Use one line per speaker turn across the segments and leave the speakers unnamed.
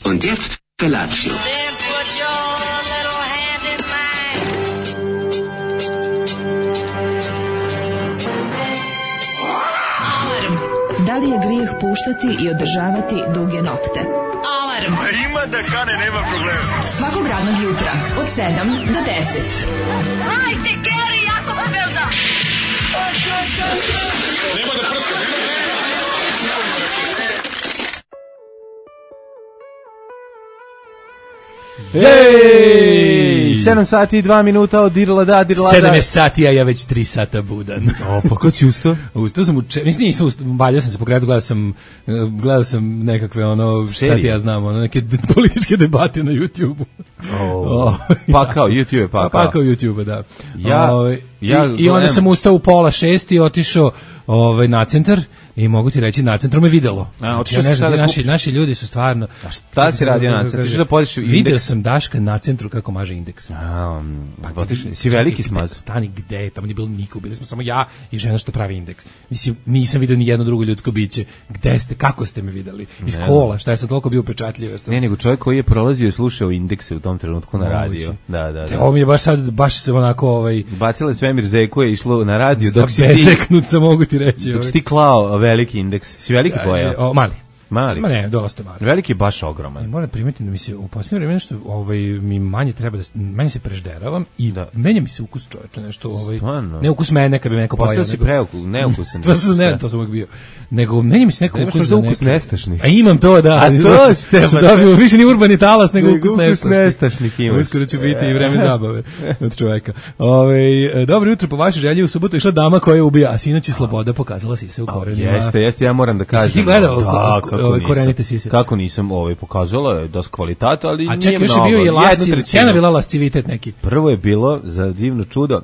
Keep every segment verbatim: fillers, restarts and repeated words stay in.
Und jetzt Felatio.
Da li je grijeh puštati i održavati duge nokte? Alarm!
A ima da kane, nema problema.
Svakog radnog jutra, od sedam do deset.
Hajde, Geri, jako se velda!
Nema da prska, nema da prska.
Ej, sedam sati i dva minuta od dirla da, dirla da.
sedam je sati, a ja već tri sata budan.
O, pa kad si ustao?
Ustao sam, uče, mislim, nisam ustao, baljao sam se po kredu, gledao sam, gledao sam nekakve, ono, šta ti ja znam, ono, neke političke debate na YouTube-u.
Oh. Pa kao YouTube, pa kao.
Pa kao YouTube, da.
Ja,
o,
ja
i, I onda sam ustao u pola šest i otišao ovaj, na centar i mogu ti reći, na centru me videlo.
A,
ja ne znam, naši, naši ljudi su stvarno...
A šta si radio na centru? Što da podiš indeks?
Video sam Daška na centru kako maže indeks.
A,
pa,
potiš, si veliki smaz?
Stani, gde? Tamo nije bilo niko, bili smo samo ja i žena što pravi indeks. Mislim, nisam vidio ni jedno drugo ljudsko biće. Gde ste, kako ste me videli? Iz kola, šta je sad toliko bio upečatljiv?
Sam... Ne, nego čovjek koji je prolazio i slušao indekse u tom trenutku na radio. Da, da, da.
Ovo mi je baš sad, baš se onako... Ovaj...
Bacile Svemir Zeku je išlo na radio
dok si ti... Beseknuca, mogu ti reći.
Dok si ti klao veliki indeks. Si veliki boja?
O, mali.
Mali.
Ma ne, dosta mali.
Veliki je baš ogroman.
I moram primetiti da mi se u posljednje vreme nešto ovaj mi manje treba da manje se prežderavam i da menja mi se ukus čoveče nešto ovaj
Stvarno?
Ne ukus mene kad bi neko pojeo.
Postao si preukus, neukusan.
To sam ne, to sam uvijek bio. Nego menja mi se neko
ukus
za
ukus nestašnih.
A imam to da.
A to ste
dobio više ni urbani talas nego ukus nestašnih.
nestašnih imaš.
Uskoro će biti i vreme zabave od čoveka. Ovaj dobro jutro po vašoj želji u subotu išla dama koja ubija, a sinoć je sloboda pokazala si se u korenima.
Jeste, jeste, ja moram da kažem.
Ti gledao ove korenite sise?
Kako nisam ovaj pokazala je dosta kvaliteta, ali
a čekaj, još je bio i lasciv, cena bila lascivitet neki.
Prvo je bilo za divno čudo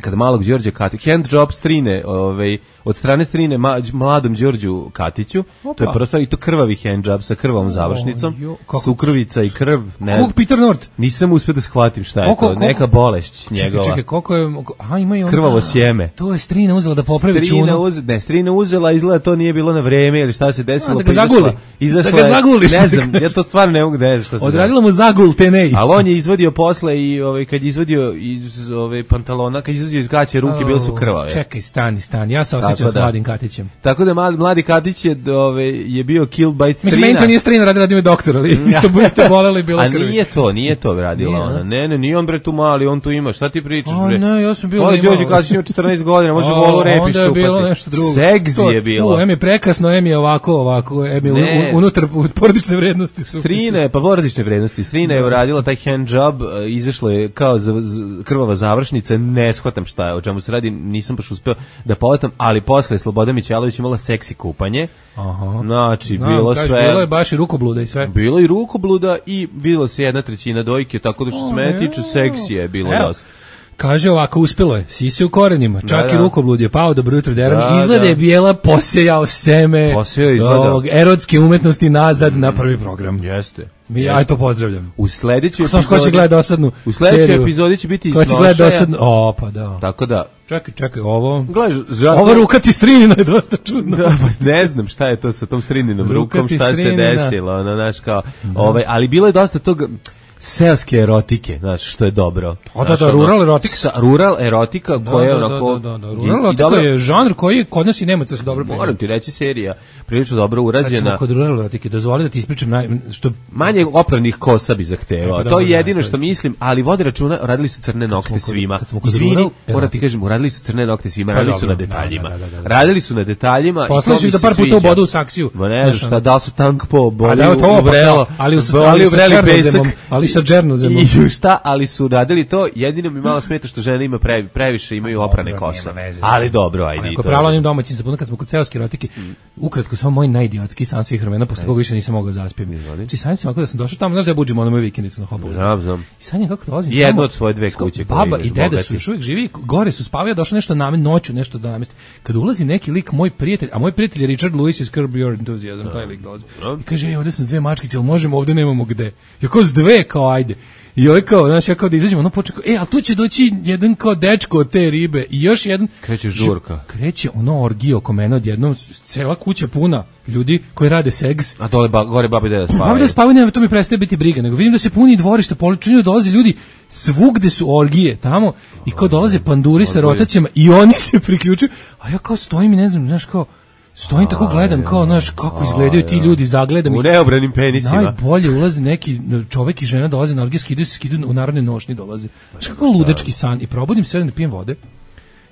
kad malog Đorđa Katića, hand job strine, ovaj, od strane strine ma, mladom Đorđu Katiću, Opa. To je prvo stvar, i to krvavi hand job sa krvavom završnicom, oh, jo, sukrovica i krv.
Kog Peter Nord?
Nisam uspio da shvatim šta je
koliko,
to, neka bolešć njegova.
Čekaj, čekaj, koliko je, a ima i ona.
Krvavo sjeme.
To je strina uzela da popravi čunu.
Uz, ne, strina uzela, izgleda to nije bilo na vreme, ili šta se desilo.
A, da ga zaguli.
Izašla,
da ga zaguli.
Ne znam, ja to stvarno ne mogu da je šta se
odradila mu zagul tenej.
Ali on je izvadio posle i ovaj, kad je izvadio iz ove pantalona, kad je izvadio iz gaće ruke, bile su krvave.
Čekaj, stani, stani, ja se osjećam s mladim Katićem.
Tako da mladi, mladi Katić je, ove, je bio killed by strina.
Mislim, meni to nije strina, radi, radi me doktor, ali isto isto bolelo i bila krvi.
A nije to, nije to radila nije, ona. Ne, ne, nije on bre tu mali, on tu ima. Šta ti pričaš bre?
O ne, ja sam bio
Ovo Đorđe Katić ima četrnaest godina, može volu repiš čupati.
Onda je bilo nešto drugo.
Seksi je bilo.
U, em je prekasno, em je ovako, ovako, em je un, unutar porodične vrednosti. Su
strine, pa porodične vrednosti. Strina je uradila taj hand job, izašlo je kao z, z, krvava završnica, ne shvatam šta je, o čemu se radi, nisam baš uspeo da povatam, ali posle Sloboda Mićalović imala seksi kupanje.
Aha.
Znači,
Znam,
bilo
kaži,
sve.
Bilo je baš i rukobluda i sve.
Bilo i rukobluda i bilo se jedna trećina dojke, tako da što se mene tiče seksije je bilo
evo.
Dosta.
Kaže ovako, uspelo je, sise u korenima, čak
da,
i rukoblud je pao, dobro jutro deram,
da,
izgleda
da.
je bijela posejao seme ovog erotske umetnosti nazad mm. na prvi program.
Jeste.
Mi, ja to pozdravljam.
U sledećoj
epizodi... Ko će gleda dosadnu
U sledećoj epizodi će biti
Ko će gleda dosadnu... O, pa da.
Tako da...
Čekaj, čekaj, ovo...
Gledaš, žal...
Ova ruka ti strinina je dosta čudno.
Da, pa ne znam šta je to sa tom strininom rukom, šta se desilo, ono, znaš, kao... Ovaj, ali bilo je dosta toga... seoske erotike, znaš, što je dobro.
O, da, da, rural erotika.
Sa, rural erotika koja je onako...
Da, da, da, da. Rural erotika dobro, je žanr koji kod nas i Nemaca se dobro primio.
Moram ti reći, serija prilično dobro urađena.
Kad kod rural erotike, dozvoli da ti ispričam naj, što...
Manje opravnih kosa bi zahtevao.
Pa,
to je jedino
da,
što mislim, ali vode računa, radili su crne nokte kod, svima.
Izvini,
moram ti kažem, radili su crne nokte svima, radili su na detaljima. Radili su na detaljima.
Poslali su da par puta u bodu u saksiju.
Ma ne znam šta, da li su tank po boli
u vrelo, ali u pesak. Ali sa džernozemom.
Šta, ali su radili to, jedino mi malo smeta što žene ima previ, previše imaju oprane kose. Ali dobro, ajde.
Ako pravilo onim domaćim se kad smo kod seoske erotike, ukratko samo moj najidiotski san svih vremena, posle koga više nisam mogao zaspjeti. Znači sanjam se ovako da sam došao tamo, znaš da ja budžim ono moju vikendicu na Hopovu.
Znam, znam.
I sanjam kako dolazim tamo.
Jedno od svoje dve kuće.
Baba i deda su još uvijek živi, gore su spavaju, došlo nešto na noću, nešto da namesti. Kad ulazi neki lik, moj prijatelj, a moj prijatelj je Richard Lewis iz Curb Your Enthusiasm, taj lik dolazi. I kaže, ej, ovdje sam s dve mačkice, jel možemo, ovdje nemamo gde. Ja kao s dve, kao kao ajde. I ovaj kao, znaš, ja kao da izađemo, ono počeo, e, ali tu će doći jedan kao dečko od te ribe i još jedan...
Kreće žurka.
Kreće ono orgije oko mene odjednom, cela kuća puna ljudi koji rade seks.
A dole ba, gore babi deda spavaju.
Babi deda spavaju, nema, to mi prestaje biti briga, nego vidim da se puni dvorište, poličinju dolaze ljudi, svugde su orgije tamo i kao dolaze panduri sa rotacijama i oni se priključuju, a ja kao stojim i ne znam, znaš, kao, stojim tako gledam kao, znaš, kako izgledaju ti ljudi, zagledam ih.
U neobranim penisima.
Najbolje ulazi neki čovek i žena dolaze na orgije, skidaju se, skidaju u narodne nošnje dolaze. Znaš, kako ludački san. I probudim se, da pijem vode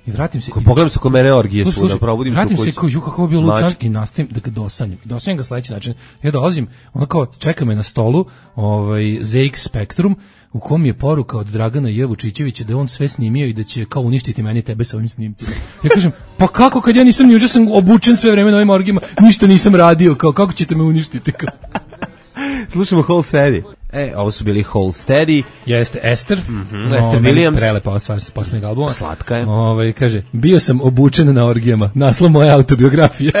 i vratim se.
Ko pogledam se ko mene orgije su, da probudim se u kući.
Vratim se kao, ju, kako je bio lud san i nastavim da ga dosanjam. Dosanjam ga sledeći način. Ja dolazim, ono kao, čeka me na stolu ovaj, Z X Spectrum, u kom je poruka od Dragana J. Vučićevića da je on sve snimio i da će kao uništiti meni tebe sa ovim snimcima. Ja kažem, pa kako kad ja nisam ni juče sam obučen sve vreme na ovim orgijama, ništa nisam radio, kao kako ćete me uništiti? Kao.
Slušamo Hold Steady. E, ovo su bili Hold Steady.
Jeste Esther.
Mm-hmm. Esther Williams.
Prelepa stvar sa poslednjeg albuma.
Slatka je.
Ovaj kaže, bio sam obučen na orgijama. Naslov moje autobiografije.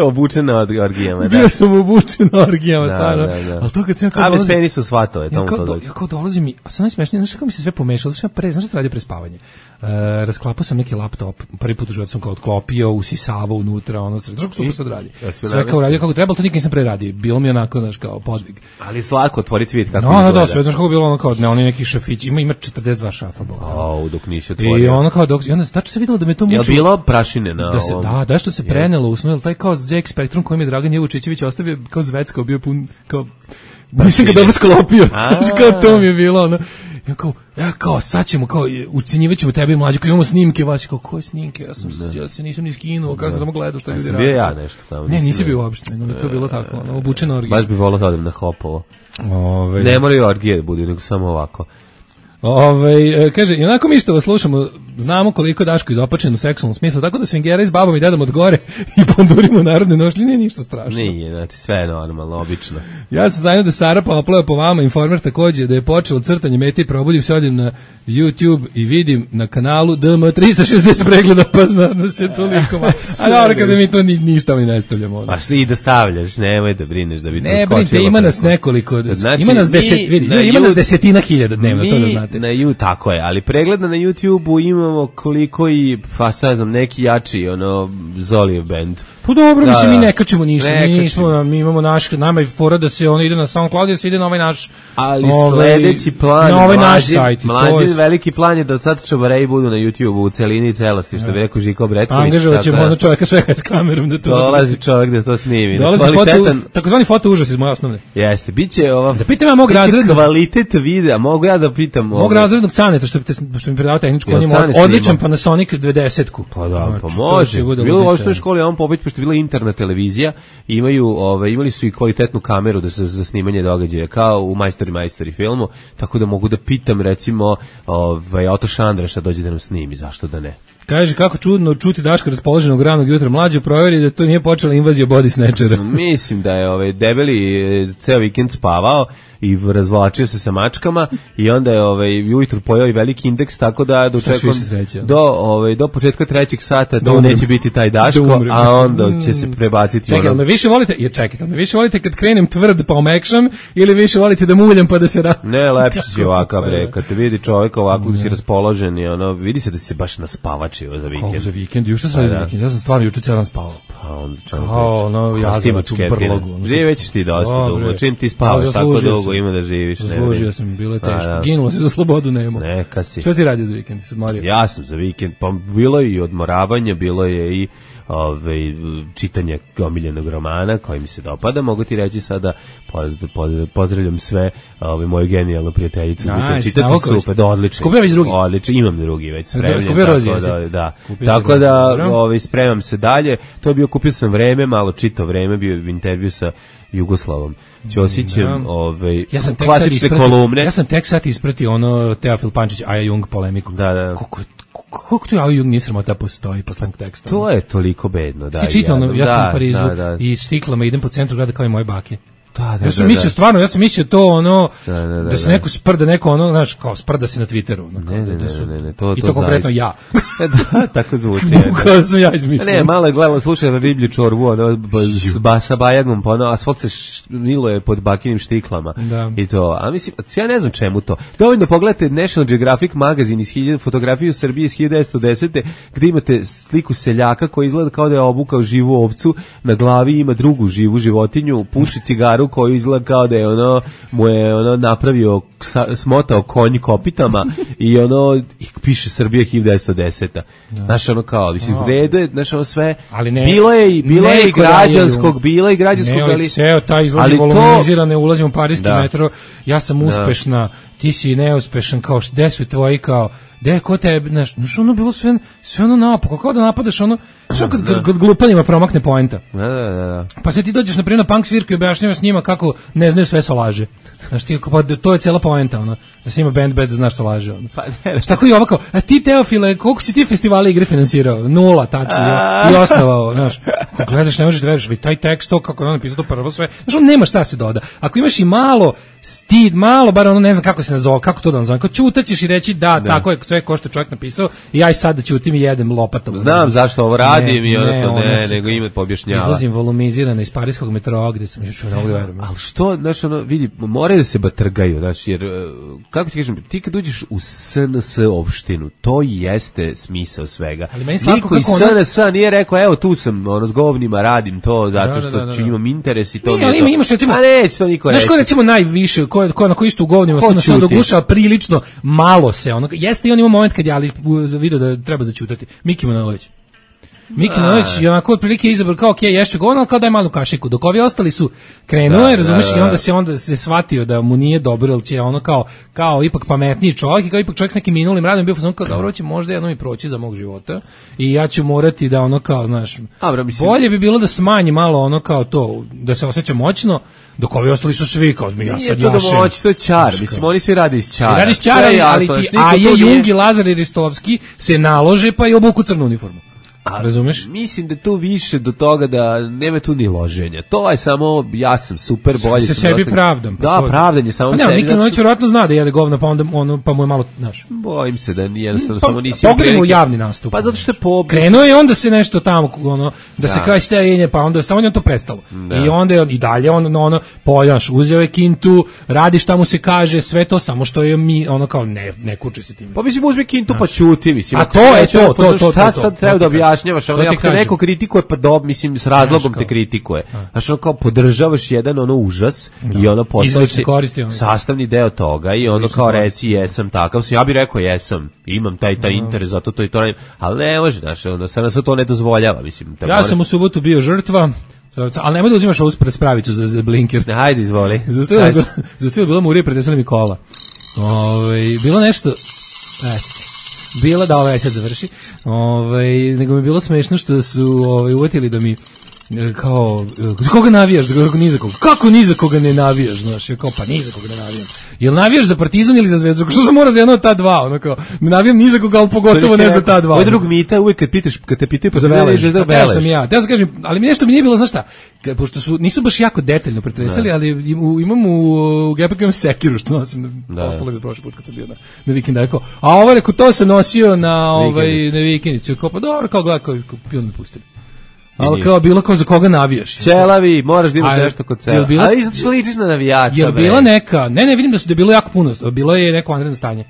Obučen na orgijama, da.
Bio sam obučen na orgijama,
da,
stvarno.
Da, da.
Al to kad sam kao
a bez penisa svatove,
tomu
to
dođe. Ja kao dolazim i, a sad najsmešnije, znaš kako mi se sve pomešalo, znaš pre, znaš šta se radi pre spavanje. Uh, rasklapao sam neki laptop, prvi put u životu sam kao odklopio, usisavao unutra, ono, znaš kako super sad radi. Sve kao radio kako treba, to nikad nisam pre radio. Bilo mi onako, znaš, kao podvig.
Ali slako otvoriti vid kako
no, izgleda. No, da, sve, znaš kako bilo ono kao, ne, oni neki šafići, ima, ima četrdeset dva šafa.
Au, dok nisi otvorio.
I ono kao, dok, i onda, tačno se videlo da me to muči.
Je bilo prašine na
da se,
ovom?
Da, da, što se prenelo u snu, taj kao Z X Spectrum koji mi je Dragan J. Vučićević ostavio, kao zveckao, bio pun, kao, nisam ga dobro sklopio, znaš kao to mi je bilo, ono. Ja kao, ja kao, sad ćemo, kao, ucenjivaćemo tebe i mlađu, kao imamo snimke, vas kao, koje snimke, ja sam, ja se nisam ni skinuo, kao sam samo gledao što ljudi radi.
Bio ja nešto tamo.
Ne, nisi bio uopšte, no mi to bilo tako, ono, obučeno orgije.
Baš bi volao da odem na Hopovo.
Ove,
ne moraju orgije da budu, nego samo ovako.
Ove, kaže, i onako mi što vas slušamo, znamo koliko Daško izopačen u seksualnom smislu, tako da svingera s babom i dedom od gore i pandurimo narodne nošlje, nije ništa strašno.
Nije, znači sve je normalno, obično.
Ja sam zajedno da Sara popleo po vama, Informer takođe, da je počelo crtanje mete i probudim se, odim na YouTube i vidim na kanalu D M tristo šezdeset pregleda, pa znam da se toliko malo. A dobro, kada mi to ni, ništa mi ne stavljamo.
Pa što i da stavljaš, nemoj da brineš da bi to
skočilo. Ne brinite, ima nas nekoliko, znači, ima nas deset, vidi, ima nas desetina hiljada dnevno, to da znate.
Na YouTube, tako je, ali pregleda na YouTubeu imamo koliko i, pa šta znam, neki jači, ono, Zolijev band.
Pa dobro, da, mislim, mi ne kačemo ništa, ne mi, nismo, mi imamo naš, nama je fora da se ono ide na SoundCloud, da se ide na ovaj naš,
ali ovaj, sledeći plan,
na ovaj mlađi, naš sajt.
Mlađi, je... veliki plan je da od sad čobareji budu na YouTubeu u celini i celosti, što bi rekao Žiko Bretković.
Angažovat ćemo ono čovjeka svega s kamerom da to...
Dolazi čovjek da to snimi.
Dolazi kvalitetan... foto, takozvani foto užas iz moje osnovne.
Jeste, biće ova...
Da pitam ja mog razrednog...
kvalitet videa, mogu ja da pitam...
Mog razrednog Caneta, što, što mi predao tehničku, on ima odličan Panasonic dvadesetku.
Pa da, pa može. Bilo u osnovnoj školi, on pobeć, pošto je bila internet televizija, imaju, ove, imali su i kvalitetnu kameru da se za snimanje događaja, kao u Majstori Majstori filmu, tako da mogu da pitam, recimo, ovaj, Oto Šandraša dođe da nam snimi, zašto da ne?
Kaže, kako čudno čuti Daška raspoloženog ranog jutra, mlađe proveri da to nije počela invazija body snatchera.
Mislim da je ovaj debeli ceo vikend spavao i razvlačio se sa mačkama i onda je ovaj ujutru pojeo i veliki indeks, tako da dočekam do ovaj do početka trećeg sata to da neće biti taj Daško, a onda će se prebaciti.
Čekaj, ono... me više volite, je čekajte, me više volite kad krenem tvrd pa omekšam ili više volite da muljam pa da se ra...
Ne, lepše si ovakav bre, kad te vidi čovjek ovako da si raspoložen i ono vidi se da si se baš naspavačio za vikend.
Kao za vikend, juče sam za vikend, ja sam stvarno juče ceo dan spavao.
Pa onda čovjek.
Kao, no, jazavac u brlogu.
Gdje već ti dosta dugo, čim ti spavaš tako dugo ima da živiš.
Zaslužio sam, bilo je teško. Ginulo se za slobodu, nemo.
Neka si.
Što ti radio za vikend? Se odmorio?
Ja sam za vikend, pa bilo je i odmoravanje, bilo je i ove, čitanje omiljenog romana koji mi se dopada, mogu ti reći sada pozdravljam sve ove, moju genijalnu prijateljicu.
Nice,
čitati super, da, odlično.
Skupio već drugi?
Odlično, imam drugi već spremljen.
Skupio rozi,
tako da, da. Tako da ove, spremam se dalje. To je bio, kupio sam vreme, malo čitao vreme, bio je intervju sa Jugoslavom Ćosićem,
da.
Ovaj
ja sam
klasične kolumne.
Ja sam tek sad ispratio ono Teofil Pančić Aja Jung polemiku.
Da, da.
Kako kako tu Aja Jung nije sramota postoji posle teksta.
To je toliko bedno, da.
Ti čitao, ja, ja sam
da,
u Parizu
da, da.
i stiklama idem po centru grada kao i moje bake.
Da, da,
ja sam
da,
mislio
da.
stvarno, ja sam mislio to ono
da, da, da,
da se
da.
neko sprda, neko ono, znaš, kao sprda se na Twitteru, ono, kao
Ne, ne,
da su,
ne, ne, ne, to-
i
to
to konkretno
zaista.
ja.
Da, tako zvuči.
Bukvalno sam ja izmišljao.
Ne, malo je gledala, slušala riblju čorbu, ono, b- s basa bajagom, pa ono, asfalt se š- miluje pod bakinim štiklama.
Da.
I to, a mislim, ja ne znam čemu to. Dovoljno pogledajte National Geographic magazin iz hiljadu, fotografiju Srbije iz hiljadu devetsto desete. gde imate sliku seljaka koji izgleda kao da je obukao živu ovcu, na glavi ima drugu živu životinju, puši cigaru koju izgleda kao da je ono, mu je ono napravio, sa- smotao konj kopitama i ono, i piše Srbija hiljadu devetsto deseta. Znaš, ono kao, mislim, u redu je, znaš, ono sve,
Ali ne-
bilo je i, bilo je i
neko
građanskog, bilo je i građanskog,
Ne, ali
ali...
ceo taj izlazi
ali to-
volumizirane, ulazim u parijski
Da.
metro, ja sam uspešna, ti si neuspešan, kao gde su tvoji, kao, gde, ko te, znaš, znaš, ono bilo sve, sve ono napako, kao da napadaš ono, što kad, kad, kad glupanima promakne poenta.
Da, da, da, da.
Pa se ti dođeš na primjer na punk svirku i objašnjavaš njima kako ne znaju sve solaže. Znaš ti, pa to je cela poenta, ono, da se ima band bez da znaš solaže, ono.
Pa ne,
Šta tako i ovako, a ti Teofile, koliko si ti festivali igre finansirao? Nula, tačno, i osnovao, znaš. Ako gledaš, ne možeš da veriš, ali taj tekst, to kako je on napisao, to prvo sve, znaš, on nema šta se doda. Ako imaš i malo stid, malo, bar ono, ne znam kako se nazove, kako to da nazovem, kao ćutaćeš i reći da, tako je sve ko što je čovjek napisao, i ja i sad da ćutim i jedem lopatom.
Znam zašto ovo radim i ono to
ono
ne,
se-
nego ime poobjašnjava.
Izlazim volumizirano iz parijskog metroa, gde sam još ne mogu da verujem.
Ali što, znaš, ono, vidi, moraju da se batrgaju, znaš, jer, e, kako ti kažem, ti kad uđeš u S N S opštinu, to jeste smisao svega.
Ali meni slatko
Niko iz
kako ona-
S N S nije rekao, evo tu sam, ono, s govnima radim to, zato
Da,
što
da, da, da,
ću
da.
imam interes i to
Nije,
mi je
ali
to.
ima- imaš recimo-
A neće to niko
Znaš
reći.
ko je recimo najviše, ko je, ko je onako isto u govnima,
Ko
sam se
ćuti?
dogušao prilično malo se, ono, jeste i on ima moment kad je ali video da treba zaćutati. Miki Manojlović. Miki Manojlović je onako otprilike izabrao kao ok, ješću ga ono, ali kao daj malu kašiku, dok ovi ostali su krenuo,
Da,
je, razumeš,
da,
i
da.
onda se onda se shvatio da mu nije dobro, jer će ono kao, kao ipak pametniji čovjek i kao ipak čovjek s nekim minulim radom bio fazon kao dobro će možda jedno i proći za mog života i ja ću morati da ono kao, znaš,
A, bro, mislim-
bolje bi bilo da smanji malo ono kao to, da se osjeća moćno, dok ovi ostali su svi kao ja
Nije
sad
to da
jašem.
moći, to je čar.
Znaš,
Mislim,
kao-
oni svi rade iz čara.
Svi radi s
Sve je
čara, ali,
jasno,
ali
znaš,
ti,
niko
a
tu
je
nije-
Jung i Lazar i Ristovski se nalože pa i obuku crnu uniformu. A, razumeš?
Mislim da je tu više do toga da nema tu ni loženja. To je samo, ja sam super, bolje
Se
sam
sebi
dosta-
pravdam. pa
Da,
to-
pravdanje samo
Pa ne,
sebi.
Miki
zato
Manojlović
što-
vjerojatno zna da jede govna, pa onda ono, pa mu je malo, znaš.
Bojim se da jednostavno
Pa,
samo nisi imao
pogledajmo u
prilike.
javni nastup.
Pa zato što je po...
Krenuo je onda se nešto tamo ono da, se
Da.
kaže stajenje, pa onda samo je on to prestalo.
Da.
I onda je on i dalje on ono poljaš, uzeo je kintu, radi šta mu se kaže, sve to samo što je mi ono kao ne ne kuči se tim.
Pa mislim uzmi kintu pa ćuti, mislim.
A
ako
to
se
je
neće,
to,
ono,
to,
pa
to, to,
Šta
to,
sad
to
treba
ti
da
kažem.
objašnjavaš?
To
Ono,
ti
ako te
kažem.
neko kritikuje, pa dob, mislim, s razlogom
Znaš
te
kao.
kritikuje. Znaš, ono kao podržavaš jedan ono užas i ono postao
Izlično
si
koristi ono.
sastavni deo toga i ono
Izlično
kao
koristi.
reci jesam takav sam. Ja bih rekao jesam, imam taj taj interes, zato to i to radim. Ali ne može, znaš, ono, sad se to ne dozvoljava, mislim. te
Ja
moraš-
sam u subotu bio žrtva, ali nemoj da uzimaš ovu pred spravicu za, za blinker.
Hajde, izvoli.
Zaustavila je
Kaži.
bila- zaustavila je bila Murija, pretresala mi kola. Ovaj bilo nešto, eto, bila da ovaj sad završi. Ovaj nego mi je bilo smešno što su ovaj uvatili da mi e, kao e, za koga navijaš, za koga ni za koga. Kako ni za koga ne navijaš, znaš, ja kao pa ni za koga ne navijam. Jel navijaš za Partizan ili za Zvezdu? Što se mora za jedno od ta dva, ono kao ne navijam ni za koga, al pogotovo ne za ta dva.
Ovaj drug mita uvijek kad pitaš, kad te pitaju, pa
Za
ti ne
Velež,
znaš da
pa ja sam
Velež.
ja. Ja sam kažem, ali mi nešto mi nije bilo, znaš šta, ka- pošto su, nisu baš jako detaljno pretresali, ali im- u- imam u, u Gepeku imam sekiru, što nosim,
Da.
ostalo mi je prošli put kad sam bio na, na vikend, rekao, a ovo rekao, to sam nosio na, ovaj,
Vikendicu.
na vikendicu, kao, pa dobro, kao gleda, kao, kao pion me pustili. Ali
nije.
kao, bilo kao za koga navijaš.
Ćelavi, moraš da imaš
A je-
nešto kod
jel
cela.
bila-
Ali zato što ličiš na navijača.
Jel
bre.
bila neka, ne, ne, vidim da su da je bilo jako puno, bilo je neko vanredno stanje.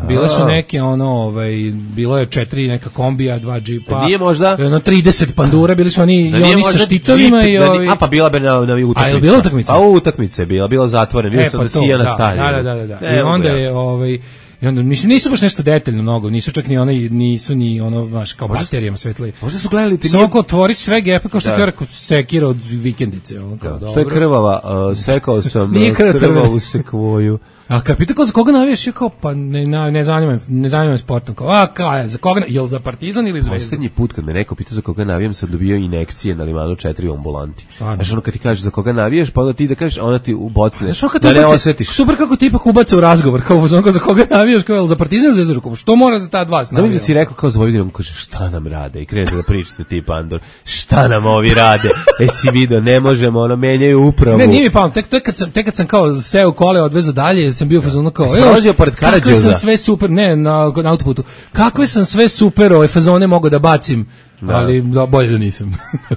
Bile su neke ono, ovaj bilo je četiri neka kombija, dva džipa.
Da nije možda-
ono trideset pandura, bili su oni
Da
i
nije
oni sa
možda
štitovima
džip,
i
da ni-
ovi.
A pa bila bi na, na utakmici.
A je li bila utakmica?
Pa utakmica je bila, bila zatvorena, bio
E,
sam
pa
na
to,
Sijana
da,
stadionu.
da, da, da, da. I
Evo
onda
ga.
je ovaj i onda mislim nisu baš nešto detaljno mnogo, nisu čak ni one nisu ni ono baš kao baterijama svetli.
Možda su gledali ti
Samo kao otvori sve gepe kao što
Da.
ti rekao sekira od vikendice, on kao
Što je
dobro.
krvava, uh, sekao sam
Nije
uh,
krv crvena.
krvavu sekvoju.
A kad pita kao za koga navijaš, ja kao pa ne ne, ne zanima me, ne zanima me sportom, kao a kao za koga, jel za Partizan ili Zvezdu?
Poslednji put kad me neko pita za koga navijam sam dobio injekcije na Limanu četiri u ambulanti.
Stvarno?
Znaš ono kad ti kažeš za koga navijaš, pa onda ti da kažeš, a ona ti ubocne,
Znaš, ono kad
da
te
ne
ubaci-
osetiš.
Super kako ti ipak ubace u razgovor, kao uzmano za koga navijaš, navijaš kao za Partizan Zvezdu, rekao, što mora za ta dva
Znam da si rekao kao za Vojvodinom, kaže šta nam rade i krenete da pričate ti Pandor, šta nam ovi rade, e si video, ne možemo, ono menjaju upravu.
Ne, nije mi pao, tek, tek, kad sam, tek kad sam kao seo kole odvezo dalje, sam bio fazon kao,
evo, pored
kakve sam sve super, ne, na, na autoputu, kakve sam sve super ove fazone mogu da bacim. Da. Ali da, bolje da nisam.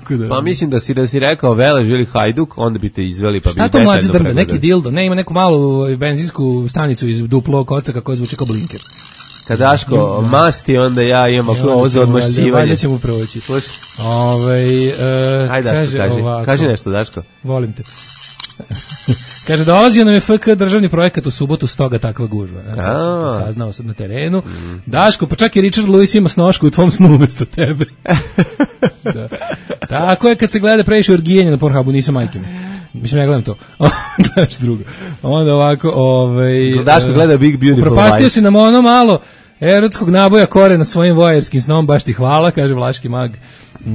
da,
pa mislim da si da si rekao Velež ili Hajduk, onda bi te izveli pa bi
šta to mlađe drme, neki dildo, ne ima neku malu benzinsku stanicu iz duplog kocaka koja zvuči kao blinker.
Kad Daško masti, onda ja imam ako ovo za odmašćivanje.
Valjda ćemo proći.
Slušaj.
Ovaj uh,
Ajde Daško,
kaže,
kaži,
ovako,
kaži nešto Daško.
Volim te. Kaže, dolazio nam je F K državni projekat u subotu, stoga takva gužva. Ja, ja sam to saznao sam na terenu. Mm. Daško, pa čak i Richard Lewis ima snošku u tvom snu umesto tebe. Da. Tako je kad se gleda previše orgijenja na Pornhubu, nisam majke mi. Mislim, ne gledam to. Gledaš drugo. Onda ovako, ovaj...
Daško gleda Big Beautiful Life.
Propastio si nam ono malo erotskog naboja kore na svojim vojerskim snom, baš ti hvala, kaže Vlaški mag.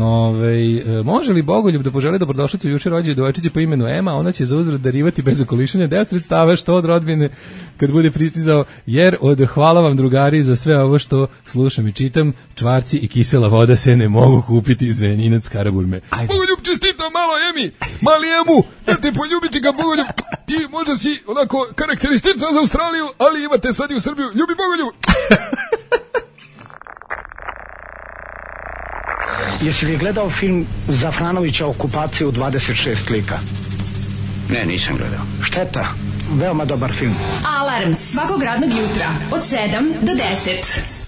Ove, e, može li Bogoljub da poželi dobrodošlicu juče rođenju devojčici po imenu Ema, ona će za uzvrat darivati bez okolišanja deo sredstava što od rodbine kad bude pristizao, jer od hvala vam drugari za sve ovo što slušam i čitam, čvarci i kisela voda se ne mogu kupiti iz Zrenjinac Karaburme. Bogoljub čestita malo Emi, mali Emu, da te poljubići ga Bogoljub, ti možda si onako karakteristična za Australiju, ali imate sad i u Srbiju, ljubi Bogoljub.
Jesi li gledao film Zafranovića Okupacija u dvadeset šest lika?
Ne, nisam gledao.
Šteta, veoma dobar film.
Alarm svakog radnog jutra od sedam do deset.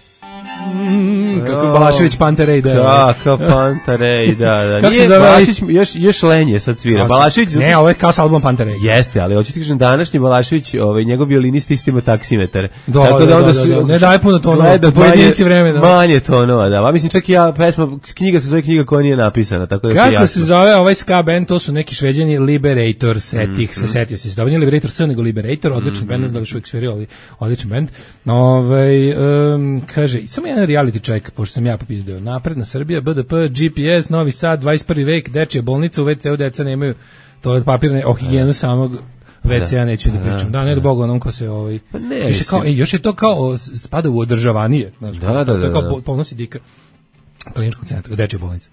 Mm, kako Balašević Pantarej,
da. Kako Pantarej, da, da. Kako se zove? Balašević još, još lenje sad svira. Balašević...
Ne, ovo je kao sa albumom Pantarej.
Jeste, ali hoću ti kažem, današnji Balašević, ovaj, njegov violinist isto ima taksimetar.
Da, tako da, da, onda su, da, da, ne daj puno tonova, da pojedinci vremena.
Manje tonova, da. A mislim, čak i ja, pesma, knjiga se zove knjiga koja nije napisana, tako da
kako se zove ovaj ska band, to su neki Šveđani, Liberator, setih, mm, se setio se. Dobro, nije Liberator S, nego Liberator, odličan mm, band, ne znam da li što uvijek svirao, ali odličan band. Ovaj, um, kaže, samo jedan reality check, pošto sam ja popizdeo. Napredna Srbija, B D P, G P S, Novi Sad, dvadeset prvi vek, dečija bolnica, u ve ce u deca nemaju toalet papirne, o higijenu samog ve ce a neću da pričam. Da, ne do Boga onom ko se ovaj...
Pa ne,
još, je kao, ej, još je to kao, spada u održavanije. Znači,
da, da, da.
To je kao ponosi dika kliničkog centra, dečija bolnica.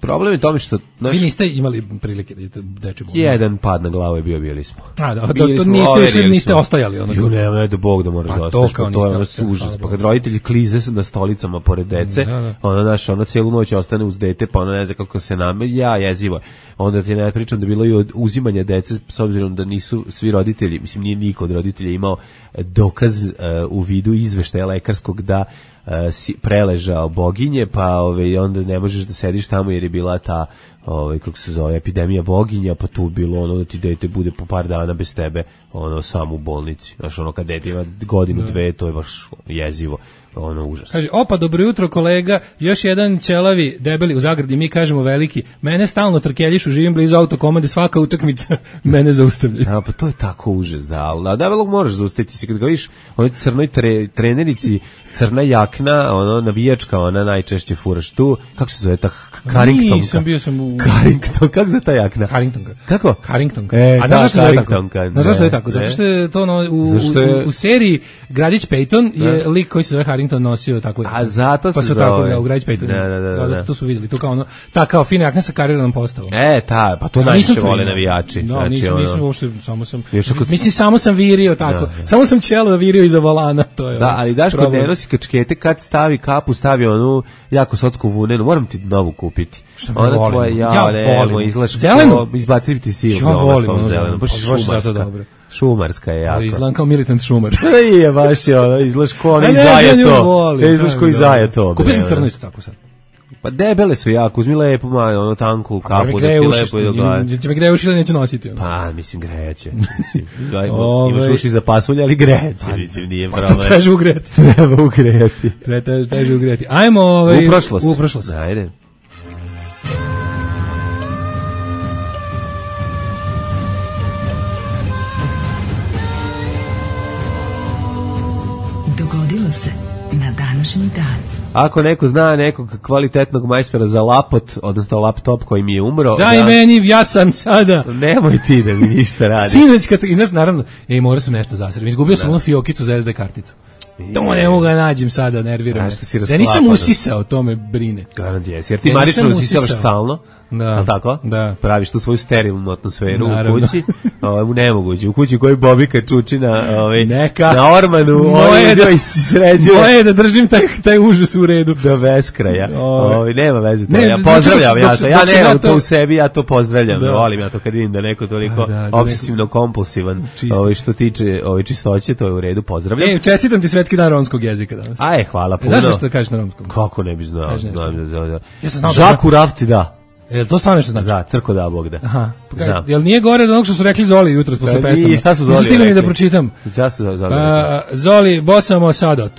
Problem je tome što...
Naš, vi niste imali prilike da idete dečju bolnicu.
Jedan pad na glavu je bio, bili smo.
A, da, bili to, to niste, išli, niste ostajali. Ono,
ju, ne, ne, do Bog da moraš pa da ostaš. To, to je ono užas. Pa kad roditelji klize na stolicama pored dece, da, da. ono, znaš, ono cijelu noć ostane uz dete, pa ono ne zna kako se name, ja, jezivo. Onda ti ne pričam da bilo i od uzimanja dece, s obzirom da nisu svi roditelji, mislim, nije niko od roditelja imao dokaz uh, u vidu izveštaja lekarskog da si preležao boginje, pa ove, onda ne možeš da sediš tamo jer je bila ta, ove, kako se zove, epidemija boginja, pa tu bilo ono da ti dete bude po par dana bez tebe, ono, samo u bolnici. Znaš, ono, kad dete ima godinu, da. dve, to je baš jezivo, ono, užas.
Kaže, opa, dobro jutro kolega, još jedan ćelavi, debeli, u zagradi, mi kažemo veliki, mene stalno trkeljišu, živim blizu autokomande, svaka utakmica mene zaustavlja.
Da, pa to je tako užas, da, ali debelog moraš zaustaviti se, kad ga vidiš, onoj crnoj tre, trenerici, crna jakna, ono, navijačka, ona najčešće furaš tu, kako se zove ta Carringtonka?
Nisam, bio sam u...
Carrington, kako zove ta jakna?
Carringtonka.
Kako?
Carringtonka.
E,
a znaš što se zove tako?
Znaš
što se zove tako? Zato što je to ono, u, je... u, u seriji Gradić Peyton je da. lik koji se zove Harrington nosio tako.
A zato
pa
se
zove. Tako, da, u Gradić Peyton.
Da, da, da, da, da.
To su vidjeli, to kao ono, ta kao fina jakna sa kariranom postavom.
E, ta, pa to najviše vole navijači.
No, znači, nisam, ono... nisam uopšte, samo sam, kod... mislim, samo sam virio tako, da, da. samo sam ćelo virio iza volana, to je.
Da, ali Daško ne nosi kačkete, kad stavi kapu, stavi onu jako sotsku vunenu, moram ti novu kupiti.
Što ona volim. Tvoja, ja,
ja volim. Izlaš
zelenu?
Izbaciti ti sivu.
Ja volim ono
zelenu. Baš šumarska. Šumarska je jako.
Izgledam kao militant šumar.
Je, baš je ono, izgledaš ko ono izaje to. Izgledaš ko izaje to.
Kupio sam crno isto tako sad.
Pa debele su jako, uzmi lepo, ma, ono tanku kapu, da ti lepo i do glave.
Će me greje uši ili neću nositi?
Pa, mislim, grejeće. Imaš uši za pasulje, ali grejeće, mislim, nije problem.
Pa to treže ugreti.
Treba ugreti.
Treže ugreti. Ajmo, ovaj...
U prošlost.
U prošlost.
Ajde.
Dogodilo se na današnji dan.
Ako neko zna nekog kvalitetnog majstora za lapot, odnosno laptop koji mi je umro...
Daj da, meni, ja sam sada...
Nemoj ti da mi ništa radi.
Sinoć kad sam, i znaš, naravno, ej, morao sam nešto zasrediti. Izgubio sam onu fiokicu za es de karticu. To ne mogu ga nađem sada, nerviram me. Ja nisam usisao, to me brine.
Garant jesi, jer ti marično usisavaš stalno.
Da.
Ali tako?
Da.
Praviš tu svoju sterilnu atmosferu
Naravno.
u kući. U nemoguće. U kući u kojoj Bobika čuči na, ovaj,
Neka.
na ormanu. Moje da, i sređuje.
Moje da držim taj, taj užas u redu.
Do beskraja. Ovaj, nema veze to.
Ne,
ja pozdravljam
dok,
ja
dok,
to. Ja nemam
ja
to u sebi, ja to pozdravljam.
Da.
Volim ja to kad vidim da neko toliko
da, da,
obsesivno kompulsivan ovaj, što tiče ovaj, čistoće, to je u redu. Pozdravljam.
Ej, čestitam ti svetski dan romskog jezika danas.
Aj, hvala puno.
Znaš što da kažeš na romskom?
Kako ne bi znao?
Ja sam znao
Žaku Rafti da.
Jel to stvarno što znači?
Za, crko da Bog da.
Aha.
Znam.
Jel nije gore od onog što su rekli Zoli jutros posle pesama?
Šta su Zoli rekli?
Stigli mi da pročitam.
Šta su Zoli
rekli? Zoli, bosamo sadot.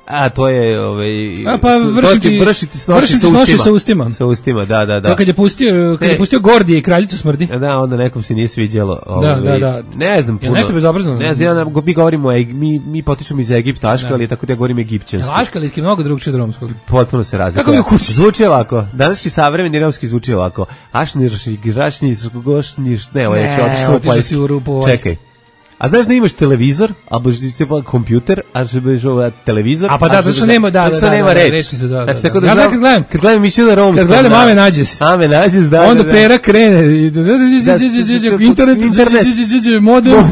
A, to je, ovaj...
A, pa vršiti,
vršiti snoši,
vršiti
sa,
snoši
ustima.
sa ustima.
Sa ustima, da, da, da.
To kad je pustio, kad je pustio Gordije i Kraljicu smrdi.
Da, onda nekom se nije sviđalo.
Ovaj, da, da, da.
Ne znam puno.
Je nešto bezobrazno?
Ne znam, ja, mi govorimo, mi, mi potičemo iz Egipta, Aškali, tako da ja govorim egipćanski.
Aškalijski je mnogo drugčije od romskog.
Potpuno se razlikuje.
Kako je u kući?
Zvuči ovako. Današnji savremeni romski zvuči ovako. Ašnirši, grašnji, gošnjiš, ne, ovo je već otišao. Čekaj. A znaš da imaš televizor, a boš ti pa kompjuter, a što biš ovaj televizor.
A pa da, zato što nema, da, da, da,
nema reč.
reči su, da, da.
Znači, tako
da ja znam kad gledam,
kad gledam emisiju na romskom.
Kad gledam Ame nađes.
Ame nađes, da.
Onda Pera krene i internet, modem,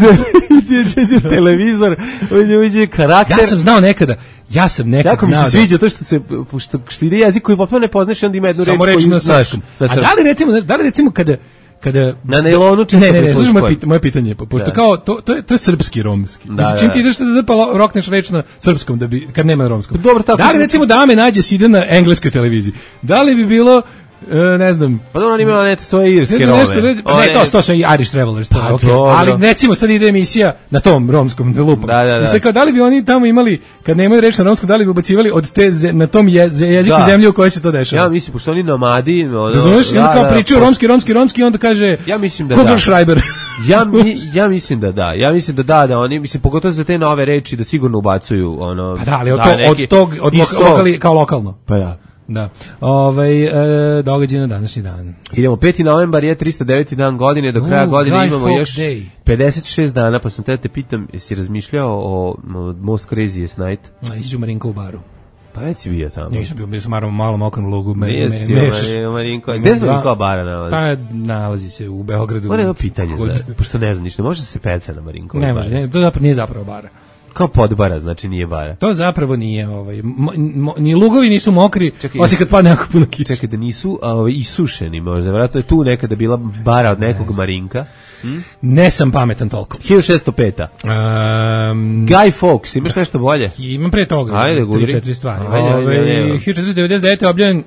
televizor, uđe, uđe karakter.
Ja sam znao nekada. Ja sam nekad
jako mi se sviđa to što se što što ide jezik koji potpuno ne poznaš i onda ima jednu reč koju znaš.
A da li recimo, da li recimo kada kada
na nailonu čisto
ne, ne, ne, slušaj moje pitanje, moje pitanje, pošto da. Kao to to je to je srpski romski. Da, mislim, čim ti ideš da pa rokneš reč na srpskom da bi kad nema na romskom.
Dobro, tako.
Da li recimo da me nađe ide na engleskoj televiziji? Da li bi bilo E, ne znam.
Pa dobro, on ima neke svoje irske rome.
Ne, to, to su Irish Travelers, to, pa, okay. Ali recimo sad ide emisija na tom romskom lupom.
Da, da, da.
I sad kao, da li bi oni tamo imali, kad nemaju reč na romskom, da li bi ubacivali od te ze, na tom je, jeziku da. Zemlje u kojoj se to dešava?
Ja mislim, pošto oni nomadi... Ono,
razumiješ? I onda kao da, pričaju da, romski, romski, romski i onda kaže
ja mislim da
Google
da.
Schreiber.
ja, mi, ja mislim da da. Ja mislim da da, da oni, mislim, pogotovo za te nove reči da sigurno ubacuju ono...
Pa da, ali od, to, neki, od tog, od lokali, kao lokalno.
Pa ja.
Da. Ovaj e, događaj na današnji dan.
Idemo peti novembar je tristo deveti dan godine, do kraja uh, godine imamo još
day.
pedeset šest dana, pa sam te te pitam, jesi razmišljao o, o Most Craziest Night?
A iđu Marinko u baru.
Pa već si bio tamo.
Nisam bio, bio sam malo, malo mokrom lugu. Me,
Nisi
me,
bio Marinko. Gde se Marinko bara nalazi?
Pa nalazi se u Beogradu.
Ovo je jedno pitanje, za, pošto ne znam ništa, može se peca na Marinko?
Ne može, ne, to zapravo nije zapravo bara.
Kao podbara, znači nije bara.
To zapravo nije, ovaj, mo, mo, ni lugovi nisu mokri, čekaj, osim kad padne jako puno kiše.
Čekaj, da nisu ovaj, isušeni možda, vjerojatno je tu nekada bila bara od nekog ne Marinka. Hm?
Ne sam pametan toliko.
hiljadu šessto peta. Um, Guy Fawkes, imaš nešto bolje?
Imam pre toga.
Ajde, gudri.
tri četiri stvari. Ajde, ajde, ajde, ajde. hiljadu četiristo devedeset devete. objavljen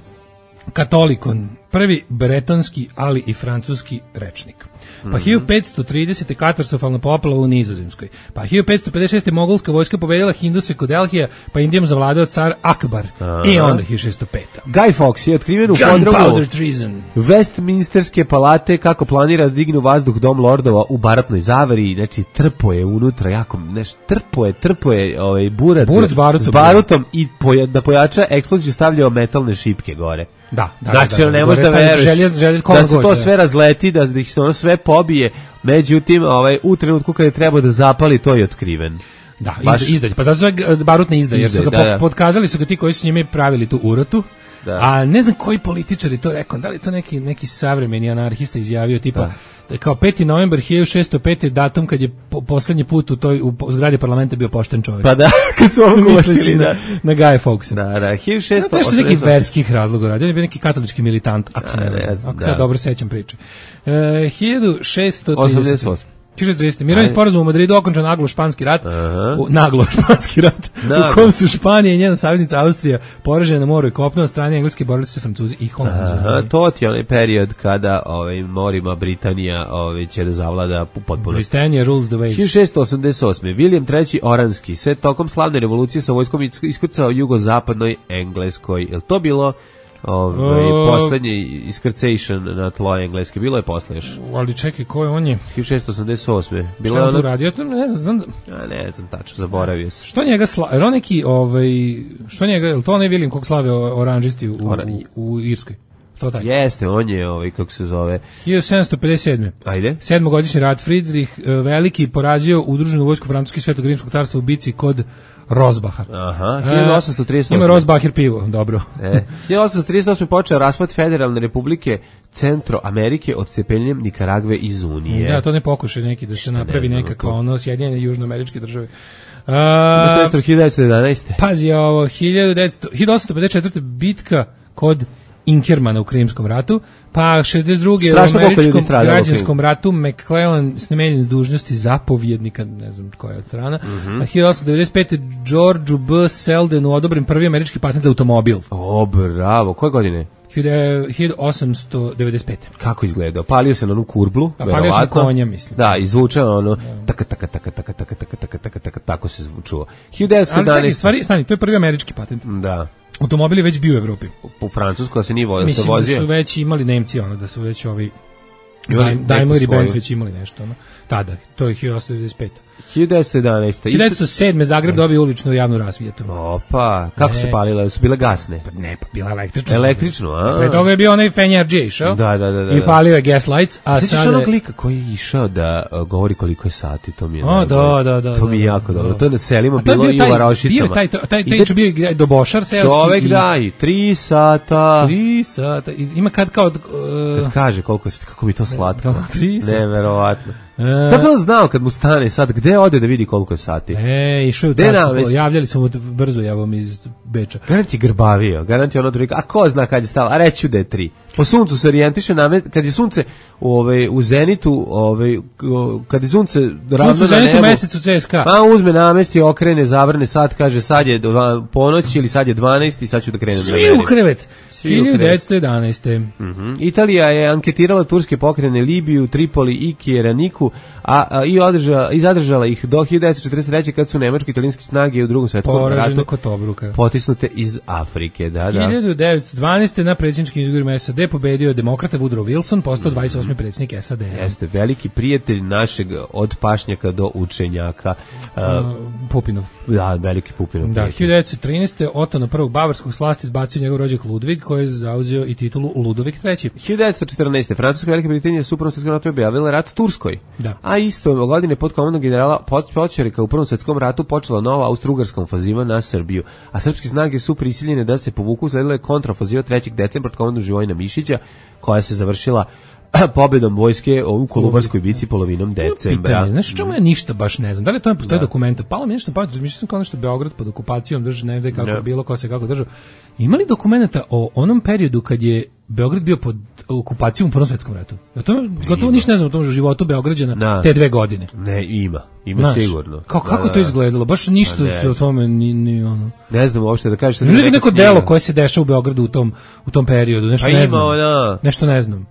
Katolikon, prvi bretonski, ali i francuski rečnik. Pa mm-hmm. hiljadu petsto tridesete. katastrofalna poplava u Nizozemskoj. Pa hiljadu petsto pedeset šeste. mogolska vojska pobedila Hinduse kod Delhija, pa Indijom zavladao car Akbar. Aha. I onda hiljadu šessto peta.
Guy Fawkes je otkriven u podrumu Westminsterske palate kako planira da digne vazduh dom lordova u baratnoj zavari, znači trpo je unutra jako, neš, trpo je, trpo je ovaj, burat,
burat s barutom,
s barutom i poja, da pojača eksploziju stavljao metalne šipke gore.
Da, da,
znači,
da, da,
ne možeš da veruješ
željez, željez,
da se to
goće,
sve razleti, da, da ih se ono sve pobije, međutim, ovaj, u trenutku kada je trebao da zapali, to je otkriven.
Da, izdalj, pa zato sve barutne izdaje, jer su ga da, da. Podkazali su ga ti koji su njime pravili tu urotu, da. A ne znam koji političar je to rekao, da li to neki, neki savremeni anarhista izjavio, tipa, da. Da kao peti novembar hiljadu šessto pete. datum kad je po, poslednji put u toj u zgradi parlamenta bio pošten čovjek.
Pa da, kad su ovo
misleći na, na Guy Fawkesa.
Da, da, hiljadu šessto
osamdeset. To je nekih verskih razloga radio, on je bio neki katolički militant, ako,
da,
ne,
ne znam,
ako se ja dobro sećam priče. Uh, hiljadu šessto trideset.
osamdeset osam.
hiljadu šessto trideset. Mirovni sporazum u Madridu okončan naglo španski rat. U, naglo španski rat. Naglo. U kom su Španija i njena saveznica Austrija poražene na moru i kopnu, od strane Engleske borili su Francuzi i Holanđani.
To ti je onaj period kada ovaj, morima Britanija ovaj, će da zavlada u potpunosti.
Britannia rules the waves.
hiljadu šessto osamdeset osme. William treći. Oranski se tokom slavne revolucije sa vojskom iskrcao jugozapadnoj Engleskoj. Je li to bilo Ovaj
O...
poslednji iskrcation na tlo engleski, bilo je posle još.
Ali čekaj, ko je on je?
hiljadu šessto osamdeset osme Bilo
Šta
je
on tu
ono...
radio? Ja to ne znam, znam da...
A ne znam tačno, zaboravio sam.
Što njega sla... Jer on neki, ovaj... Što njega, je li to onaj William kog slave oranžisti u,
Ora...
u, u Irskoj? To taj?
Jeste, on je, ovaj, kako se zove...
hiljadu sedamsto pedeset sedme
Ajde.
Sedmogodišnji rat. Friedrich Veliki porazio udruženu vojsku Francuske i Svetog rimskog carstva u bici kod Rosbaha.
Aha, hiljadu osamsto trideset osme
Ima Rosbacher pivo, dobro.
E, hiljadu osamsto trideset osme počeo raspad Federalne republike Centroamerike odcepljenjem Nikaragve iz Unije.
Da, to ne pokušaj neki da se napravi
ne
nekakva ono Sjedinjene južnoameričke države.
Uh, hiljadu devetsto jedanaeste
Pazi ovo, hiljadu osamsto pedeset četvrte bitka kod Inkermana u Krimskom ratu, pa šezdeset druge u američkom građanskom ratu McClellan smenjen s dužnosti zapovjednika, ne znam koja je od strana,
mm-hmm.
a hiljadu osamsto devedeset pete Georgeu B. Seldenu odobren prvi američki patent za automobil.
O, bravo, koje godine?
hiljadu osamsto devedeset pete
Kako izgledao? Palio se na onu kurblu,
a palio sam konja, mislim.
Da, izvučao ono, taka, taka, taka, taka, taka, taka, taka, taka, taka, tako se zvučuo. hiljadu devetsto jedanaeste
Ali čekaj, stvari, stani, to je prvi američki patent.
Da.
Automobil je već bio u Evropi.
U Francusku, da se nije vozio.
Mislim da su već imali Nemci, ono, da su već ovi Daimler i Benz već imali nešto, ono. Tada, to je hiljadu osamsto devedeset pete
hiljadu devetsto jedanaeste
hiljadu devetsto sedme Zagreb dobio uličnu javnu rasvijetu.
Opa, kako ne. se palile? Su bile gasne?
Pa ne, pa bila električna.
Električno, a?
Pre toga je bio onaj Fenjarđe išao.
Da, da, da, da.
I palio je gas lights, a sada...
Sjećaš onog lika koji je išao da uh, govori koliko je sati, to mi je...
O, da, da, da.
To mi je jako dobro. To je na selima bilo i u Varošicama.
Bio taj, taj, taj čo bio do Bošar selski.
Čovek da, i tri sata.
Tri sata. Ima kad kao...
Kad kaže koliko je, kako mi to slatko.
Tri sata.
Neverovatno. Kako on znao kad mu stane sad, gde ode da vidi koliko je sati?
E, išao u carstvo, javljali su mu brzo javom iz Beča.
Garant je grbavio, garant je ono drugo, a ko zna kad je stalo, a reću da je tri. Po suncu se orijentiše, kad je sunce ove, u zenitu, ove, kad je sunce ravno na nebu. Sunce u zenitu,
mesecu C S K A.
A uzme namesti, okrene, zavrne sat, kaže sad je ponoć ili sad je dvanaest i sad ću da krenem.
Svi u krevet. hiljadu devetsto jedanaeste
Mm-hmm. Italija je anketirala turske pokrene Libiju, Tripoli i Kjeraniku, a, a i, održala, i zadržala ih do hiljadu devetsto četrdeset treće kad su nemačke italijanske snage u drugom svetskom ratu potisnute iz Afrike. Da, da.
hiljadu devetsto dvanaeste na predsjedničkim izborima S A D pobedio demokrata Woodrow Wilson, postao dvadeset osmi predsjednik S A D.
Jeste, veliki prijatelj našeg od pašnjaka do učenjaka. Uh,
Pupinov.
Da, veliki Pupinov.
Da, hiljadu devetsto trinaeste Otona prvog bavarskog s vlasti izbacio njegov rođak Ludvig, koji je zauzeo i titulu Ludovik treći.
hiljadu devetsto četrnaeste Francuska Velika Britanija su u Prvom svjetskom ratu objavila rat Turskoj.
Da.
A isto godine pod komandom generala Počerika u Prvom svjetskom ratu počela nova austro-ugarska ofanziva na Srbiju. A srpske snage su prisiljene da se povuku, sledila je kontraofanziva trećeg decembra pod komandom Živojina Mišića, koja se završila pobedom vojske u Kolubarskoj bici polovinom decembra.
Pitanje, znaš čemu ja ništa baš ne znam, da li to ne postoje dokumenta, palo mi nešto pamet, mislim sam kao nešto Beograd pod okupacijom drži, ne znam kako je bilo, ko se kako držao. Ima li dokumenta o onom periodu kad je Beograd bio pod okupacijom u Prvom svjetskom ratu? Ja to gotovo ništa ne znam o tom životu Beograđana na. te dve godine.
Ne, ima. Ima znaš, sigurno.
Kao, kako da, da, to izgledalo? Baš ništa se o tome ni, ni ono.
Ne znam uopšte da kažeš.
Ne znam neko delo koje se dešava u Beogradu u tom, u tom periodu. Nešto
pa
ne
ima
znam.
Ona...
Nešto ne znam.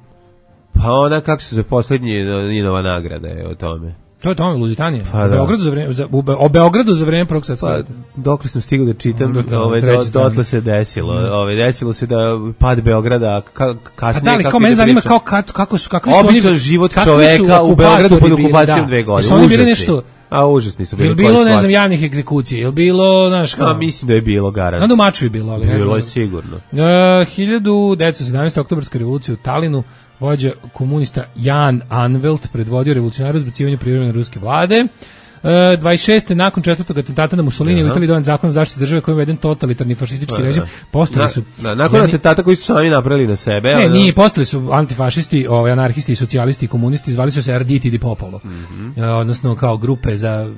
Pa ona, kako se za posljednji Ninova nagrada je o tome.
To je tome, Luzitanije.
Pa,
o, Beogradu za vreme, za, Be, o Beogradu za vreme Prvog svjetskog rata.
Pa, dok li sam stigao da čitam, da, ove, do, dotle se desilo. Mm. Ove, desilo se da pad Beograda ka, kasnije...
A da li, kao mene zanima kao, kako su... Kako su
običan
oni,
život čoveka u Beogradu pod okupacijom
da.
dve godine.
Su oni bili nešto...
A užasni su bili.
Je bilo, ne znam, javnih egzekucija? Je bilo, znaš kao...
A mislim da je bilo, garant.
Na domaću je bilo, ali...
Bilo je sigurno.
Uh, hiljadu devetsto sedamnaeste oktobarska revolucija u Talinu, vođa komunista Jan Anvelt predvodio revolucionarno izbacivanje privremene ruske vlade. Uh, dvadeset šeste nakon četvrtog atentata na Mussolini u Italiji donet zakon o zaštiti države kojim je uveden totalitarni fašistički
da,
režim. Postali su
na, na, nakon atentata koji su sami napravili na sebe.
Ne, nije, postali su antifašisti, ovaj anarhisti i socijalisti i komunisti, zvali su se Arditi di Popolo. Mm-hmm. uh, odnosno kao grupe za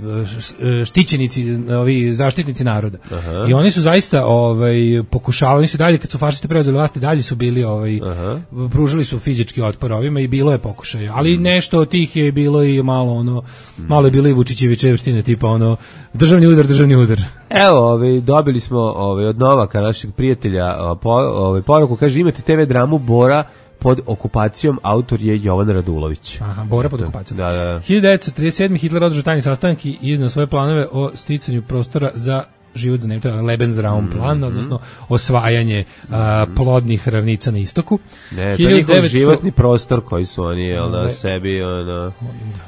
štićenici, ovi zaštitnici naroda. Aha. I oni su zaista ovaj pokušavali, oni su dalje kad su fašisti preuzeli vlast, dalje su bili ovaj Aha. pružili su fizički otpor ovima i bilo je pokušaja. Ali mm. nešto od tih je bilo i malo ono mm. malo je bilo i Vučićevi čevštine tipa ono državni udar, državni udar.
Evo, ovaj dobili smo ovaj od Novaka našeg prijatelja po, ovaj poruku, kaže imate te ve dramu Bora pod okupacijom, autor je Jovan Radulović.
Aha, Bora pod okupacijom.
Da, da.
hiljadu devetsto trideset sedme Hitler održao tajni sastanak i izneo svoje planove o sticanju prostora za život za Nemce, Lebensraum plan, odnosno osvajanje a, plodnih ravnica na istoku.
Ne, to je njihov životni prostor koji su oni, jel, na sebi, ono...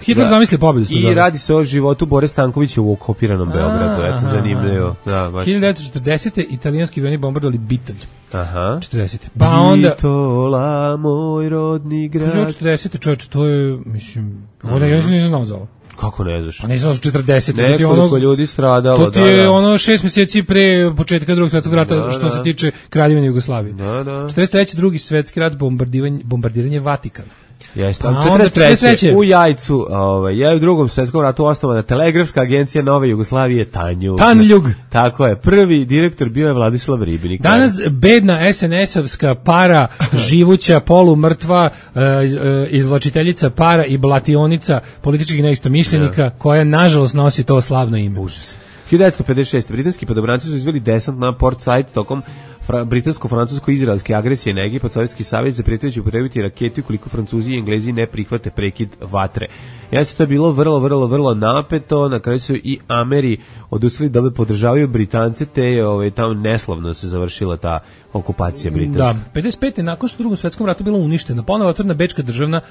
Hitler zamislio pobedu.
I radi se o životu Bore Stankovića u okupiranom Beogradu, eto, zanimljivo. Da, baš.
hiljadu devetsto četrdesete italijanski avioni bombardovali Bitolj.
Aha.
četrdesete Pa onda...
Bitola, moj rodni grad.
četrdesete čovječ, to je, mislim... Ovo ne, ja nisam nisam znao za ovo.
Kako ne znaš?
Pa nisam znao za četrdesete
Nekoliko ono, ljudi stradalo.
To ti je da, da. ono šest mjeseci pre početka drugog svjetskog rata, da, što da. se tiče Kraljevine Jugoslavije.
Da, da.
četrdeset treće drugi svjetski rat, bombardiranje, bombardiranje Vatikana.
Jeste, četrdeset treće u Jajcu, ovaj, je u drugom svjetskom ratu osnovana telegrafska agencija Nove Jugoslavije Tanjug.
Tanjug.
Tako je, prvi direktor bio je Vladislav Ribinik.
Danas bedna es en esovska para, živuća, polumrtva, e, e, izvlačiteljica para i blationika političkih neistomišljenika, ja. koja nažalost nosi to slavno ime.
Užas. hiljadu devetsto pedeset šeste britanski podobranci su izveli desant na Port Said tokom britansko-francusko-izraelske agresije na Egipat. Sovjetski savez zaprijetio će upotrijebiti rakete ukoliko Francuzi i Englezi ne prihvate prekid vatre. Jeste, to je bilo vrlo, vrlo, vrlo napeto. Na kraju su i Ameri odustali da podržavaju Britance, te je ovaj, tamo neslavno se završila ta okupacija britanska.
Da, pedeset pete nakon što u drugom svjetskom ratu bila uništena, ponovo otvorena Bečka državna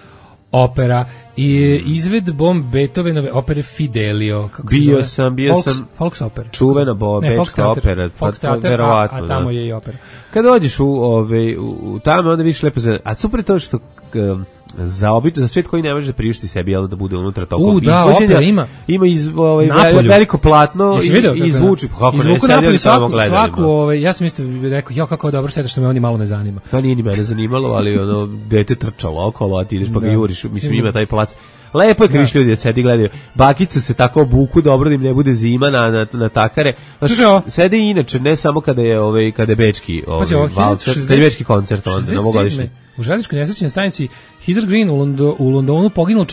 opera i izvedbom Beethovenove opere Fidelio. Kako
bio sam, bio
Folks,
sam
Folks opera.
Čuvena bo,
ne,
bečka opera.
Folks Theater, verovatno, a, a tamo da. je i opera.
Kad dođeš u, ove, u, u tamo, onda vidiš lepo za... A super je to što... Um, za obično, za svijet koji ne može da priušti sebi, jel, da bude unutra tokom
U, da, opera ima.
Ima iz, ovaj, veliko platno i, i zvuči. Kako ne, sedeli samo gledali.
Svaku, ovaj, ja sam isto rekao, ja kako dobro šteta što me oni malo ne zanima.
To nije ni mene zanimalo, ali ono, dete trčalo okolo, a ti ideš pa ga juriš, mislim, ima taj plac. Lepo je kriš ljudi da sedi gledaju. Bakice se tako obuku dobro da im ne bude zima na, na, na takare. Znaš, sede i inače, ne samo kada je, ovaj, kada je bečki ovaj, valcer, kada je bečki koncert, onda novogodišnji.
U željezničkoj nesrećnoj stanici Heather Green u, Londo, u Londonu poginulo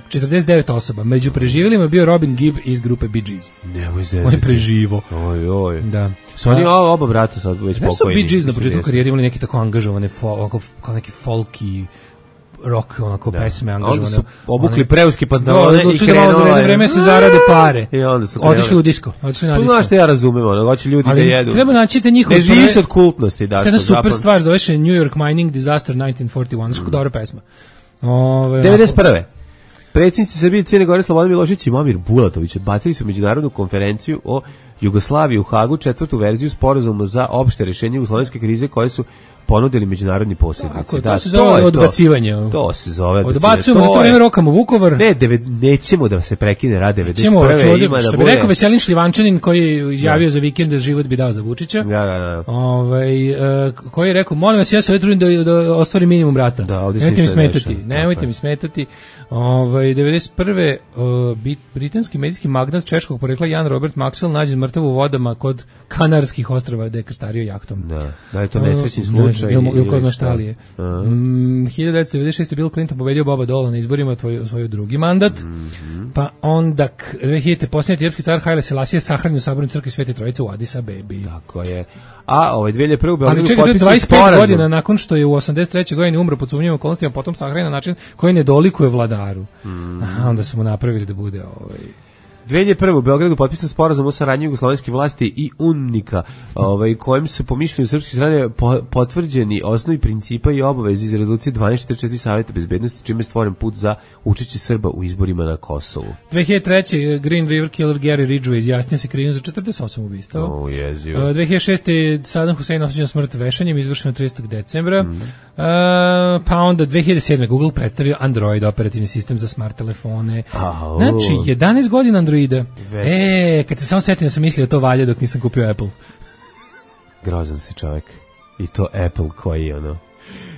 četrdeset devet osoba. Među preživjelima je bio Robin Gibb iz grupe Bee Gees.
Nemoj zezati.
On je preživo.
Oj, oj.
Da.
Su oni oba, oba brata sad već pokojni.
Ne su Bee Gees na početku karijere imali neki tako angažovane, fol, kao neki folky rock, onako da. pesme angažovane.
Onda su obukli preuski pantalone i krenula.
Da, da vreme se zarade pare.
I onda su
otišli u disko. Otišli na disko.
Znaš što ja razumem, ono, hoće ljudi
ali
da jedu.
Treba naći te njihove...
Ne živi se od kultnosti, da.
Kada super stvar, zove se New York Mining Disaster nineteen forty-one, što dobra pesma. Ove,
devedeset prve Predsjednici Srbije i Crne Gore Slobodan Milošević i Momir Bulatović odbacili su međunarodnu konferenciju o Jugoslaviji u Hagu, četvrtu verziju sporazuma za opšte rješenje jugoslovenske krize koje su ponudili međunarodni posrednici.
Tako, da, to se zove to odbacivanje.
To, to se zove
odbacivanje. Odbacujemo, za to vreme rokamo Vukovar.
Ne, deve, nećemo da se prekine rad devedeset prve
Nećemo,
ima
što
da
bi
bude...
rekao Veselin Šljivančanin koji je izjavio da. za vikend da život bi dao za Vučića.
Da, da, da.
Ovaj, uh, koji je rekao, molim vas, ja se ovdje trudim da, da ostvarim minimum rata.
Da, ovdje
nemojte mi smetati.
Neša.
Nemojte okay. mi smetati. Ovaj, devedeset prve Uh, britanski medijski magnat češkog porekla Jan Robert Maxwell nađen mrtav u vodama kod Kanarskih ostrva gde je krstario jahtom.
Da, da je to nesrećni uh, slučaj.
Ili ko zna šta li je. Uh -huh. mm, hiljadu devetsto devedeset šeste Bill Clinton pobedio Boba Dola na izborima tvoj, svoj drugi mandat. Mm -hmm. Pa onda dve hiljadite posljednji etiopski car Haile Selassie sahranjen u sabornoj crkvi Svete Trojice u Addis Abebi.
Tako je. A ovaj dve hiljade prve u Beogradu
potpisan sporazum. dvadeset pet godina nakon što je u osamdeset trećoj godini umro pod sumnjivim okolnostima, potom sahranjen na način koji ne dolikuje vladaru. Mm. Aha, onda su mu napravili da bude ovaj
dve hiljade prve u Beogradu potpisan sporazum o saradnji jugoslovenske vlasti i UNMIK-a, ovaj, kojim su po mišljenju srpske strane po, potvrđeni osnovi principa i obaveze iz rezolucije dvanaest četrdeset četiri Saveta bezbednosti, čime je stvoren put za učešće Srba u izborima na Kosovu.
dve hiljade treće Green River Killer Gary Ridgway izjasnio se krivim za četrdeset osam ubistava.
Oh, jezivo.
dve hiljade šeste Saddam Hussein osuđen smrt vešanjem, izvršeno tridesetog decembra. Mm. Uh, pa onda dve hiljade sedme Google predstavio Android operativni sistem za smart telefone. Oh. Znači, jedanaest godina Androida. Već. E, kad se samo setim da sam mislio to valja dok nisam kupio Apple.
Grozan si čovjek. I to Apple koji ono...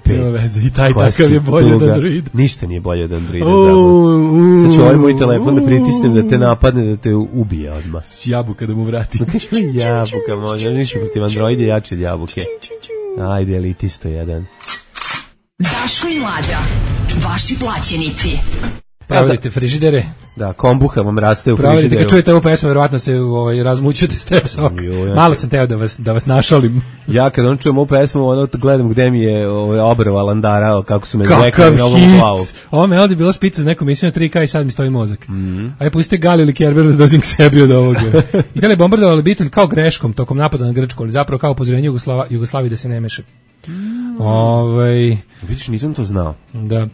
Nema veze, i taj takav je bolje od Androida.
Ništa nije bolje od Androida. Uh, Sad ću ovaj moj telefon da pritisnem da te napadne, da te ubije odmah.
Jabuka da mu vrati.
Jabuka, možda. Ništa protiv Androida jače od jabuke. Ajde, elitisto jedan.
Daško i Mlađa, vaši plaćenici.
Provodite frižidere.
Da, kombuha vam raste u frižideru.
Provodite, kad čujete ovu pesmu, verovatno se ovaj, razmućete Step Sok. Malo sam teo da vas, da vas našalim.
Ja kad on čujem ovu pesmu, ono gledam gde mi je ovaj, obrva landara, kako su me zvekali na ovom glavu.
Ovo melodija bila špica za neku misiju na tri K i sad mi stoji mozak. Mm-hmm. Ajde, pustite Gali ili Kerber da dozim k sebi od ovoga. Italija bombardovali Bitul kao greškom tokom napada na Grčku, ali zapravo kao upozorenje Jugoslava, Jugoslaviji da se ne meše. Mm. Ovaj,
vidiš, nisam to znao.
Da.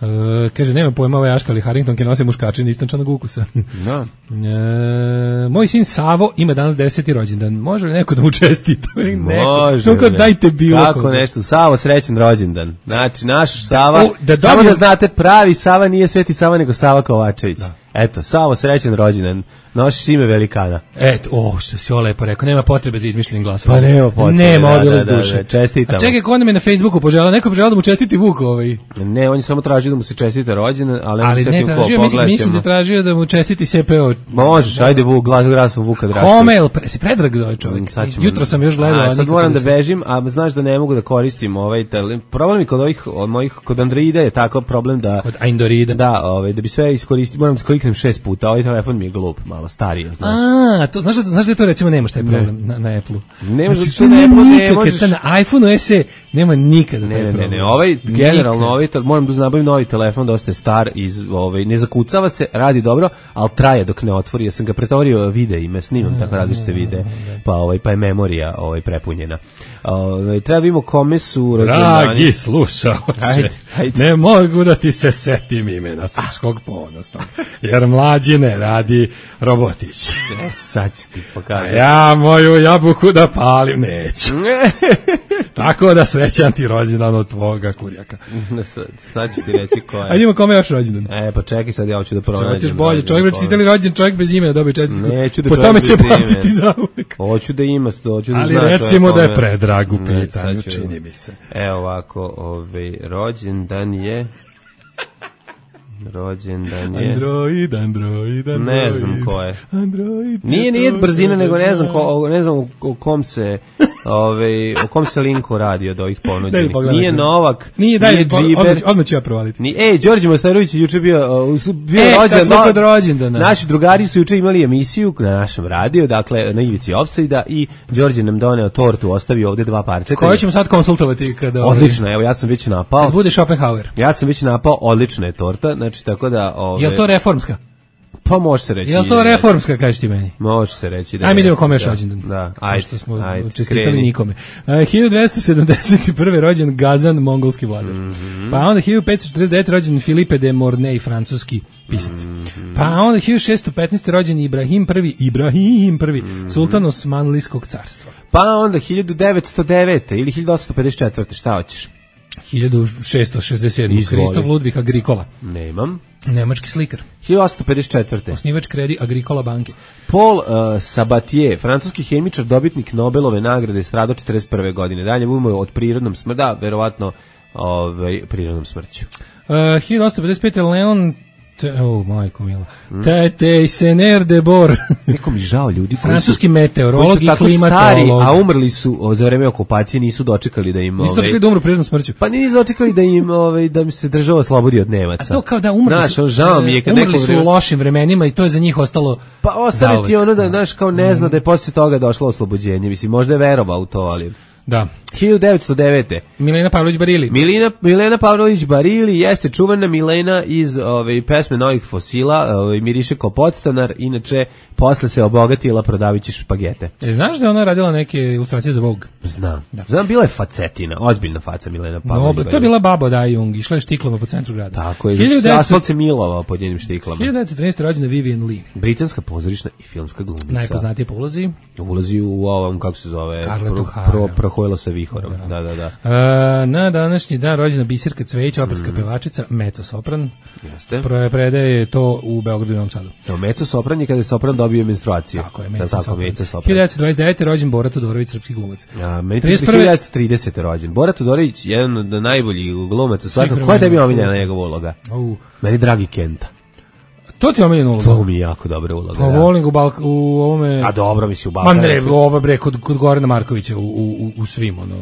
Uh, kaže, nema pojma ovaj Aška, ali Harrington ke nosi muškačin istančanog ukusa.
Da.
Uh, moj sin Savo ima danas deseti rođendan. Može li neko da mu čestita?
Može.
Neko, dajte bilo
kako koga. Nešto. Savo, srećan rođendan. Znači, naš Sava,
da, o, da
dobijem... samo da znate, pravi Sava nije Sveti Sava, nego Sava Kovačević. Da. Eto, Savo, srećan rođendan. Nosiš ime velikana.
Eto, o, što si ovo lepo rekao, nema potrebe za izmišljenim glasom.
Pa nema potrebe.
Nema,
da,
odbilo
da,
s
da,
duše.
Da, čestitamo.
A čekaj, ko nam je na Facebooku poželao? Neko poželao da mu čestiti Vuk ovaj.
Ne, on je samo tražio da mu se čestita rođendan, ali,
ali ne tražio, mislim, mislim da tražio da mu čestiti S P O.
Možeš, da. Ajde Vuk, glas glasom Vuka Drašković.
Komel, pre, si predrag za ovaj čovjek. Jutro sam još gledao.
A sad moram da bežim, a znaš da ne mogu da koristim ovaj telefon. Problem je kod ovih, od mojih, kod Androida je tako problem da...
Kod Androida.
Da, ovaj, da bi sve iskoristio, moram da kliknem šest puta, ovaj telefon mi je glup, malo stariji, znaš.
A, to, znaš, da, znaš da to recimo nemaš taj problem ne. na, na Apple-u.
Ne možeš
znači,
na Apple-u, ne možeš.
Na iPhone-u S E nema nikada
ne,
taj
ne,
problem.
Ne, ne, ovaj, generalno, ovaj, moram da nabavim novi telefon, dosta je star, iz, ovaj, ne zakucava se, radi dobro, ali traje dok ne otvori. Ja sam ga pretvorio videima, snimam tako različite videe, pa, ovaj, pa je memorija ovaj, prepunjena. Ovaj, treba vidimo kome su rođendani.
Dragi slušaoče, ne mogu da ti se setim imena srpskog ponosnog, jer mlađine radi Robotić.
E, sad ću ti pokazati.
A ja moju jabuku da palim neću. Tako da srećan ti rođendan od tvoga kurjaka.
Sad, sad ću ti reći ko je.
Ajde ima kome još rođendan.
E, pa čekaj, sad ja hoću da pronađem.
Hoćeš bolje, čovjek već čitali rođen, čovjek bez imena dobije četvrtku.
Neću da
po tome će pamtiti za uvek.
Hoću da ima, hoću da
ali
zna.
Ali recimo da je predrag u pitanju, čini mi se.
Evo ovako, ovaj, rođendan je... Rođendan je...
Android, Android, Android.
Ne znam ko je.
Android.
Nije, nije brzina, nego ne znam, ko, ne znam o kom se... Ove, o kom se linku radi od ovih ponuđenih. Nije Novak,
nije, daj, nije Džiber. Odmah, odmah ću ja provaliti.
Ni, ej, Đorđe Mostarović je juče bio, uh, bio
e,
rođendan.
Smo kod rođendana.
Naši drugari su juče imali emisiju na našem radiju, dakle na ivici Offside-a i Đorđe nam doneo tortu, ostavio ovde dva parčeta.
Koje ćemo sad konsultovati kada...
Odlično, evo ja sam već napao.
Kad bude Schopenhauer.
Ja sam već napao, odlična je torta, znači tako da... Ove,
je li to reformska?
Pa može se reći.
Je li to reformska, kažeš ti meni?
Može se reći. Da
ajme idemo kome još rođendan.
Da, ajde.
Što smo
ajde,
čestitali
kreni.
nikome. Uh, hiljadu dvesta sedamdeset prve rođen Gazan, mongolski vladar. Mm-hmm. Pa onda hiljadu petsto četrdeset devete rođen Philippe de Mornay, francuski pisac. Mm-hmm. Pa onda hiljadu šessto petnaeste rođen Ibrahim prvi, Ibrahim prvi, mm-hmm. sultan Osmanlijskog carstva.
Pa onda hiljadu devetsto devete ili hiljadu osamsto pedeset četvrte šta hoćeš?
hiljadu šessto šezdeset sedme Kristof Ludvig Agricola.
Nemam.
Nemački slikar.
hiljadu osamsto pedeset četvrte
Osnivač Kredi Agricola banke.
Paul uh, Sabatier, francuski hemičar, dobitnik Nobelove nagrade, stradao četrdeset prve godine. Dalje umro od prirodnom smrću, da, verovatno ovaj, prirodnom smrću.
Uh, hiljadu osamsto pedeset pete Leon Te, oh, majko mila. Mm. Tete Sener de Bor.
Neko mi žao ljudi koji
francuski
su,
meteorolog
koji
i klimatolog.
A umrli su o, za vreme okupacije, nisu dočekali da im...
Nisu dočekali da umru prirodnom smrću.
Pa nisu dočekali da im ovaj, da mi se država slobodi od Nemaca.
A to kao da umrli
znaš,
su,
žao mi je kad
umrli
neko
su u lošim vremenima i to je za njih ostalo...
Pa ostane ti ono da, znaš, kao ne zna da je posle toga došlo oslobođenje. Mislim, možda je verovao u to, ali...
Da.
hiljadu devetsto devete
Milena Pavlović Barili.
Milena, Milena Pavlović Barili jeste čuvena Milena iz ove, pesme Novih fosila, ove, miriše kao podstanar, inače posle se obogatila prodavići špagete.
E, znaš da je ona radila neke ilustracije za Vogue?
Znam. Da. Znam, bila je facetina, ozbiljna faca Milena Pavlović
no,
Barili.
To je bila baba Dajung, išla je štiklama po centru grada.
Tako je, hiljadu devetsto asfalt se milovao pod njenim štiklama.
hiljadu devetsto trinaeste rođena Vivian Lee.
Britanska pozorišna i filmska glumica.
Najpoznatija po ulozi.
Ulazi u ovom, kako se zove,
Scarlett
pro,
O'Hara.
pro, prohojila sa vihorom. Da, da, da.
Uh, na današnji dan rođena Biserka Cvejić, operska mm. pevačica, mezzo-sopran.
Jeste.
Pro, predaje to u Beogradu i Novom Sadu.
To mezzo-sopran je kada je sopran dobio menstruaciju.
Tako je,
mezzo-sopran.
hiljadu devetsto dvadeset devete rođen Bora Todorović, srpski glumac.
Ja, meni je hiljadu devetsto tridesete rođen. Bora Todorović, jedan od najboljih glumaca svakako. Koja je tebi omiljena njegova uloga?
Uh.
Meni Dragi Kenta.
To ti je omiljena uloga?
To mi je jako dobra uloga.
Pa volim u, Balk, u ovome...
A dobro mi si u Balkanu.
Ma ne, ovo bre, kod, kod Gorana Markovića u, u, u svim, ono...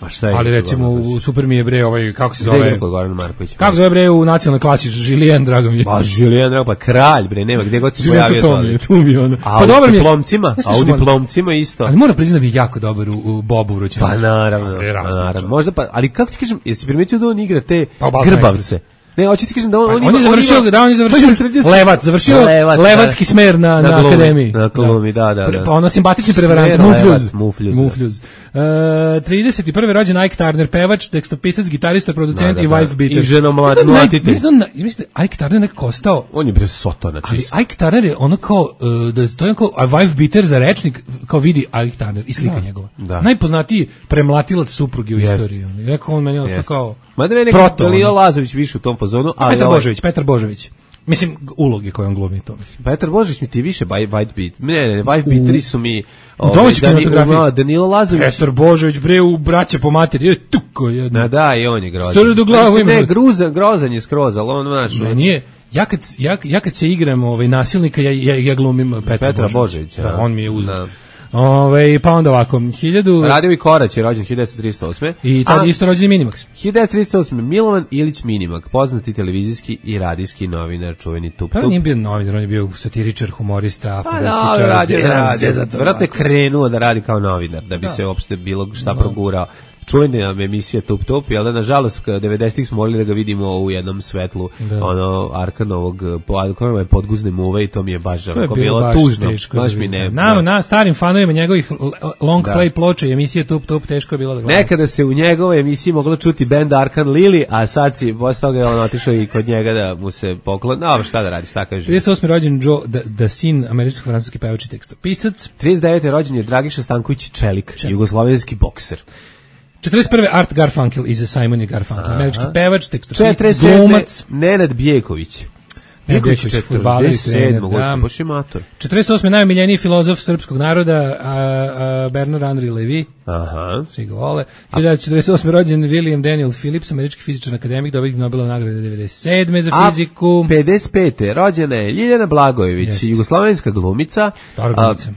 A šta je?
Ali recimo u super mi je bre ovaj kako se zove?
Goran Marković.
Kako se zove bre u nacionalnoj klasi Julien drago mi je.
Pa Julien drago pa kralj bre, nema gde god se pojavio
to. Mi je, tu mi je ono.
Pa dobro mi je. Diplomcima, a u diplomcima isto.
Ali moram priznati da je jako dobar u, u Bobu Vrućem.
Pa naravno, naravno. Možda pa, ali kako ti kažem, jesi primetio da on igra te
pa,
grbavce? Ne, hoću ti kažem da on,
pa,
on,
on je završio,
on
da on je završio Levac, završio Levac, Levatski smer na, na, na akademiji.
Na glumi, da, da, da.
Pa ono simpatični prevarant, Mufljuz.
Mufljuz.
Mufljuz. Uh, trideset prve rođen Ike Turner, pevač, tekstopisac, gitarista, producent da, da, da. i wife beater.
I žena mlad, mlatitelj.
Mislim da mislim da Ike Turner nekako ostao.
On je bre sotona čist.
Ali Ike Turner je ono kao uh, da stoji kao a wife beater za rečnik, kao vidi Ike Turner i slika da, njegova. Da. Najpoznatiji premlatilac supruge u yes. istoriji. Nekako on meni ostao yes. kao
mada meni je Dalila Lazović više u tom fazonu, ali
Petar Božović, Petar Božović. Mislim, uloge koje on glumi to, mislim.
Petar Božović mi ti više white beat. Ne, ne, white beateri su mi...
U domaćoj kinematografiji.
Danilo Lazović.
Petar Božović, bre, u Braće po materi. Je tuko jedno.
Na da, i on je grozan.
Store do glavu ima.
Ne, gruzan, grozan je skroz, ali on, znaš...
Ne, nije. Ja kad, ja, ja kad se igram ovaj, nasilnika, ja, ja, ja glumim Petra,
Petra
Božovića.
Božovića.
Da, on mi je uzeo. Ove, pa onda ovako, hiljadu...
Radio i Korać je rođen hiljadu devetsto trideset osme.
I tad isto rođen Minimax.
hiljadu devetsto trideset osme. Milovan Ilić Minimak, poznati televizijski i radijski novinar, čuveni Tup Tup.
Pa nije bio novinar, on je bio satiričar, humorista,
pa
fantastičar.
Da, radio, radio. Vjerojatno je krenuo da radi kao novinar, da bi da. se uopšte bilo šta progurao. Čuvena emisija Tup Tup, jel da, nažalost, devedesetih smo morali da ga vidimo u jednom svetlu, da. ono, Arkanovog, Arkanove podguzne muve i to mi je baš
to je
bilo,
bilo baš
tužno,
teško
baš mi ne.
Na, na starim fanovima njegovih long da. play ploče i emisije Tup Tup teško je bilo da gledam.
Nekada se u njegovoj emisiji moglo čuti bend Arkan Lili, a sad si, posle toga je on otišao i kod njega da mu se poklon, no, šta da radi, šta kaže.
trideset osme rođen Joe da, da sin američko-francuski pevač i tekstopisac.
trideset devete rođen je Dragiša Stanković Čelik, Čelik. jugoslovenski bokser.
četrdeset prve Art Garfunkel iz Simon i Garfunkel, američki pevač, tekstopisac, glumac.
Nenad Bjeković.
Bjeković, četrdeset sedme
baš je mator.
četrdeset osme najomiljeniji filozof srpskog naroda, a, a Bernard Henri Levy.
Aha.
Svi ga vole. hiljadu četrdeset osme rođen William Daniel Phillips, američki fizičar akademik, dobitnik Nobelove nagrade devedeset sedme za fiziku.
A pedeset pete rođena je Ljiljana Blagojević, Jeste. jugoslovenska glumica.
Dobra glumica.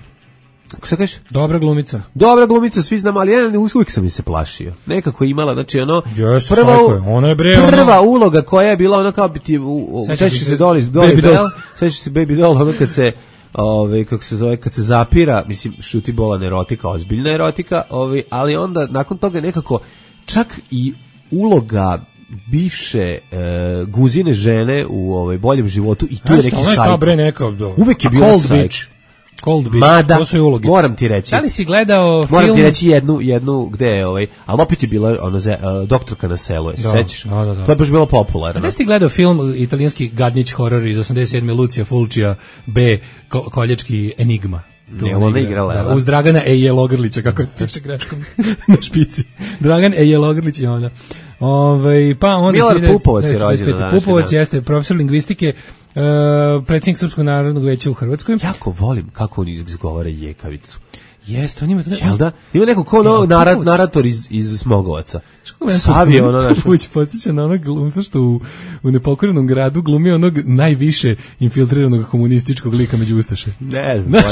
Šta kažeš?
Dobra glumica.
Dobra glumica, svi znamo, ali ja uvijek sam mi se plašio. Nekako je imala, znači ono...
Jeste, prva, je. Ona je bre,
prva
ono...
uloga koja je bila ono kao biti... Sećaš se Dolly, Dolly Bell, sećaš se Baby Doll, ono kad se... Ove, kako se zove, kad se zapira, mislim, šuti bolan erotika, ozbiljna erotika, ove, ali onda, nakon toga nekako, čak i uloga bivše e, guzine žene u ovaj boljem životu i tu je neki sajt. Uvek je bila sajt.
Cold Beach,
Mada,
to su i uloge.
Moram ti reći.
Da li si gledao film?
Moram ti reći jednu, jednu gde je ovaj, ali opet je bila ono, uh, doktorka na selu, je, sećaš?
Da, da, da.
To je baš bilo popularno.
A da si gledao film italijanski gadnić horor iz osamdeset sedme Lucija Fulcija B, ko, koljački Enigma?
Ne, ona igrala.
Da, uz Dragana Ejelogrlića, kako je piše greškom na špici. Dragan Ejelogrlić je ona. Ove, pa onda
Milar Pupovac je rođen.
Pupovac jeste profesor lingvistike, Uh, predsjednik Srpskog narodnog veća u Hrvatskoj.
Jako volim kako on izgovara jekavicu.
Jeste, on ima...
Jel da? Ima neko ko ono narat, narator iz, iz Smogovaca. Sav je ono naš...
Pupović podsjeća na onog glumca što u, u Nepokorenom gradu glumi onog najviše infiltriranog komunističkog lika među Ustaše.
Ne znam,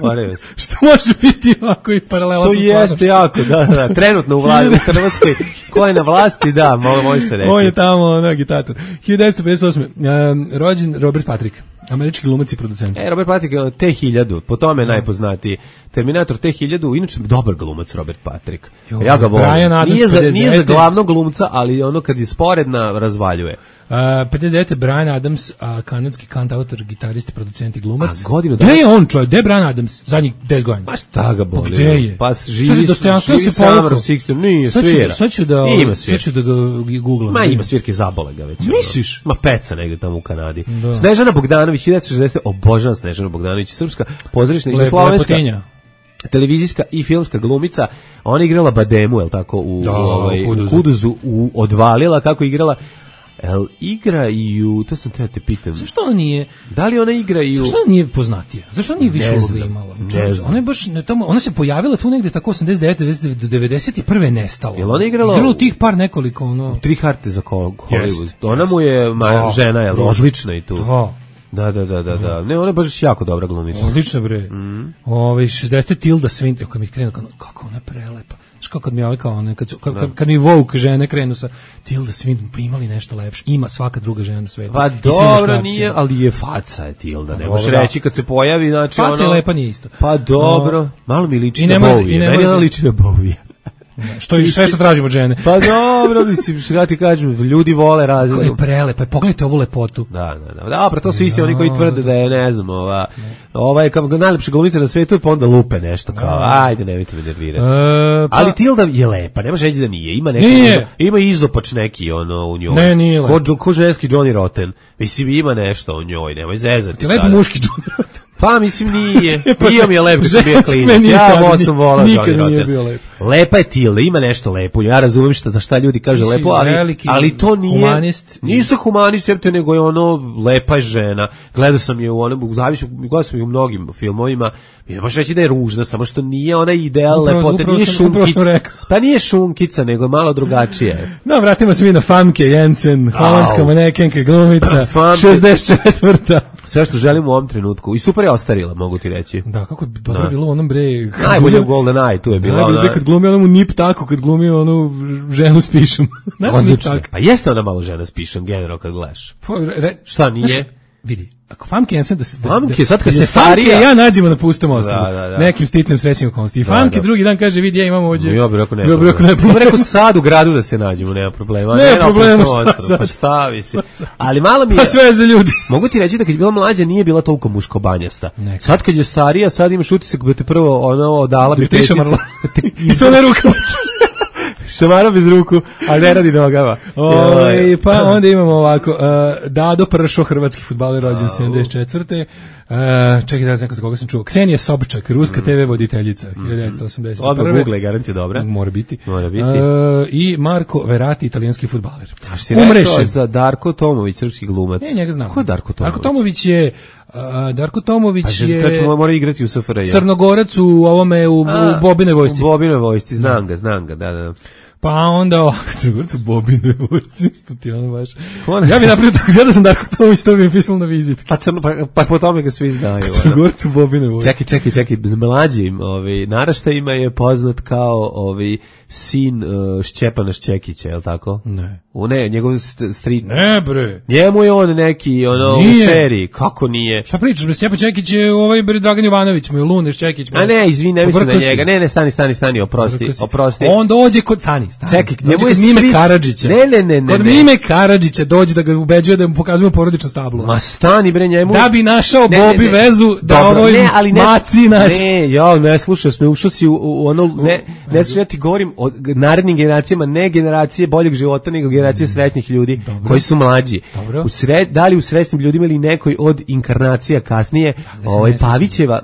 moram se.
Što može biti ovako i paralela sa
stvarnošću. Što jeste jako, da, da. Trenutno u vladi u Hrvatskoj, ko je na vlasti, da, može se reći.
On je tamo ono agitator. hiljadu devetsto pedeset osme Um, rođen Robert Patrick, američki glumac i producent.
E, Robert Patrick je T hiljadu, po tome je najpoznatiji. Terminator T hiljadu, inače dobar glumac Robert Patrick. Jo, ja ga volim. Nije za, nije za glavnog glumca, ali ono kad je sporedna razvaljuje.
Uh, pedeset devete Bryan Adams, uh, kanadski kantautor, gitarist, producent i glumac.
A godinu
da... Gde je on, čovjek? Gde je Bryan Adams? Zadnjih deset godina.
Ma šta ga boli?
Gde je?
Pa živi, živi Summer of sixty, nije svira.
Sad ću da, sad ću da ga googlam.
Ma ima svirke, zabole ga već.
Misliš?
Ma peca negde tamo u Kanadi. Da. Snežana Bogdanović, hiljadu devetsto šezdeset obožavam Snežana Bogdanović, srpska pozorišna jugoslovenska televizijska i filmska glumica. Ona igrala Bademu, je li tako, u,
da,
ovaj, u Kuduzu, u, Kuduzu u Odvalila, kako igrala. El igra i u, to sam treba te pitam.
Zašto ona nije?
Da li ona igra i u...
Zašto ona nije poznatija? Zašto ona nije više uloga imala?
Ne znam.
Ona je baš, ne, tamo, ona se pojavila tu negde tako osamdeset devete do devedeset prve nestala.
Jel ona igrala?
Igrala u tih par nekoliko, ono...
Tri harte za Hollywood. Ona mu je ma, žena, je odlična i tu.
Da.
Da, da, da, da, da. Ne, ona je baš jako dobra glumica.
Odlično, bre. Mm. Ove, šezdeset Tilda Swinton, kad mi krenu, kako ona prelepa. Znaš kako kad mi ovaj kao, ne, kad, su, kad, kad, kad mi Vogue žene krenu sa Tilda Swinton, pa imali nešto lepše. Ima svaka druga žena na svetu.
Pa dobro, nije, ali je faca je Tilda. Ne možeš reći kad se pojavi, znači
faca
ono...
Faca je lepa, nije isto.
Pa dobro, malo mi liči na
Bowie.
Meni ona liči na Bowie.
Što i sve što tražimo od žene.
Pa dobro, mislim, što ja ti kažem, ljudi vole razliku.
Ko je prelepa, pogledajte ovu lepotu.
Da, da, da. Dobro, to su isti oni koji tvrde da je, ne znam, ova, ova je kao najlepša glumica na svetu, pa onda lupe nešto kao, ajde, nemojte me nervirati.
E, pa,
ali Tilda je lepa, nemaš reći da nije. Ima neki,
nije.
Ima izopač neki ono u njoj.
Ne, nije lepa.
Ko, ko ženski Johnny Rotten. Mislim, ima nešto u njoj, nemoj zezati.
Lepo muški Johnny Rotten.
Pa mislim nije. Bio mi je lep kad sam bio klinac. Ja sam volao Johnny Rotten. Lepa je Tilda, ima nešto lepo. Ja razumem šta za šta ljudi kaže lepo, ali ali to nije.
Humanist.
Nisu humanist, jebote, nego je ono lepa žena. Gledao sam je u onom, zavišu, gledao sam je u mnogim filmovima. Ne možeš reći da je ružna, samo što nije ona ideal lepote, nije šunkica. Pa nije šunkica, nego je malo drugačije.
No, vratimo se mi na Famke Jensen, holandska manekenka, glumica, šezdeset četvrta
Sve što želim u ovom trenutku. I super je ostarila, mogu ti reći.
Da, kako je dobro bilo u onom bre...
Najbolje u Golden Eye, tu je bila ona...
Najbolje kad glumi onomu nip tako, kad glumi onu ženu s pišom.
Odlično. Pa jeste ona malo žena s pišom, generalno kad gledaš. Šta nije?
Vidi, ako Famke Jensen da se da,
Famke, sad kad
se
starija
ja nađemo na pustom ostrvu,
da, da, da.
nekim sticam srećnim okolnosti. I Famke drugi dan kaže vidi ja imam ovdje.
Ja bih rekao ne. Ja bih rekao ne. Ja bih rekao sad u gradu da se nađemo, nema problema.
Ne, nema problema,
šta, pa šta visi. Ali malo mi je.
Pa sve za ljudi.
Mogu ti reći da kad je bila mlađa nije bila toliko muškobanjasta. Sad kad je starija, sad imaš utisak da te prvo ono dala bi
peticu. I to ne rukama.
Šamara bez ruku, ali ne radi nogama.
Oj, pa onda imamo ovako, uh, Dado Pršo, hrvatski fudbaler, rođen sedamdeset četvrte Uh, čekaj da znam za koga sam čuo. Ksenija Sobčak, ruska mm. te ve voditeljica, hiljadu devetsto osamdeset prve
Odmah Google, garant je dobra.
Mora biti.
Mora biti.
Uh, I Marko Verati, italijanski fudbaler.
A što si rekao za Darko Tomović, srpski glumac?
Ne, njega znam.
Ko je Darko Tomović?
Darko Tomović je... Uh, Darko Tomović
je... A što mora igrati u S F R J?
Crnogorac u ovome, u,
A,
u Bobinoj vojsci.
U Bobinoj vojsci, znam ga, znam ga, da, da.
Pa onda ovako, Crnogorcu Bobine vojci, isto ti ono baš. Ja bih napravio tako, ja da sam Darko Tomović, to bi mi pisalo na vizitki.
Pa, crno, pa, pa po tome ga svi znaju.
Crnogorcu Bobine vojci.
Čekaj, čekaj, čekaj, mlađim ovaj, naraštajima je poznat kao ovaj, sin uh, Šćepana Šćekića, je li tako?
Ne.
U ne, njegov stri...
Ne, bre.
Njemu je on neki, ono, nije. U seriji. Kako nije?
Šta pričaš, bre, Šćepan Šćekić je ovaj, bre, Dragan Jovanović, moj Lune Šćekić.
A ne, izvini, ne mislim na njega. Ne, ne, stani, stani, stani, oprosti, oprosti.
On dođe kod, stani, stani.
Čekaj, njemu
je Mime Karadžića.
Ne, ne, ne, ne.
Kod Mime Karadžića dođe da ga ubeđuje da mu pokazujemo porodično stablo.
Ma stani, bre, njemu.
Da bi našao ne, Bobi ne, ne. vezu da dobro, ovoj ne, ali ne, maci naći.
Ne, ja ne slušao sam, ušao si u, u ono, ne, ne slušao, ja ti govorim o narednim generacijama, ne generacije boljeg života, nego generacije srećnih ljudi. Dobro. Koji su mlađi. U sred, da li u srećnim ljudima ili nekoj od inkarnacija kasnije, ovaj Pavićeva,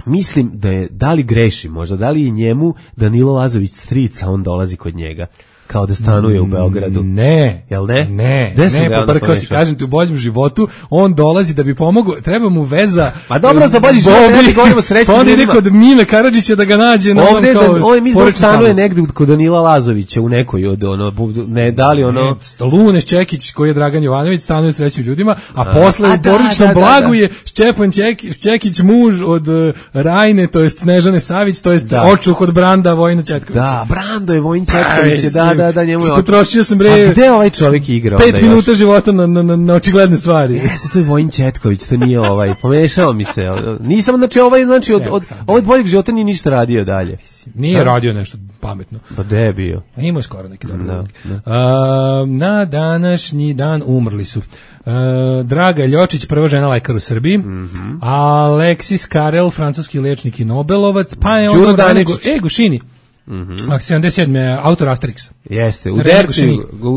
mislim da je, da li greši možda, da li je njemu Danilo Lazović strica, on dolazi kod njega. Kao da stanuje u Beogradu.
Ne.
Jel ne?
Ne, ne, poprkao si, kažem ti, u boljem životu, on dolazi da bi pomogao, treba mu veza...
Pa dobro, za bolji život, ne govorimo srećnim
ljudima. Pa onda ide kod Mime Karadžića da ga nađe na
ovom kao... Ovdje mislim da stanuje negde kod Danila Lazovića, u nekoj od, ono, ne, da li ono...
Lune Šćekić, koji je Dragan Jovanović, stanuje s srećnim ljudima, a posle u porodičnom blagu je Šćepan Šćekić, muž od Rajne, to jest Snežane Savić, to jest očuh od Branda Vojina Četkovića.
Da, Brando je Vojin Četković, da, da, da, njemu je...
Potrošio sam bre...
A gde ovaj čovjek igrao?
Pet minuta života na, na, na, na očigledne stvari.
Jeste, to je Vojin Četković, to nije ovaj, pomešao mi se. Nisam, znači, ovaj, znači, od, od, od boljeg života nije ništa radio dalje.
Nije radio nešto pametno.
Pa gde je bio?
Imao je skoro neki dobro. Da, da. Uh, na današnji dan umrli su Uh, Draga Ljočić, prva žena lekar u Srbiji, mm-hmm. Aleksis Karel, francuski liječnik i Nobelovac, pa je ono e, Gušini, mm-hmm. sedamdeset sedme autor Asterixa.
Jeste, u Dercu,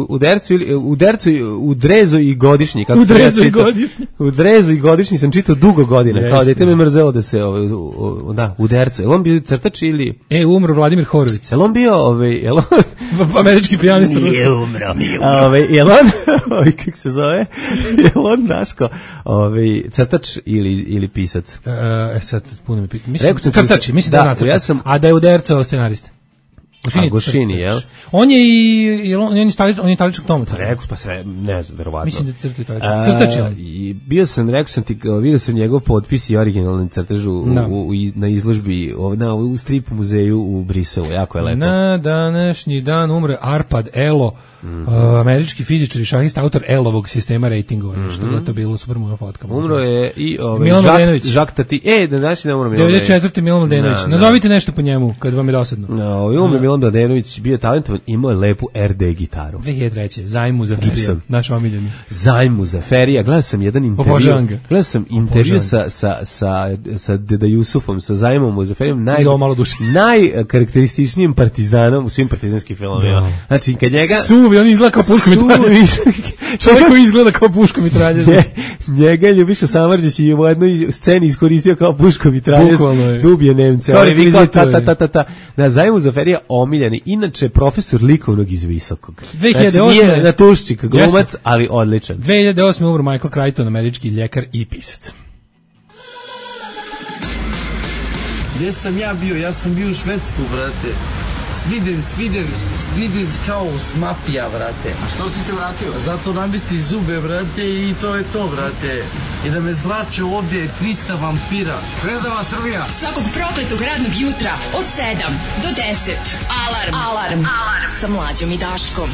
u Dercu, u Dercu, u Drezu i godišnji, kako
u Drezu i godišnji.
U Drezu i godišnji sam čitao dugo godina, jeste. Kao dete me mrzelo da se, ovaj, da, u Dercu. Jel on bio crtač ili?
E, umro Vladimir Horović.
Jel on bio, ovaj, jel on...
američki pijanista.
Nije umro, nije umro. Ovaj, jel on, ovaj, kako se zove, jel on Daško, ovaj, crtač ili, ili pisac?
E, sad, puno mi pitam. Mislim, crtač, mislim da, da,
ja sam...
a da je u Dercu scenarista. Gošini,
Gošini, jel?
On je i jel on, on je italičan, on je italičan tomac.
Rekao pa sve, ne znam, verovatno.
Mislim da crta italičan. Crtač je on.
I bio sam, rekao sam ti, vidio sam njegov potpis i originalni crtež u,
no.
u, u, na izložbi na, u strip muzeju u Briselu, jako je lepo.
Na današnji dan umre Arpad Elo, mm-hmm. uh, američki fizičar i šahista, autor Elovog sistema rejtingovanja, mm-hmm. što je to bilo super moja fotka.
Umro je i ovaj,
Milan Mladenović.
Žak Tati, e, da današnji dan umro Milan
devedeset četvrte Milan Mladenović.
No,
Nazovite no. nešto po njemu, kad vam je dosadno.
No, umro no. Milan Mladenović, bio je talentovan, imao je lepu er de gitaru.
dve hiljade treće. Zajmu za Ferija, naš omiljeni.
Zajmu za Ferija, gledao sam jedan intervju. Gledao sam intervju sa, sa, sa, sa Deda Jusufom, sa Zajmom za Ferijom, naj, najkarakterističnijim partizanom u svim partizanskim filmovima. Znači, kad njega...
Suvi, on izgleda kao puško mitralje. Čovjek koji izgleda kao puško mitralje.
Njega je Ljubiša Samardžić i u jednoj sceni iskoristio kao puško mitralje. Dubije Nemce. Ta, ta, ta, ta, ta. Na Zajmu za Ferija omiljeni. Inače, profesor likovnog iz Visokog.
dve hiljade osme.
Znači, nije natuščik, glumac, ali odličan.
dve hiljade osme. umro Michael Crichton, američki ljekar i pisac.
Gdje sam ja bio? Ja sam bio u Švedsku, brate. Sviden, sviden, sviden kao smapija, brate.
A što si se vratio?
Zato namesti zube, brate, i to je to, brate. I da me zrače ovdje trista vampira.
Zvezdava Srbija.
Svakog prokletog radnog jutra od sedam do deset. Alarm. Alarm. Alarm. Sa Mlađom i Daškom.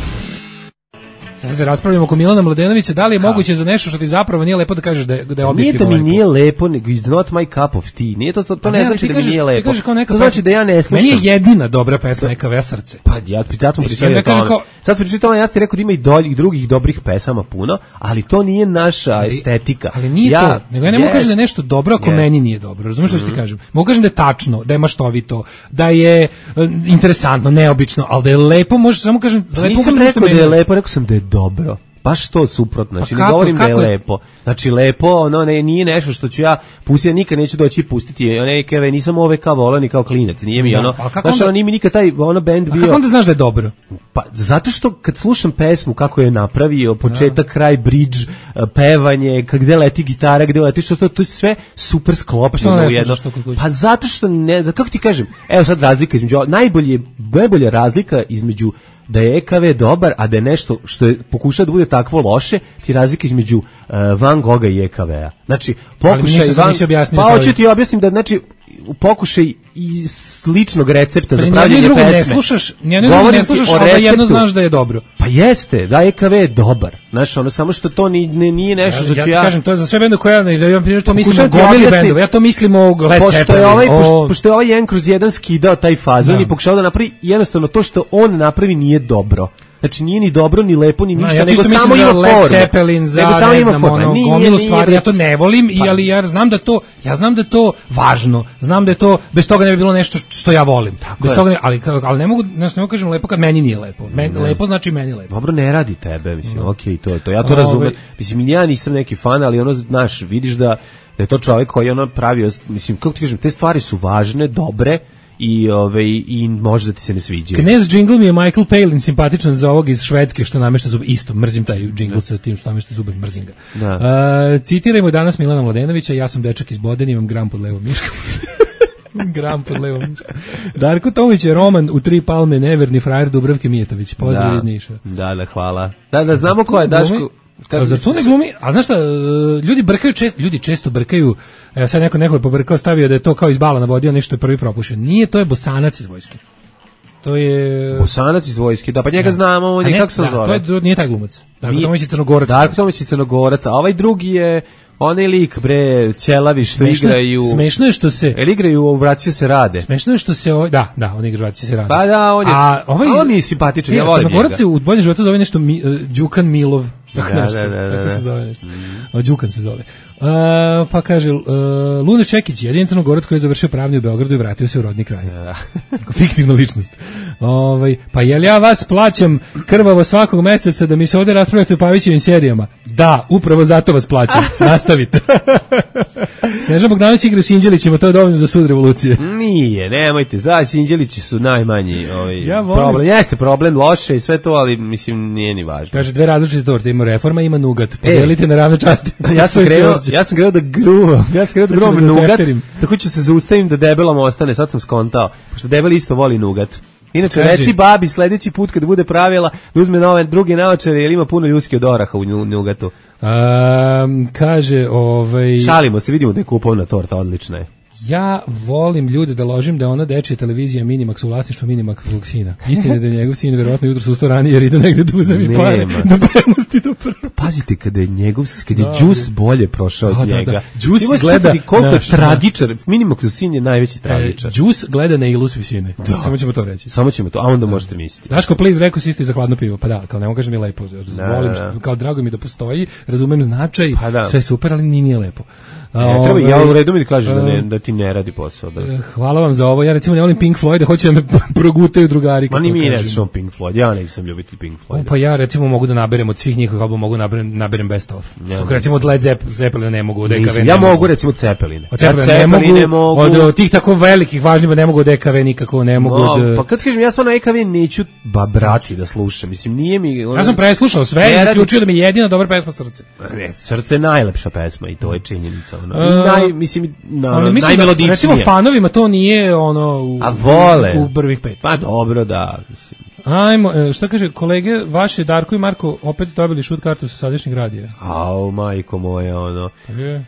Sad se raspravljamo oko Milana Mladenovića, da li je moguće za nešto što ti zapravo nije lepo da kažeš da je, da je objektivno
lepo? Nije da mi
lepo.
nije lepo, nego it's not my cup of tea. Nije to, to, to ne, ne znači da
kažeš,
mi nije lepo. To
znači
da ja ne slušam.
Meni je jedina dobra pesma E K V Srce.
Pa ja sad smo pričali o tome. Kao... Sad smo pričali o tome, ja sam ti rekao da ima i dolj, drugih dobrih pesama puno, ali to nije naša ali, estetika.
Ali nije ja, to, nego ja ne yes, mogu kažem da je nešto dobro ako yes. meni nije dobro. Razumiješ što mm-hmm. ti kažem? Mogu kažem da je tačno, da je maštovito, da je uh, interesantno, neobično, ali da je lepo, možeš samo kažem...
Pa nisam rekao da je lepo, rekao sam da je dobro. Baš to suprotno, znači pa kako, ne govorim kako? Da je lepo. Znači lepo, ono ne, nije nešto što ću ja pustiti, nikad neću doći pustiti. One E K V, nisam ove kao volao ni kao klinac, nije mi no, ono. Znaš, ono nije mi nikad taj ono bend bio.
A kako onda znaš da je dobro?
Pa zato što kad slušam pesmu kako je napravio, početak, kraj, bridge, pevanje, gde leti gitara, gde leti što to, to je sve super sklopljeno
pa
u jedno. Pa zato što ne, kako ti kažem, evo sad razlika između najbolje, najbolja razlika između da je E K V dobar, a da je nešto što je pokuša da bude takvo loše, ti razlika između uh, Van Gogha i E K V-a. Znači, pokušaj Van... Pa hoću ti objasnim da, znači, pokušaj i sličnog recepta pa za pravljenje pesme.
Ne slušaš, nijedno drugo ne slušaš, ali da jedno znaš da je dobro.
Pa jeste, da E K V je dobar. Znaš, ono, samo što to ni, ne, nije nešto ja, što ću ja...
Ja ti kažem, to je za sve bende koja, da ja primjer, to mislim o gomili bendova, ja to mislim o Led Zeppelin.
Ovaj, o... pošto, pošto je ovaj jedan kroz jedan skidao taj fazon i pokušao da napravi, jednostavno to što on napravi nije dobro. Znači nije ni dobro, ni lepo, ni ništa, no, ja nego samo ima
Led
formu.
Zeppelin za, nego samo ne znam, ono, nije, gomilu nije, stvari, nije, ja to ne volim, pa, i, ali ja znam da to, ja znam da je to važno, znam da je to, bez toga ne bi bilo nešto što ja volim. Bez toga ne, ali, ali ne mogu, znači ne mogu kažem lepo kad meni nije lepo. Men, lepo znači meni lepo.
Dobro, ne radi tebe, mislim, no. okej, okay, to je to, ja to razumem. Mislim, ja nisam neki fan, ali ono, znaš, vidiš da, da je to čovjek koji je ono pravio, mislim, kako ti kažem, te stvari su važne, dobre, i ove i može da ti se ne sviđa.
Knez džingl mi je Michael Palin simpatičan za ovog iz Švedske što namešta zube. Isto, mrzim taj džingl sa tim što namešta zube, mrzim ga. Da. Uh, citirajmo danas Milana Mladenovića, ja sam dečak iz Bodena, imam gram pod levom miškom. Gram pod levom miškom. Darko Tomić je roman u tri palme, neverni frajer Dubravke Mijetović. Pozdrav da. iz Niša.
Da, da, hvala. Da, da, znamo ko je Daško.
A zar to ne glumi? A znaš šta, ljudi brkaju često, ljudi često brkaju, evo sad neko neko je pobrkao, stavio da je to kao iz bala navodio, nešto je prvi propušen. Nije, to je Bosanac iz vojske. To je...
Bosanac iz vojske, da, pa njega da. znamo, on je, kako se
da,
zove?
To je, nije taj glumac. Darko Tomić je Crnogorac.
Darko Tomić je Crnogorac, a ovaj drugi je onaj lik, bre, ćelavi što smešno, igraju...
Smešno je što se...
Jel igraju Vraća se rade?
Smešno je što se... Ovaj, da, da, on igra Vraća se rade.
Pa da, on je...
A ovaj,
on mi je simpatičan, ja volim njega.
Crnogorac se u boljem životu zove nešto mi, uh, Đukan Milov. Tako
da,
nešto,
da, da,
tako
da.
se zove nešto. Mm. Đukan se zove. Uh, pa kaže, uh, Luna Čekić, jedin Crnogorac koji je završio pravni u Beogradu i vratio se u rodni kraj. Da. Fiktivna ličnost. Ovaj, pa jel ja vas plaćam krvavo svakog meseca da mi se ovdje raspravljate o Pavićevim serijama? Da, upravo zato vas plaćam. Nastavite. Snežan Bogdanović igra u Sinđelićima, to je dovoljno za sud revolucije.
Nije, nemojte, da, Sinđelići su najmanji ovaj, ja problem. Jeste problem, loše i sve to, ali mislim nije ni važno.
Kaže, dve različite torte, ima reforma, ima nugat. Podelite e, na ravne časti.
Ja sam krenuo, ja sam krenuo da gruvam, ja sam krenuo da gruvam nugat, tako ću se zaustavim da debelom ostane, sad sam skontao, pošto debel isto voli nugat. Inače,
Kaži.
reci babi sledeći put kad bude pravila da uzme nove druge naočare, jer ima puno ljuski od oraha u nju- njugatu.
Um, kaže, ovaj...
Šalimo se, vidimo da je kupovna torta, odlična je.
Ja volim ljude da ložim da je ona dečija televizija Minimax u vlasništvu Minimaxovog sina. Istina je da je njegov sin verovatno jutro ustao ranije jer ide negde da uzemi pare, da premosti do prvo.
Pazite, kada je njegov, kada je Đus bolje prošao od
Da, da,
njega.
da. Đus
Ti možeš
gleda
shvatiti koliko je
naš-
tragičar. Minimaxov sin je najveći tragičar.
E, Đus gleda na ilus visine. Samo ćemo to reći.
Samo ćemo to, a onda možete misliti.
Daško, please, rekao si isto za hladno pivo. Pa da, kao ne mogu kažem mi lepo. Volim,
da, da.
kao drago mi da postoji, razumem značaj,
Pa da.
sve super, ali ni nije lepo.
Ne, treba,
Ovaj,
ja u redu mi da kažeš da, ne,
um,
da ti ne radi posao. Da.
Hvala vam za ovo. Ja recimo ne volim Pink Floyd, da hoće da me progutaju drugari.
Ma
kako
ni mi ne
kažem.
znaš Pink Floyd, ja nisam ljubitelj Pink
O,
Floyd.
pa ja recimo mogu da naberem od svih njihovih albuma, mogu da naberem, naberem best of.
Ja
Što recimo od Led Zepp- Zeppelina ne mogu, od E K V
Nisam,
ne
ja
mogu.
mogu recimo Cepeline.
Od
Ja
Zeppelina ne mogu,
Cepeline mogu.
od, od tih tako velikih važnjima ne mogu od E K V nikako, ne mogu
No,
od...
pa kad kažem, ja stvarno E K V neću ba brati da slušam. Mislim, nije mi... Ono,
Ja sam preslušao sve
Ne
i
radi-
zaključio da mi je jedina dobra pesma Srce.
Ne, Srce je najlepša pesma i to je činjenica. Ono.
E,
I naj, mislim, na,
Ono, mislim da,
najmelodičnije.
recimo fanovima to nije ono u,
A vole.
u prvih pet.
Pa dobro, da. Mislim.
Ajmo, e, šta kaže, kolege, vaše Darko i Marko opet dobili šut kartu sa sadašnjeg radija.
Au, majko moja, ono.
Je.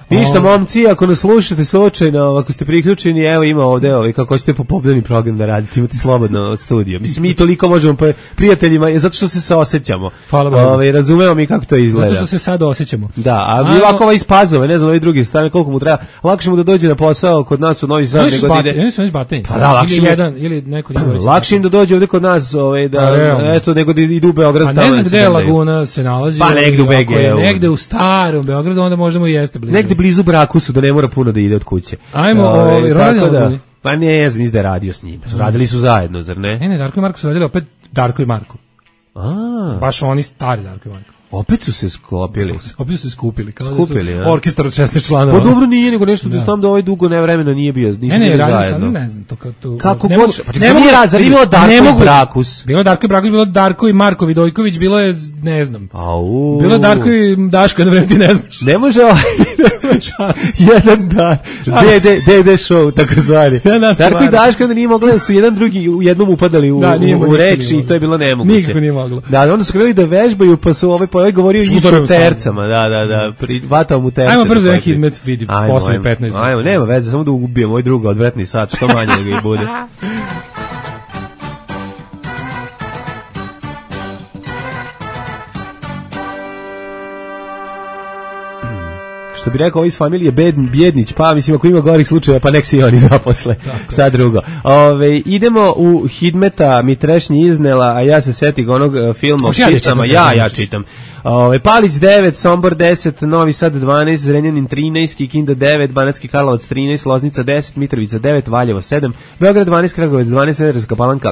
Ništa,
O,
momci, ako nas slušate slučajno, ako ste priključeni, evo ima ovde, ovaj, kako hoćete popodnevni program da radite, imate slobodno od studija. Mislim, mi toliko možemo pa, prijateljima, je zato što se se osjećamo.
Hvala Bogu.
Ovaj, razumemo mi kako to izgleda.
Zato što se sad osjećamo.
Da, a
Ajmo.
mi ovako ovaj iz Pazove, ne znam, ovaj drugi strane, koliko mu treba, lakše mu da dođe na posao kod nas u Novi Sad
Oni su
nego da
bate,
ide...
oni su već bateni.
Pa da, lakše
ili
mi je-
jedan, ili neko njegov.
Lakše im da dođe ovde kod nas, ovaj, da,
Pa, realno.
eto, nego da idu u Beograd.
Pa
tamo
ne znam
da se
gde je
gledaju.
Laguna se nalazi.
Pa,
ali
negde u
ako je
B G-u.
Negde u starom Beogradu, onda možda mu i jeste blizu.
Negde blizu Brakusu, da ne mora puno da ide od kuće.
Ajmo,
Ovaj,
ovaj, radi
tako
na
da,
Laguni?
pa ne znam, da je radio s njima. Su radili su zajedno, zar ne?
Ne, ne, Darko i Marko su radili opet Darko i Marko.
A,
Baš oni stari Darko i Marko.
opet su se sklopili.
Opet su se skupili, kao
Skupili,
da
ja.
su orkestar od šesnaest članova.
Pa dobro nije, nego nešto da znam da ovaj dugo ne vremena nije bio, nisu
Ne, ne,
bili
radi
zajedno.
sam, ne znam, to kao to.
Kako
ne
god-
mogu-
pa čekaj,
ne
nije
mogu-
rad, zar nije bilo Darko
ne
i
mogu-
Brakus?
Bilo je Darko i Brakus, bilo je Darko i Marko Vidojković, bilo je, ne znam.
Au.
Bilo je Darko i Daško, jedno vreme ti ne znaš.
Ne može ovaj jedan dan D D D D show tako zvani.
Ja nas
Darko i
stvarno.
Daško da nije mogli da su jedan drugi u jednom upadali u,
Da, nije
u,
moglo,
u reč
nikako nije
i to je bilo nemoguće.
Nikako nije moglo.
Da, onda su krenuli da vežbaju pa su ovaj pa ovaj govorio
Su
isto
udarali
u
u stanu.
tercama, da, da, da, pri, vatao mu terce.
Ajmo brzo
da
jedan
hvataju.
hidmet, vidi,
Ajmo,
posle
ajmo.
petnaest.
Ajmo, nema veze, samo da ubijem ovaj drugi odvratni sat, što manje da ga i bude. Što bi rekao, ovaj iz familije Bed, Bjednić, pa mislim ako ima gorih slučajeva, pa nek se i oni zaposle. Šta drugo. Ove, idemo u Hidmeta, mi trešnji iznela, a ja se setih onog uh, filma o
Hoćeš ja da
pticama.
čitam
Ja,
sve
ja
što
čitam. Ove, Palić devet, Sombor deset, Novi Sad dvanaest, Zrenjanin trinaest, Kikinda devet, Banatski Karlovac trinaest, Loznica deset, Mitrovica devet, Valjevo sedam, Beograd dvanaest, Kragujevac dvanaest, Smederevska Palanka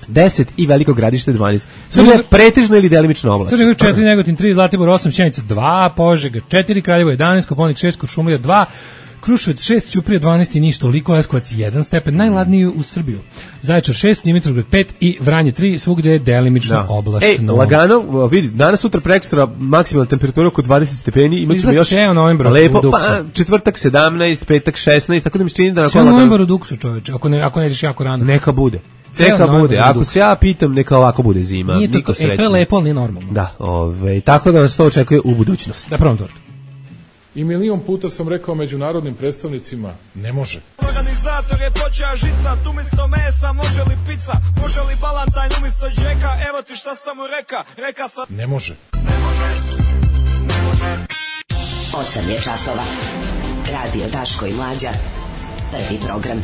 deset i Veliko Gradište dvanaest. Sve je pretežno ili delimično oblačno.
Crni vrh četiri, Negotin tri, Zlatibor osam, Sjenica dva, Požega četiri, Kraljevo jedanaest, Koponik šest, Kuršumlija dva, Kruševac šest, Ćuprija dvanaest i ništa, toliko, Leskovac jedan stepen, najladniji u Srbiju. Zaječar šest, Dimitrovgrad pet i Vranje tri, svugde je delimično oblačno.
Ej, lagano, vidi, danas, sutra, prekstra, maksimalna temperatura oko dvadeset stepeni, imat ćemo
Izgleda
još
ceo novembar
lepo,
u Duksu.
pa četvrtak sedamnaest, petak šesnaest, tako da mi se čini da
Sve
nakon
novembar u Duksu, čoveče, ako ne, ako ne ideš jako rano.
neka bude.
Ceo
Neka
novembar
bude.
u
Ako
Duksu.
se ja pitam, neka ovako bude zima.
Nije to,
Niko
to, e, to je
srećan.
lepo, ali nije normalno.
Da, ove, tako da nas to očekuje u budućnosti.
Da probam tortu.
I milion puta sam rekao međunarodnim predstavnicima, ne može.
Organizator je počeo žicat, umjesto mesa može li pizza, može li balantajn umjesto džeka, evo ti šta sam mu reka, reka sam...
Ne može.
osam je časova. Radio Daško i Mlađa. Prvi program.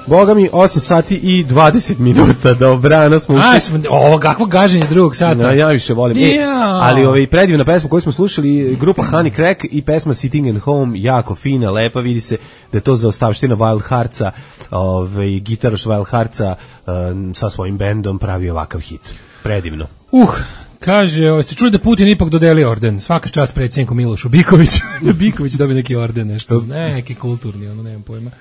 Boga mi, osam sati i dvadeset minuta, dobrano smo ušli.
Aj, smo, ovo, kakvo gaženje drugog sata.
Ja, ja više volim. E,
Ja.
ali ovaj predivna pesma koju smo slušali, grupa Honey Crack i pesma Sitting at Home, jako fina, lepa, vidi se da je to za ostavština Wild Heartsa, ovaj, gitaraš Wild Heartsa um, sa svojim bendom pravi ovakav hit. Predivno.
Uh, kaže, o, ste čuli da Putin ipak dodelio orden? Svaka čast predsjedniku Milošu Bikoviću. Da Biković dobije neki orden, nešto, neki kulturni, ono, nemam pojma.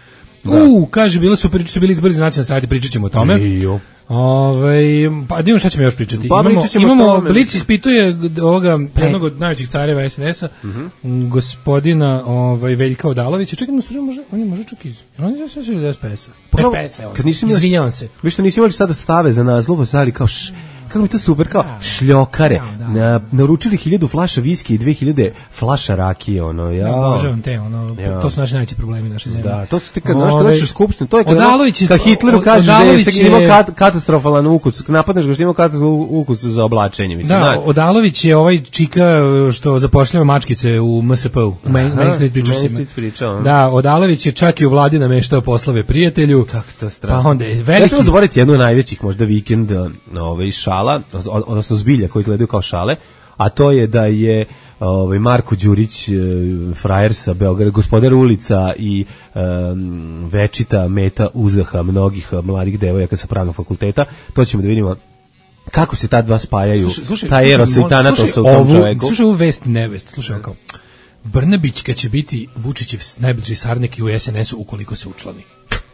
U, kaže, bilo super, su bili izbori za nacionalne savjete, pričat ćemo o tome.
Jo.
Ove, pa da šta ćemo još pričati.
Pa,
imamo imamo Blic
mi...
ispituje ovoga jednog od najvećih careva es en esa, uh-huh. gospodina ovaj Veljka Odalovića. Čekaj, no, može, on je može čak iz. On je sve iz es pe esa.
Pa,
es pe esa.
Kad nisi imali,
izvinjavam se.
Vi što nisi imali sada stave za naslov, sali kao š, kako mi to super, kao šljokare. Da, da. Na, naručili hiljadu flaša viski i dve hiljade flaša rakije, ono, ja.
Da, obožavam te, ono, ja. To su naši najveći problemi naše zemlje.
Da, to su ti kad, znaš, kad dođeš u skupštinu, to je kad,
Odalović je,
kad Hitleru kaže da je imao kat, katastrofalan ukus, napadneš ga što ima katastrofalan ukus za oblačenje, mislim.
Da, Odalović je ovaj čika što zapošljava mačkice u em es pe u, u Main Street Preachersima. Da, Odalović je čak i u vladi nameštao poslove prijatelju.
Kako to strano.
Pa onda je veliki...
Ja ćemo zaboraviti jednu od najvećih možda vikend ovaj, šala, odnosno zbilja koji gledaju kao šale, a to je da je ovaj Marko Đurić, frajer sa Beograda, gospodar ulica i um, večita meta uzdaha mnogih mladih devojaka sa pravnog fakulteta. To ćemo da vidimo kako se ta dva spajaju. Slušaj, slušaj, ta eros i tanatosa u tom čoveku.
Slušaj ovu vest nevest, slušaj kao Brnabić kad će biti Vučićev najbliži saradnik u es en esu ukoliko se učlani.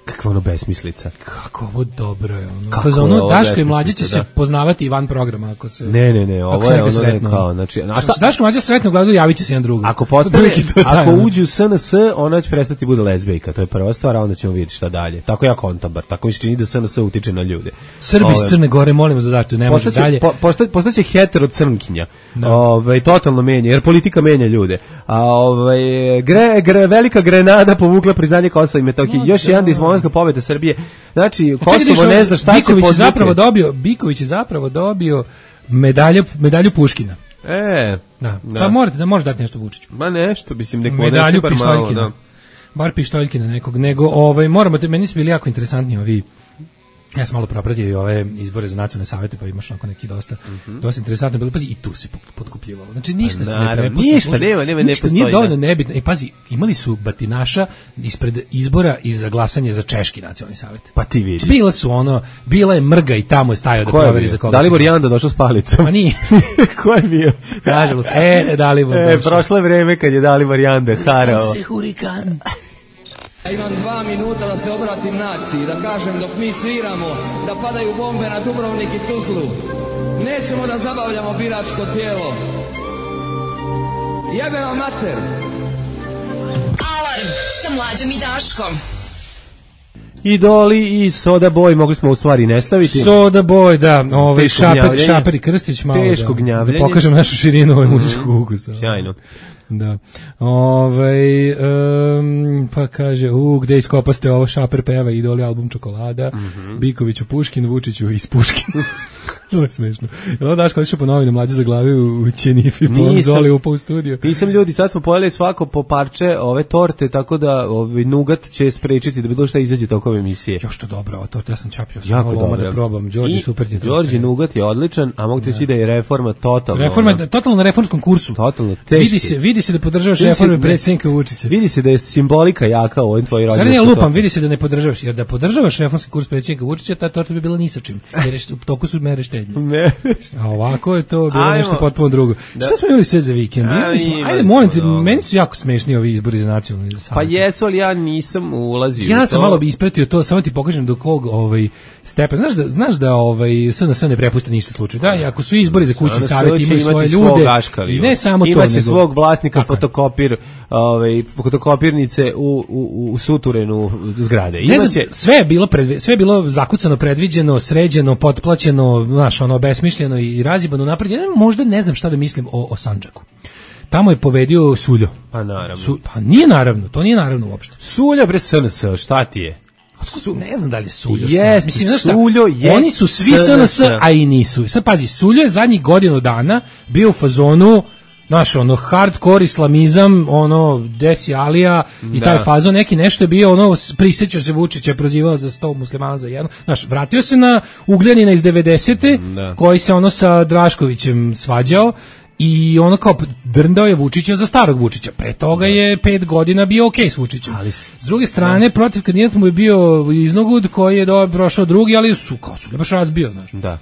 Kakva ono besmislica.
Kako ovo dobro je. Ono. Kako za ono Daško i Mlađe će da. se poznavati i van programa. Ako se,
ne, ne, ne, ovo je ono sretno. Kao, znači,
a šta, Daško i Mlađe sretno gledaju, javit će se jedan drugom.
Ako, postane, ako uđu u es en es, ona će prestati bude lezbejka, to je prva stvar, a onda ćemo vidjeti šta dalje. Tako ja kontam, bar, tako mi se čini da es en es utiče na ljude.
Srbi iz Crne Gore, molim vas da date, ne može dalje.
Po, posta, postaće hetero crnkinja, no. ovaj, totalno menja, jer politika menja ljude. A ovaj, gre, gre, velika Grenada povukla priznanje Kosova i Metohije. No, još jedan dismomanska pobeda Srbije. Znači, Kosovo ne zna šta
Biković
će
je zapravo dobio, Biković je zapravo dobio medalju, medalju Puškina.
E,
da. Da. Sad morate da može dati nešto Vučiću.
Ma nešto, mislim, neko
medalju
bar malo, da.
Bar pištoljkina nekog, nego ovaj moramo te, meni su bili jako interesantni ovi. Ja sam malo propratio i ove izbore za nacionalne savete, pa imaš onako neki dosta, mm-hmm. dosta interesantno bilo. Pazi, i tu se potkupljivalo. Znači, ništa se ne prepušta.
Ništa, nema, nema,
ništa nije dovoljno nebitno. E, pazi, imali su batinaša ispred izbora i za glasanje za češki nacionalni savet.
Pa ti vidi.
Bila su ono, bila je mrga i tamo je stajao da proveri za koga.
Dalibor Janda došao s palicom.
Pa nije.
Ko je bio?
Nažalost, e, Dalibor
E, prošlo je vreme kad je Dalibor Janda harao.
Kad se hurikan...
Ja imam dva minuta da se obratim naciji, da kažem dok mi sviramo, da padaju bombe na Dubrovnik i Tuzlu. Nećemo da zabavljamo biračko tijelo. Jebe vam mater!
Alarm sa Mlađom i Daškom.
Idoli i Soda Boy mogli smo u stvari ne staviti.
Soda Boy, da, ovaj Šaper, Šaper i Krstić malo.
Teško gnjavljenje.
Da pokažem našu širinu ovog muzičkog ukusa.
Sjajno.
Da. Ovaj um, pa kaže, u gde iskopaste ovo, Šaper peva Idoli album Čokolada, mm-hmm. Bikoviću Puškin, Vučiću iz Puškin. To je smešno. Jel daš kad išao po novine Mlađe za glavi u Ćenifi, po Zoli upao u studio.
Nisam ljudi, sad smo pojeli svako po parče ove torte, tako da ovaj nugat će sprečiti da bilo šta izađe tokom emisije.
Jo što dobro, ova torta, ja sam čapio sam ovo da probam. Đorđe super ti je.
Đorđe nugat je odličan, a mogu ti reći da je reforma totalno.
Reforma je totalno na reformskom kursu.
Totalno
teški. Vidi se, vidi se da podržavaš reforme predsjednika Vučića.
Vidi se da je simbolika jaka u ovim tvojim rođendanima.
Sad ne lupam, vidi se da ne podržavaš, jer da podržavaš reformski kurs predsjednika Vučića, ta torta bi bila ni sa čim. Jer u toku su mere štednje.
Ne.
A ovako je to bilo Ajmo. nešto potpuno drugo. Da. Šta smo imali sve za vikend?
A,
smo, ajde, molim te, meni su jako smešni ovi izbori za nacionalni savjet.
Pa jesu, ali ja nisam ulazio.
Ja sam
to.
malo bi ispratio to, samo ti pokažem do kog ovaj stepen. Znaš da znaš da ovaj es en es ne prepušta ništa slučaju. Da, i ako su izbori za kućni savjet imaju svoje ljude. I ne samo to,
imaće nego svog vlasnika fotokopir, ovaj fotokopirnice u u u suturenu zgrade. Imaće
sve je bilo pred, sve je bilo zakucano, predviđeno, sređeno, potplaćeno, znaš, ono besmišljeno i razjebano napred. Ja možda ne znam šta da mislim o, o Sandžaku. Tamo je pobedio Suljo.
Pa naravno.
Su, pa nije naravno, to nije naravno uopšte.
Suljo bre es en es, šta ti je?
Su, ne znam da li je Suljo.
Jest, mislim, znaš šta, Suljo je
oni su svi es en es, a i nisu. Sad pazi, Suljo je zadnjih godinu dana bio u fazonu, znaš, ono, hardcore islamizam, ono, Desi Alija i da. taj fazon, neki nešto je bio, ono, prisjećao se Vučića, prozivao za sto muslimana za jedno. Znaš, vratio se na Ugljanina iz devedesete Da. koji se, ono, sa Draškovićem svađao i ono kao drndao je Vučića za starog Vučića. Pre toga da. je pet godina bio okej okay s Vučićem. Ali, s druge strane, da. protiv kandidata mu je bio Iznogud koji je do, prošao drugi, ali su, kao su, baš razbio, znaš.
Da.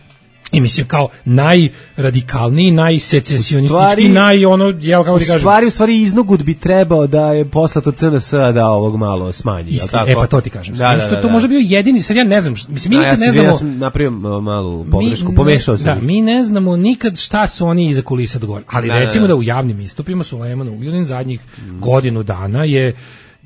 I mislim kao najradikalniji, najsecesionistički, naj ono, jel kako ti kažem.
U stvari, u stvari Iznogud bi trebao da je poslato C N S da ovog malo smanji.
Isti, e pa to ti kažem.
Da, da,
što
da,
to
da.
može bio jedini, sad ja ne znam, mislim mi
A,
nikad
ja
ne znamo.
Ja sam napravio malu pogrešku, pomešao sam.
Da, mi ne znamo nikad šta su oni iza kulisa dogovorili. Ali da, recimo da, da. da u javnim istupima Sulejman Ugljanin zadnjih mm. godinu dana je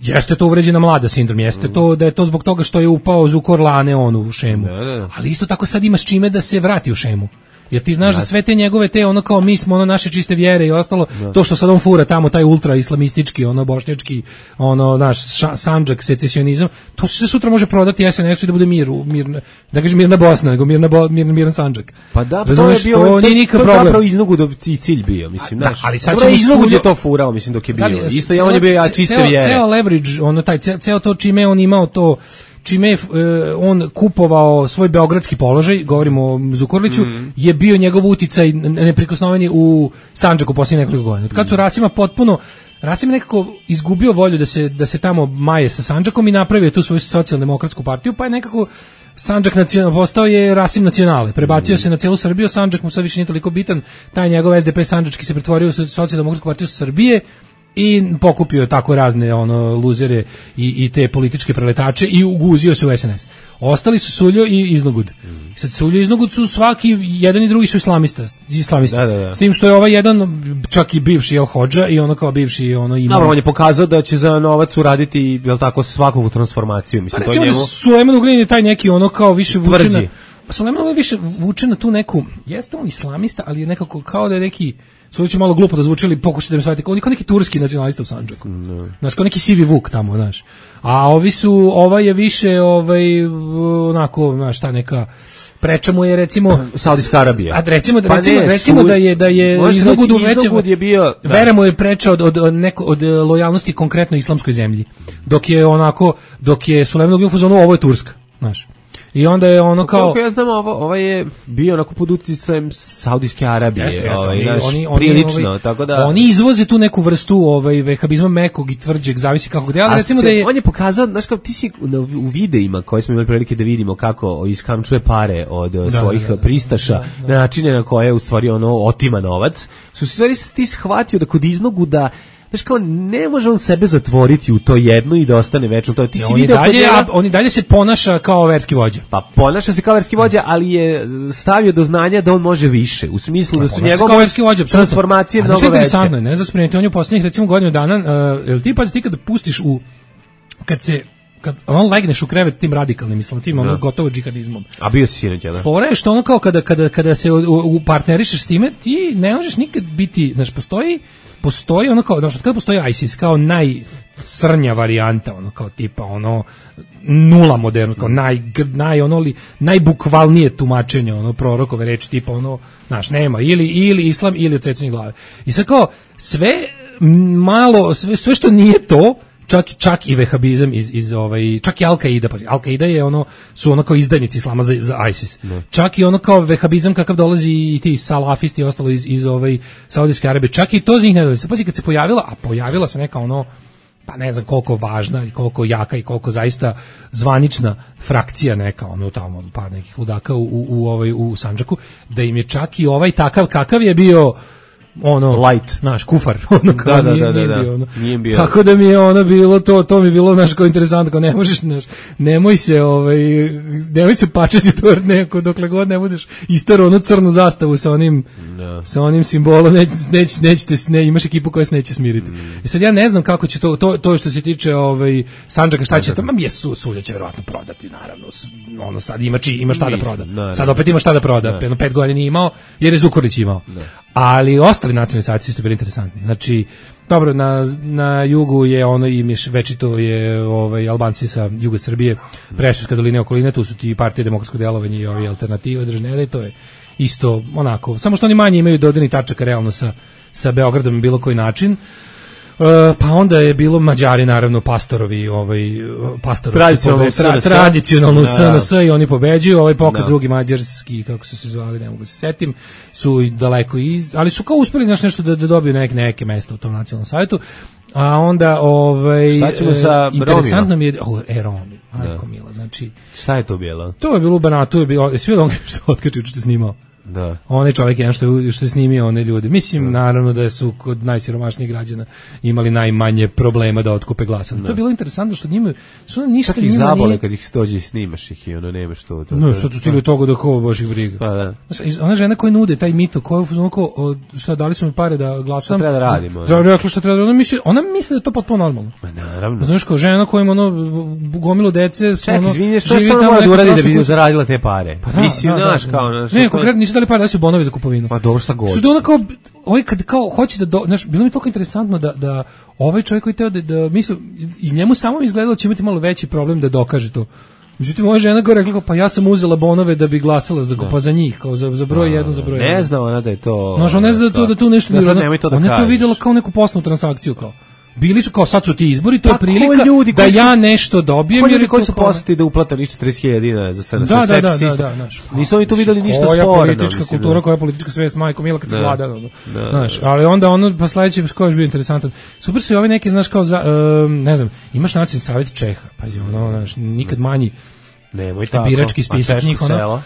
jeste to uvređena mlada sindrom, jeste mm. to da je to zbog toga što je upao Zukor Lane on u šemu. Da, da, da. Ali isto tako sad imaš čime da se vrati u šemu. Jer ti znaš da sve te njegove te ono kao mi smo ono naše čiste vjere i ostalo da. To što sad on fura tamo taj ultra islamistički ono bošnjački ono naš sandžak secesionizam to se sutra može prodati S N S-u i da bude mir, mir da kažem mirna Bosna nego mirna bo, mir, miran sandžak.
Pa da, to je bio to, to, to zapravo Iznogudov cilj bio mislim
da,
znaš.
Ali sad
će Iznogud je to furao mislim dok je bio. Da, isto je on je bio ja čiste
ceo,
vjere.
Ceo leverage ono taj ceo to čime on imao to čime je on kupovao svoj beogradski položaj, govorimo o Zukorliću, mm. je bio njegov uticaj neprikosnoveni u Sandžaku poslije nekoliko godina. Od kad su Rasima potpuno Rasim nekako izgubio volju da se da se tamo maje sa Sandžakom i napravio tu svoju socijaldemokratsku partiju, pa je nekako Sandžak nacional postao je Rasim nacionale, prebacio mm. se na celu Srbiju, Sandžak mu sad više nije toliko bitan, taj njegov S D P sandžački se pretvorio u socijaldemokratsku partiju Srbije i pokupio tako razne ono luzere i, i te političke preletače i uguzio se u S N S. Ostali su Suljo i Iznogud. Mm. Sad Suljo i Iznogud su svaki, jedan i drugi su islamista, islamista.
Da, da, da.
S tim što je ovaj jedan čak i bivši El Hodža i ono kao bivši ono imam.
No, on je pokazao da će za novac uraditi jel tako svakovu transformaciju, mislim
pa,
to
recimo
njemu.
Da Sulejman Ugljanin je taj neki ono kao više vučena. Pa Sulejman Ugljanin više vuče na tu neku, jeste on islamista, ali je nekako kao da je neki Sve će malo glupo da zvuči, ali pokušajte da mi shvatite, kao neki turski nacionalista u Sandžaku. No. Znaš, kao neki sivi vuk tamo, znaš. A ovi su, ova je više, ovaj, onako, znaš, ta neka, preča mu je, recimo,
Saudijska Arabija.
A recimo,
pa
recimo,
ne,
recimo
su,
da je, da je Iznogudu veća,
je bio, da.
Vera mu je preča od, od, od, neko, od lojalnosti konkretno islamskoj zemlji. Dok je onako, dok je Sulejman Ugljanin u fazonu, ovo je Turska, znaš. I onda je ono kao...
Kako ja znam, ovo, ovo je bio onako pod uticajem Saudijske Arabije.
Jeste, jeste,
ovaj,
oni,
naš,
oni, oni,
prilično,
ovaj,
tako da...
Oni izvoze tu neku vrstu ovaj, vehabizma mekog i tvrđeg, zavisi kako gde, ali recimo
se,
da je...
On je pokazao, znaš kao, ti si u videima koje smo imali prilike da vidimo kako iskamčuje pare od da, svojih da, da, pristaša, da, da. na načine na koje u stvari ono otima novac, su stvari ti shvatio da kod iznogu da znaš kao, ne može on sebe zatvoriti u to jedno i da ostane večno to. Ti si video
dalje, njega, on i dalje se ponaša kao verski vođa.
Pa ponaša se kao verski vođa, ali je stavio do znanja da on može više. U smislu da su njegove transformacije mnogo veće.
Interesantno je, ne znam spremiti, on je u posljednjih recimo godinu dana, uh, jel ti pazi ti kada pustiš u, kad se kad on legneš u krevet tim radikalnim islam, tim ono gotovo džihadizmom.
A bio si sinoć, da?
Fora je što ono kao kada, kada, kada se u, u partnerišeš s time, ti ne možeš nikad biti, znaš, postoji postoji ono kao, znači kada postoji ISIS kao najsrnja varijanta, ono kao tipa ono nula moderno, kao naj, naj ono li, najbukvalnije tumačenje ono prorokove reči tipa ono, znaš, nema ili ili islam ili odsecanje glave. I sad kao sve malo, sve, sve što nije to, čak čak i vehabizam iz iz ovaj čak i Al-Qaida, pa Al-Qaida je ono su ono kao izdajnici islama za, za ISIS. Ne. Čak i ono kao vehabizam kakav dolazi i ti salafisti i ostalo iz iz ovaj Saudijske Arabije, čak i to za njih ne dolazi. Pa kad se pojavila, a pojavila se neka ono pa ne znam koliko važna i koliko jaka i koliko zaista zvanična frakcija neka ono tamo od par nekih ludaka u u, u ovaj u Sandžaku, da im je čak i ovaj takav kakav je bio ono
light,
naš kufar, ono kao
da,
nije,
da, da,
nije
da,
bio ono.
Nije bio.
Tako da mi je ono bilo to, to mi je bilo naš kao interesantno, kao ne možeš, naš, nemoj se ovaj, nemoj se pačati to neko, dokle god ne budeš istaro onu crnu zastavu sa onim, no. sa onim simbolom, neć, neć, nećete, ne, imaš ekipu koja se neće smiriti. Mm. I sad ja ne znam kako će to, to, to što se tiče ovaj, Sandžaka, šta će to, ma mi je su, Sulja će verovatno prodati, naravno, ono sad ima, či, ima šta da proda. No, sad opet ima šta da proda, no. Jedno pet godina nije imao, jer je Zukorlić imao. No. Ali ostali nacionalni savjeti su bili interesantni. Znači, dobro, na, na jugu je ono i miš večito je ovaj Albanci sa juga Srbije, Preševska dolina i okoline, tu su ti partije demokratskog delovanja i ovi alternative držnele, to je isto onako, samo što oni manje imaju dodirnih tačaka realno sa, sa Beogradom na bilo koji način. Uh, pa onda je bilo Mađari, naravno, pastorovi, ovaj, pastorovi
tradicionalno
tra, tradicionalno S N S i oni pobeđuju, ovaj pokret no. drugi mađarski, kako su se zvali, ne mogu se setim, su daleko iz, ali su kao uspeli, znaš, nešto da, da dobiju neke, neke mesta u tom nacionalnom savjetu, a onda, ovaj,
šta ćemo sa
interesantno mi je, oh, e, Romi, majko mila, znači,
šta je to bilo?
To je bilo u Banatu, je bilo, jesi vidio ono što otkači, što snimao?
Da.
Onaj čovjek jedan što je, što je snimio one ljude. Mislim, da. naravno da su kod najsiromašnijih građana imali najmanje problema da otkupe glasa. To je bilo interesantno što njima, što ništa
njima
nije...
zabole kad ih dođe i snimaš ih i ono nemaš to. to
no,
to,
sad su stigli toga da ko baš ih briga.
Pa da.
Znaš, ona žena koja nude taj mito, koja onako, šta, dali su mi pare da glasam.
Šta treba da radimo?
Da, rekla šta treba da radimo. Ona misli, ona misli da je to potpuno normalno.
Ma naravno.
Znaš, kao žena koja ima ono, gomilo dece.
Čekaj,
ono,
izvinite, što što ona mora da uradi da bi zaradila te pare?
Pa da,
mislim,
da,
naš,
da,
kao...
Naš, ne, konkretno nisu dali pare, da su bonovi za kupovinu.
Pa dobro, šta god.
Što da ona kao, ovaj kad kao hoće da, do, znaš, bilo mi toliko interesantno da, da ovaj čovjek koji teo da, da misli, i njemu samo izgledalo će imati malo veći problem da dokaže to. Međutim, ova žena gore rekla, pa ja sam uzela bonove da bi glasala za, pa za njih, kao za, za broj jedan, za broj jedan.
Ne zna ona da je to...
Znaš, ona ne zna da, to, da tu nešto...
Da sad
nemoj
to da
ona je to videla kao neku poslovnu transakciju, kao. Bili su kao sad su ti izbori, to je prilika ljudi da su, ja nešto dobijem
jer koji su posjetili da uplate nič četrdeset hiljada dinara za sve.
Da, da, da, da, da, znaš.
Nisu oni tu videli ništa sporno.
Koja politička kultura, koja politička svest, majko mila kad se vlada. Znaš, ali onda ono pa sledeće što je bio interesantan. Super su i ovi neki, znaš, kao za ne znam, imaš nacionalni savet Čeha. Pazi, ono, znaš, nikad manji.
Nemoj tako.
Birački spisak njih, ono.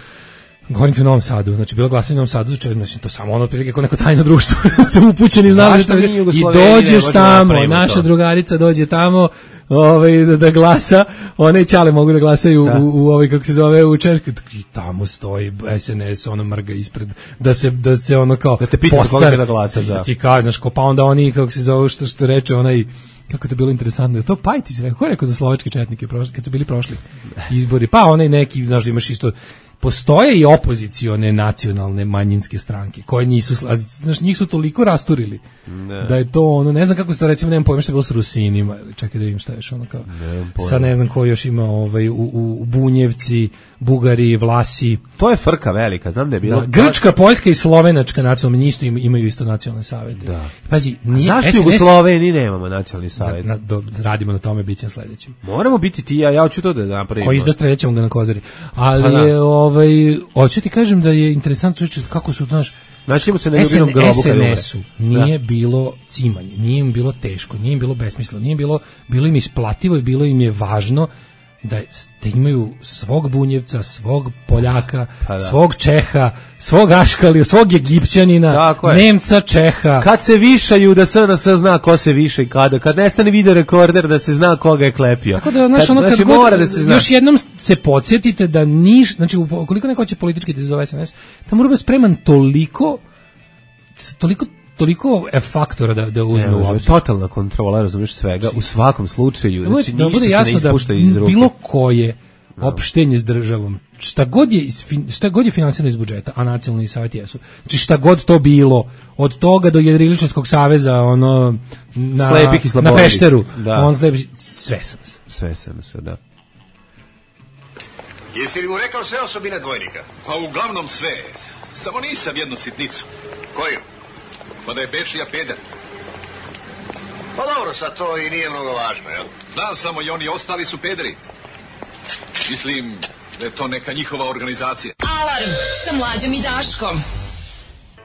Govorim ti u Novom Sadu, znači bilo glasanje u Novom Sadu, znači to samo ono otprilike kao neko tajno društvo, sam upućen i znam što i dođeš tamo, naša to. Drugarica dođe tamo, ovaj da, da glasa, one ćale mogu da glasaju da. u, u ovaj kako se zove u Češkoj, i tamo stoji S N S, ono mrga ispred, da se da se ono kao
da te pita koga da glasa, da.
Ti kažeš, pa onda oni kako se zove što što reče onaj kako je to bilo interesantno, je to Pajtić rekao, ko je rekao za slovačke četnike prošli, kad su bili prošli izbori, pa onaj neki, znaš, imaš isto, postoje i opozicione nacionalne manjinske stranke, koje nisu, znaš, njih su toliko rasturili, ne. Da je to ono, ne znam kako se to recimo, nemam pojma što je bilo s Rusinima, čekaj da vidim šta je ono kao, ne sad ne znam ko još ima ovaj, u, u Bunjevci, Bugari, Vlasi.
To je frka velika, znam da je bilo.
Da, Grčka, Poljska i Slovenačka nacionalne, isto imaju isto nacionalne savete.
Da.
Pazi, nije,
zašto
S N S,
u Sloveniji nemamo nacionalni savet?
Na, na, do, radimo na tome, bit će sledećem.
Moramo biti ti, ja, ja hoću to da napravimo.
Koji izda strećemo ga na Kozari. Ali pa da. je, ovaj, hoću ti kažem da je interesantno čući kako su, znaš,
znači se na ljubinom grobu
S N S-u nije da. bilo cimanje, nije im bilo teško, nije im bilo besmisleno, nije im bilo, bilo im isplativo i bilo im je važno da, da imaju svog Bunjevca, svog Poljaka, pa da. svog Čeha, svog Aškalija, svog Egipćanina, Nemca, Čeha.
Kad se višaju da se se zna ko se više i kada, kad nestane video rekorder da se zna koga je klepio.
Tako da, znaš, ono, kad god, mora da se zna. Još jednom se podsjetite da niš, znači ukoliko neko će politički da izove S N S, tamo mora biti spreman toliko toliko toliko je faktora da da uzme u obzir.
Totalna kontrola, razumiješ, svega u svakom slučaju, znači
da bude jasno da bilo koje opštenje s državom, šta god je šta god je finansirano iz budžeta, a nacionalni savet jesu. Znači šta god to bilo, od toga do Jedriličarskog saveza, ono na na Pešteru, da. On slepi, sve sam se.
Sve sam se, da.
Jesi li mu rekao sve osobine dvojnika?
Pa uglavnom sve. Samo nisam jednu sitnicu.
Koju?
Pa da je Bečija peder.
Pa dobro, sad to i nije mnogo važno, jel?
Znam samo i oni ostali su pederi. Mislim da je to neka njihova organizacija.
Alarm sa Mlađom i Daškom.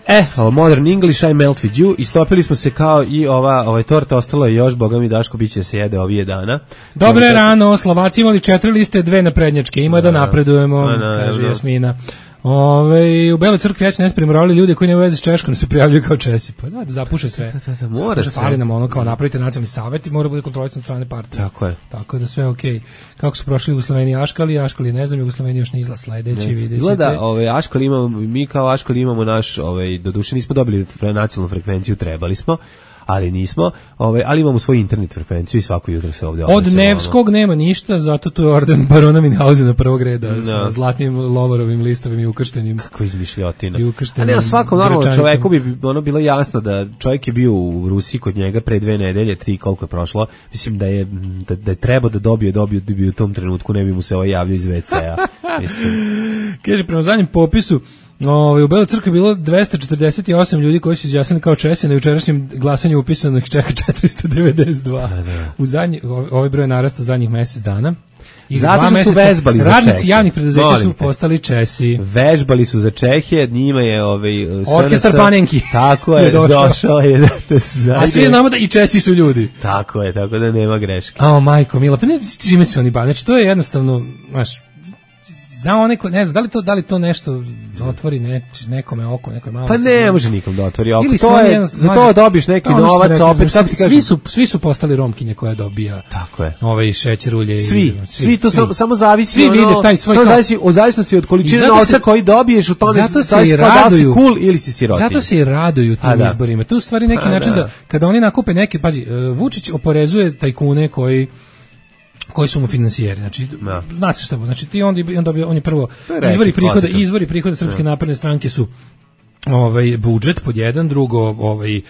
E, ovo Modern English, I melt with you. Istopili smo se kao i ova ovaj torta, ostalo je još, boga mi Daško, bit će se jede ovije dana.
Dobre Dobre rano, Slovaci imali četiri liste, dve naprednjačke, ima da, da napredujemo, da, kaže da. Jasmina. Ove, u Beloj crkvi S N S primoravali ljude koji nemaju veze s Češkom, se prijavljuju kao Česi. Pa da, da zapuše sve.
Da, da, da, mora se.
Fali nam ono kao napravite nacionalni savet i mora bude kontrolisan od strane partije.
Tako je.
Tako da sve okej. Okay. Kako su prošli u Jugoslaveni Aškali, Aškali ne znam, Jugoslaveni još ne izla sledeći, videćete.
Gleda, ovaj Aškali imamo, mi kao Aškali imamo naš, ovaj doduše nismo dobili nacionalnu frekvenciju, trebali smo. Ali nismo, ovaj, ali imamo svoju internet frekvenciju i svako jutro se ovdje
od Nevskog ono. Nema ništa, zato tu je orden barona Minhausena prvog reda no. sa zlatnim lovorovim listovim i ukrštenim.
Kako izmišljotina. A ne, svakom normalnom čoveku bi ono bilo jasno da čovjek je bio u Rusiji kod njega pre dve nedelje, tri koliko je prošlo, mislim da je da, da je trebao da dobije, dobio, dobio u tom trenutku, ne bi mu se ovaj javljao iz ve cea.
Kaže, prema zadnjem popisu Ove, u Beloj crkvi je bilo dvesta četrdeset osam ljudi koji su izjasnili kao Česi, na jučerašnjem glasanju upisanih čeka četiristo devedeset dva. Da, da. U zadnji, ovaj broj narasta zadnjih mjesec dana. I
zato što su vežbali za Čehe.
Radnici javnih preduzeća su postali Česi.
Vežbali su za Čehe, njima je ovaj
orkestar Panenki.
Tako je, je došao je da, da se
a svi znamo da i Česi su ljudi.
Tako je, tako da nema greške.
A majko mila, pa ne čime se oni bave. Znači to je jednostavno, znaš, Zna onaj ko, ne znam, da li to, da li to nešto otvori ne, nekome oko, nekoj malo.
Pa ne može nikom da otvori oko.
Ili
to je,
jedan,
za to dobiš neki
ono
novac,
rekli,
opet, kako ti
svi,
kažem?
su, svi su postali Romkinje koja dobija
tako je.
Ovaj šećer, ulje.
Svi,
i,
svi, svi to svi. Samo, samo zavisi,
svi
ono,
vide taj svoj
samo
kao,
zavisi od zavisnosti od količine novca koji dobiješ, u tome
zato se
i
raduju,
da si cool ili si sirotinja.
Zato se i raduju tim da. izborima. To je u stvari neki A, način da. da kada oni nakupe neke, pazi, Vučić oporezuje tajkune koji koji su mu finansijeri. Znači, no. Zna se šta bu. Znači, ti on, on, dobio, on je prvo, izvori prihoda, izvori prihoda Srpske napredne stranke su ovaj budžet pod jedan, drugo ovaj uh,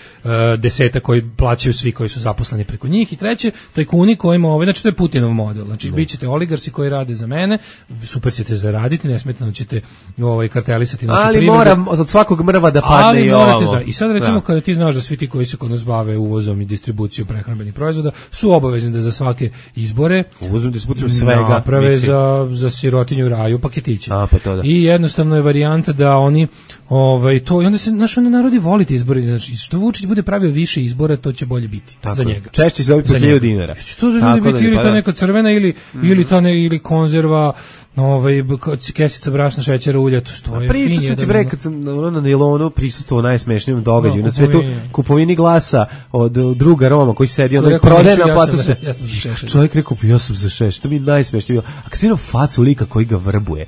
deseta koji plaćaju svi koji su zaposleni preko njih i treće tajkuni kojima ovaj znači to je Putinov model. Znači no. bićete oligarsi koji rade za mene, super ćete zaraditi, nesmetano ćete ovaj kartelisati našu privredu. Ali moram
od svakog mrva da padne
ali
i
morate,
ovo.
Da. I sad recimo da. kada ti znaš da svi ti koji se kod nas bave uvozom i distribucijom prehrambenih proizvoda su obavezni da za svake izbore
uvozom i distribucijom svega
naprave za za sirotinju raju paketiće.
A, pa to da.
I jednostavno je varijanta da oni ovaj to i onda se naš onda narodi volite izbore, znači što Vučić bude pravio više izbora, to će bolje biti tako za njega.
Češće se dobiti po hiljadu dinara.
Što za ljudi biti ili ta neka crvena ili mm. ili ta ne ili konzerva, ovaj kesica brašna, šećera, ulja, to stoji.
Pričao sam ti bre kad sam na Nilonu prisustvovao najsmešnijem događaju no, na svetu, kupovini glasa od druga Roma koji sedi on prodaje na platu.
Ja sam za Šešelja.
Čovjek rekao ja sam za Šešelja, to mi je najsmešnije bilo. A kad se vidio facu lika koji ga vrbuje.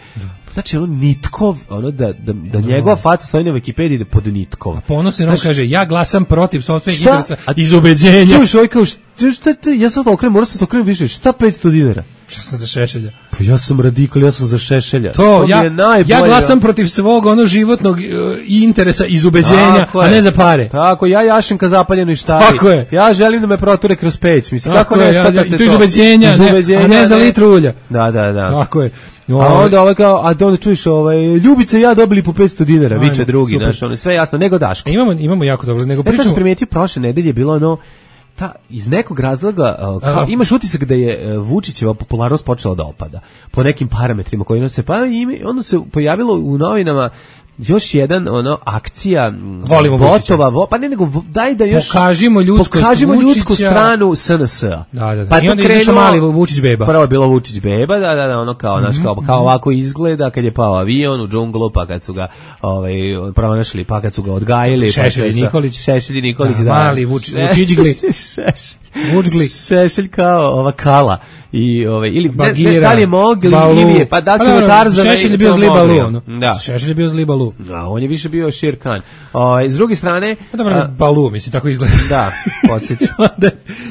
Znači ono Nitkov, ono da, da, da njegova faca stoji na Wikipediji da pod Nitkov.
A ponosno on kaže, ja glasam protiv sopstvenih interesa iz ubeđenja.
Čuješ ovaj kao, šta te, ja sad okrenem, moram sam se okrenem više, šta petsto dinara?
Šta sam za Šešelja?
Pa ja sam radikal, ja sam za Šešelja.
To, to ja, ja glasam protiv svog ono životnog uh, interesa iz ubeđenja, a ne za pare.
Tako, ja jašem ka zapaljenoj štari.
Tako je.
Ja želim da me proture kroz peć. Mislim, tako kako ne shvatate ja, ja,
to? iz ubeđenja, iz ubeđenja ne, a ne za litru ulja.
Da, da, da.
Tako je.
No, a onda ovaj kao, a onda čuješ ovaj, Ljubica i ja dobili po petsto dinara, ajme, viče drugi, znaš, ono, sve jasno, nego Daško.
E, imamo, imamo jako dobro, nego pričamo.
Ja sam primetio prošle nedelje bilo ono, ta, iz nekog razloga, kao, imaš utisak da je Vučićeva popularnost počela da opada, po nekim parametrima koji nose, pa ime, onda se pojavilo u novinama, još jedan ono akcija
volimo
botova, vo, pa ne nego daj da još
pokažimo ljudsku
pokažimo ljudsku stranu S N S-a.
Da, da, da.
Pa
i onda je mali Vučić beba.
Prvo je bilo Vučić beba, da, da, da, ono kao, mm-hmm. naš, kao, kao ovako izgleda kad je pao avion u džunglu, pa kad su ga ovaj pronašli, pa kad su ga odgajili,
Šešelj
pa
Nikolić,
Šešelj Nikolić, da,
da. Mali Vučićgli.
Vučgli. Šešelj kao ova kala i ovaj ili Bagira, ne, da li je mogli ili je pa da ćemo Tarzana.
Šešelj je bio zli Balu.
Da.
Šešelj je bio zli Balu.
Da, on je više bio Shere Khan. Ovaj s druge strane,
pa dobro, Balu mislim tako izgleda.
Da, podsjećam.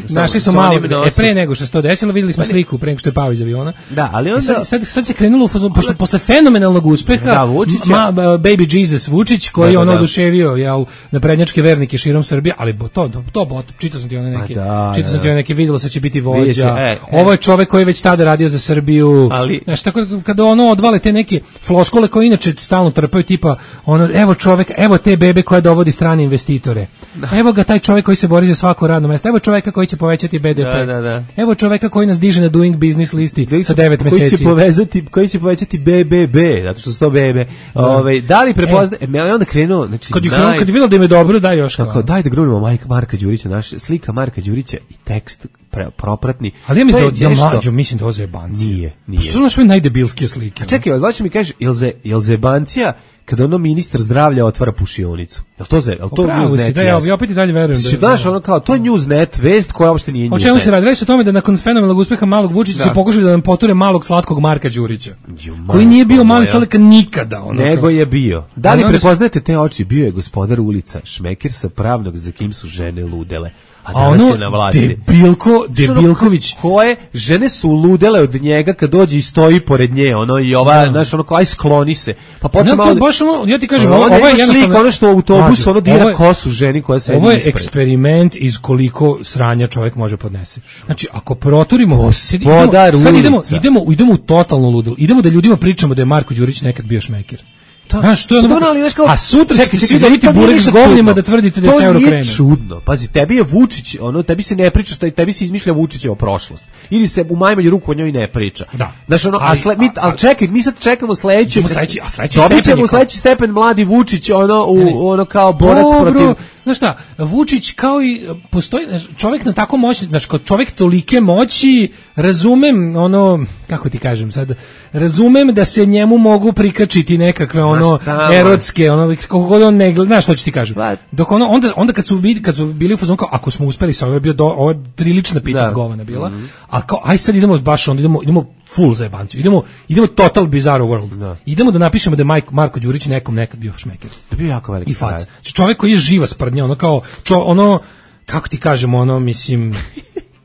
Našli su malo e pre nego što se to desilo, videli smo sliku pre nego što je pao iz aviona.
Da, ali onda
sad, sad, sad se krenulo u fazon posle posle fenomenalnog uspeha.
Da, Vučić,
ma, baby Jesus Vučić koji da, da, ono da. oduševio ja na prednjačke vernike širom Srbije, ali to to to bot, čitao sam ti one neke. Čitao sam ti one neke videlo se će biti vođa. E, Ovo je čovjek koji je već tada radio za Srbiju.
Ali
znaš, tako kada ono odvale te neke floskule koje inače stalno trpaju tipa ono evo čovjek, evo te bebe koja dovodi strane investitore. Da. Evo ga taj čovjek koji se bori za svako radno mesto. Evo čovjeka koji će povećati B D P.
Da, da, da.
Evo čovjeka koji nas diže na doing business listi da, sa devet mjeseci.
Koji će povezati, koji će povećati B B B, zato što su to bebe. Da. Ovaj da li prepozna, e, e onda krenuo, znači
kad je krenuo, kad je video da im je dobro, daj još
kako, daj da grunemo Majka Marka Đurića, naš slika Marka Đurića i tekst pre, propratni.
Ali ja mi to, ja mlađo, mislim da ovo zebancija.
Nije, nije.
Pa što su naše najdebilskije slike?
A čekaj, odlači mi kažeš, jel, ze, jel zebancija kada ono ministar zdravlja otvara pušionicu? Jel to, jel to Newsnet?
Da, ja, ja opet i dalje verujem.
Si da znaš, ono kao, to je Newsnet, vest koja uopšte nije Newsnet.
O čemu se radi? Radi se o tome da nakon fenomenalnog uspeha malog Vučića su pokušali da nam poture malog slatkog Marka Đurića. Jo, koji nije bio mali sladak nikada. Ono
nego kao. Je bio. Da li prepoznajete te oči? Bio je gospodar ulica, šmekir sa pravnog za kim su žene ludele. A,
a ono, debilko, debilković.
Koje žene su ludele od njega kad dođe i stoji pored nje, ono, i ova, znaš, ono, kao, aj skloni se. Pa počne malo...
Baš ono, ja ti kažem,
ovo,
ovo je
jednostavno... ono što u autobusu, ono, dira
je,
kosu ženi koja se...
Ovo je ispred. Eksperiment iz koliko sranja čovjek može podnesi. Znači, ako proturimo...
Gospodar
sad idemo, idemo, idemo u totalno ludilo. Idemo da ljudima pričamo da je Marko Đurić nekad bio šmekir. Znaš, to je ono,
ali, kao,
a sutra ćete svi dobiti burek s govnima da tvrdite da se euro krene.
To nije čudno. Pazi, tebi je Vučić, ono, tebi se ne priča, šta, tebi se izmišlja Vučićeva prošlost. Ili se u najmanju ruku o njoj ne priča.
Da.
Znaš, ono, ali, a sle, mi, ali čekaj, mi sad čekamo sledeće.
Sledeći, a sledeći
stepen. Dobit ćemo sledeći stepen mladi Vučić, ono, u, ono kao borac protiv...
znaš šta, Vučić kao i postoji čovjek na tako moćni, znači kao čovjek tolike moći, razumem ono, kako ti kažem sad, razumem da se njemu mogu prikačiti nekakve ono erotske, ono kako god on ne gleda, znaš što ću ti kažem. Dok ono onda onda kad su bili kad su bili u fazonu kao ako smo uspeli sa ovo je bio do, ovo je prilična pita govana bila, mm-hmm. a kao aj sad idemo baš onda idemo idemo full za jebanciju. Idemo idemo total bizarro world. Da. Idemo da napišemo da je Marko, Marko Đurić nekom nekad bio šmeker.
Da bio jako veliki.
I fac. Čovjek koji je živa sprdnja, ono kao čo, ono kako ti kažemo, ono mislim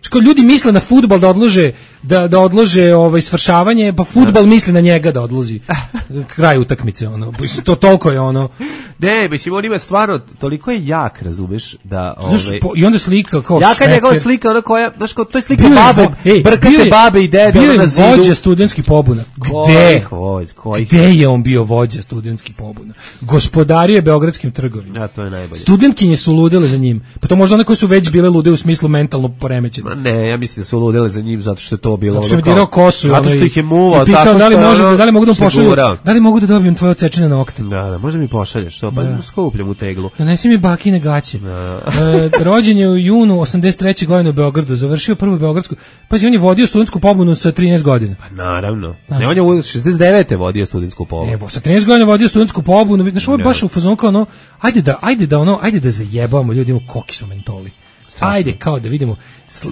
što ljudi misle na fudbal da odlože da da odlože ovaj svršavanje, pa fudbal misli na njega da odloži kraj utakmice, ono to toliko je ono.
Ne, mislim on ima stvarno toliko je jak, razumeš, da ovaj
i onda slika kao
jaka je njegova slika, ona koja, znaš kao to je slika babe, ej, brkate babe i dede
na zidu. Bio je vođa studentskih pobuna. Gde? Koji? Gde je on bio vođa studentskih pobuna? Gospodario je beogradskim trgovima.
Ja, to je najbolje.
Studentkinje su ludele za njim. Pa to možda one koje su već bile lude u smislu mentalno poremećene.
Ne, ja mislim da su ludele za njim zato što je to bilo
ono kao kosu,
zato što ih je muvao
tako da li može da li mogu da pošalju, da li mogu da dobijem tvoje odsečene nokte.
Da, da, možda mi pošalješ to, pa skupljam u teglu.
Donesi mi bakine gaće. E, rođen je u junu osamdeset treće godine u Beogradu, završio prvu beogradsku. Pazi, on je vodio studentsku pobunu sa trinaest godina.
Pa naravno. Znači, ne, on je u šezdeset devete vodio studentsku pobunu.
Evo, sa trinaest godina vodio studentsku pobunu. Znači, ovo je baš u fazonu kao ono, ajde da, ajde da ono, ajde da zajebamo ljudima koki su mentoli. Ajde, kao da vidimo.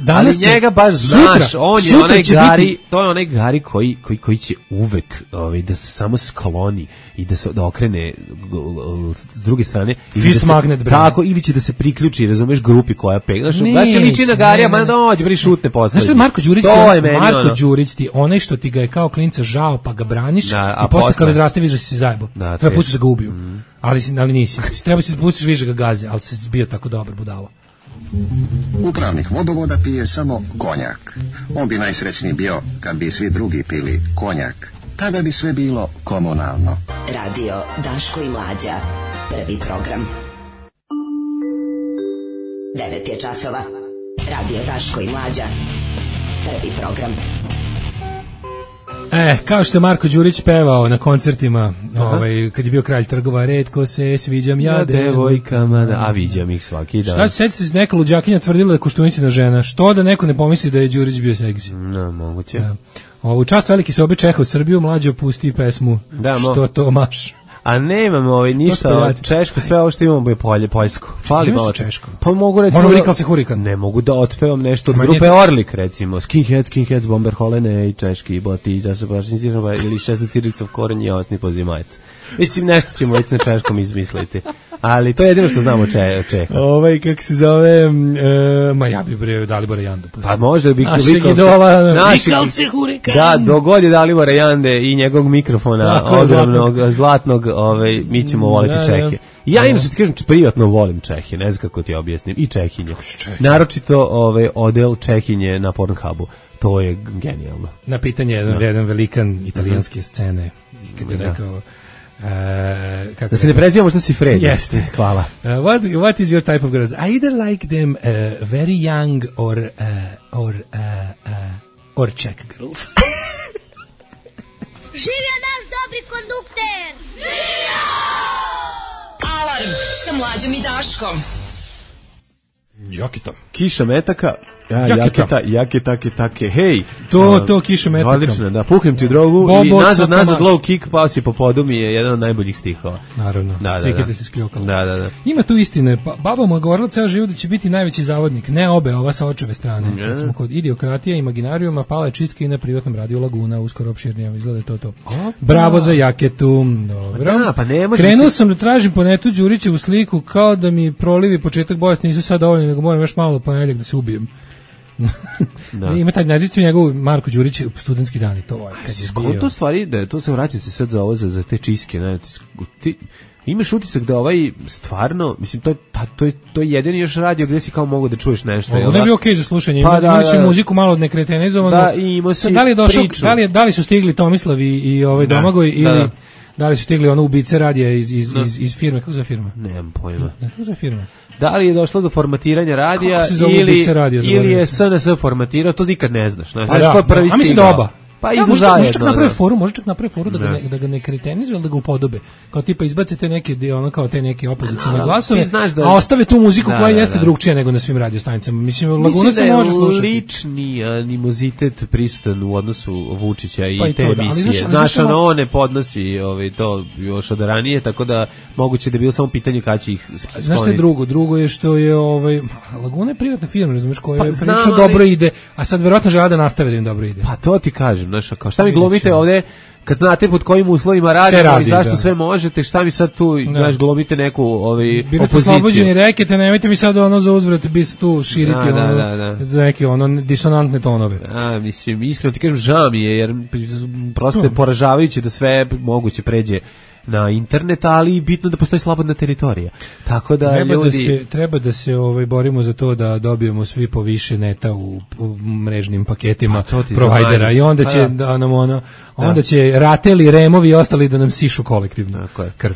Danas ali njega baš znaš, sutra, on je onaj Gari, biti... to je onaj Gari koji, koji, koji će uvek ovaj, da se samo skloni i da se da okrene s druge strane.
Fist
da
magnet, bre.
Tako, ili će da se priključi, razumeš, grupi koja pegla. Znaš, će liči na Garija, ma dođe, bri šutne postavlja.
Znaš, Marko Đurić, to je meni, Marko ono. Đurić ti, onaj što ti ga je kao klinca žao, pa ga braniš, da, a i posle kada odraste vidiš da si zajebo. Da, treba pustiš da ga ubiju. Mm. Ali, ali nisi. Treba si da pustiš vidiš da ga gaze, ali si bio tako dobar budalo.
Upravnik vodovoda pije samo konjak. On bi najsrećniji bio kad bi svi drugi pili konjak. Tada bi sve bilo komunalno.
Radio Daško i Mlađa. Prvi program. Devet je časova. Radio Daško i Mlađa. Prvi program.
E, kao što je Marko Đurić pevao na koncertima, ovaj, kad je bio kralj trgova, retko se sviđam ja, ja
devojkama, da, a viđam ih svaki dan.
Šta se setite se neka luđakinja tvrdila da je Koštunicina žena? Što da neko ne pomisli da je Đurić bio seksi?
No, moguće.
Ja. Ovo, čast veliki se obe Čeha u Srbiju, Mlađo pusti pesmu
da, mo...
Što to maš.
A nemamo ovaj ništa od Češko, sve ovo što imamo je polje, poljsko. Fali malo
Češko.
Pa mogu reći.
Možemo rikal se hurikan.
Ne mogu da otpevam nešto od grupe Orlik, recimo. Skinhead, Skinheads, Bomber Holene i Češki, Boti, ja se baš nisam ili šest Ciricov koren i osni pozimajec. Mislim, nešto ćemo već na češkom izmisliti. Ali to je jedino što znamo če, Čeha.
Ovaj, kako se zove, e, ma ja bi bre Dalibora Jandu.
Pa možda bi
našeg idola, vikal se hurikan.
Da, dogod je Dalibora Jande i njegovog mikrofona, ogromnog, zlatnog, zlatnog ovaj, mi ćemo voliti da, Čehe. Ja da. Inače ti kažem, privatno volim Čehe, ne znam kako ti objasnim, i Čehinje. Naročito ovaj, odel Čehinje na Pornhubu. To je genijalno.
Na pitanje jedan, jedan velikan italijanske scene, kad je rekao... Uh, kako
da se ne prezivamo što si Fred.
Jeste.
Hvala.
Uh, what, what is your type of girls? I either like them uh, very young or uh, or uh, uh, or Czech girls.
Živio naš dobri kondukter! Živio!
Alarm sa Mlađom i Daškom.
Jakita.
Kiša metaka. Ja, jaketa, jaketa, take, hej.
To, to kiša metaka.
Odlično, da, puhnem ti drogu Bobo, i nazad, nazad, low kick, pao si po podu mi je jedan od najboljih stihova.
Naravno,
da,
sve
da,
kada
da.
se skljokala.
Da, da, da.
Ima tu istine, pa, baba mu je govorila ceo život da će biti najveći zavodnik, ne obe, ova sa očeve strane. Mm. Kad smo kod idiokratija i imaginarijuma, pala je čistka i na privatnom radiju Laguna, uskoro opširnija, izgleda to to. Opa. Bravo za jaketu, dobro.
Da, pa ne može
Krenuo
se...
sam da tražim po netu Đurićevu sliku, kao da mi prolivi početak bolesti, nisu sad dovoljni, nego moram još malo ponedjeljak da se ubijem. Da. Ima taj nađicu njegov Marko Đurić studentski dani, to je kad je bio.
To stvari da to se vraća se sad za ovo za, za te čiske, ne, ti, ti imaš utisak da ovaj stvarno, mislim to je pa to je to je jedini još radio gde si kao mogu da čuješ nešto.
Ovo ne bi okej okay za slušanje. Pa, imali su muziku malo od nekretenizovanu.
Da, i ima si
da li je došao, da li, da li su stigli Tomislav i, i ovaj da, Domagoj ili da. Da li su stigli ono ubice radija iz iz iz, iz, iz firme, kako se firma?
Nemam pojma.
Kako se firma?
Da li je došlo do formatiranja radija ili
radija,
ili je S N S formatirao, to nikad ne znaš. Znaš
da,
ko je prvi
a mislim da oba.
Pa
ja,
idu
može,
zajedno.
Može čak naprave
da.
foru, može čak naprave foru da,
Da.
ga ne, da ga ne kretenizuju, ali da ga upodobe. Kao tipa izbacite neke dio, ono kao te neke opozicione
A,
glasove,
ti znaš da-
a ostave tu muziku
Da,
koja
da,
jeste
da.
drugčija nego na svim radiostanicama. Mislim,
Mislim
Lagunac
da
se
je
može slušati.
lični animozitet prisutan u odnosu Vučića i
Pa i
te
to, da, ali
emisije.
znaš, ali
Znaš,
znaš,
ono,
ono-
on ne podnosi ovaj, to još od ranije, tako da moguće da je bilo samo pitanje kada će ih skloniti.
Znaš što je drugo? Drugo je što je ovaj Laguna je privatna firma, razumeš, koja
Pa
je
znam,
prilično
ali-
dobro ide, a sad verovatno žele da nastave da im dobro ide.
Pa to ti kažem, znaš, kao šta mi
Vidjet
glumite
ćemo.
ovde, kad znate pod kojim uslovima
Sve
radimo
radi,
i zašto
da.
sve možete, šta mi sad tu, znaš, glumite neku ovaj,
Birate
opoziciju.
slobođeni rekete, nemojte mi sad ono za uzvrat bis tu širiti
Da, da,
ono,
da, da.
neke ono disonantne tonove.
A, mislim, iskreno ti kažem, žao mi je, jer prosto je poražavajuće da sve moguće pređe na internet, ali bitno da postoji slobodna teritorija. Tako da
Treba
ljudi...
da se, treba da se ovaj, borimo za to da dobijemo svi po više neta u, u mrežnim paketima
Pa to ti
provajdera
zamanje.
i onda
Pa
će
da.
da nam ono, onda
Da.
će rateli, removi i ostali da nam sišu kolektivno
Tako je.
krv.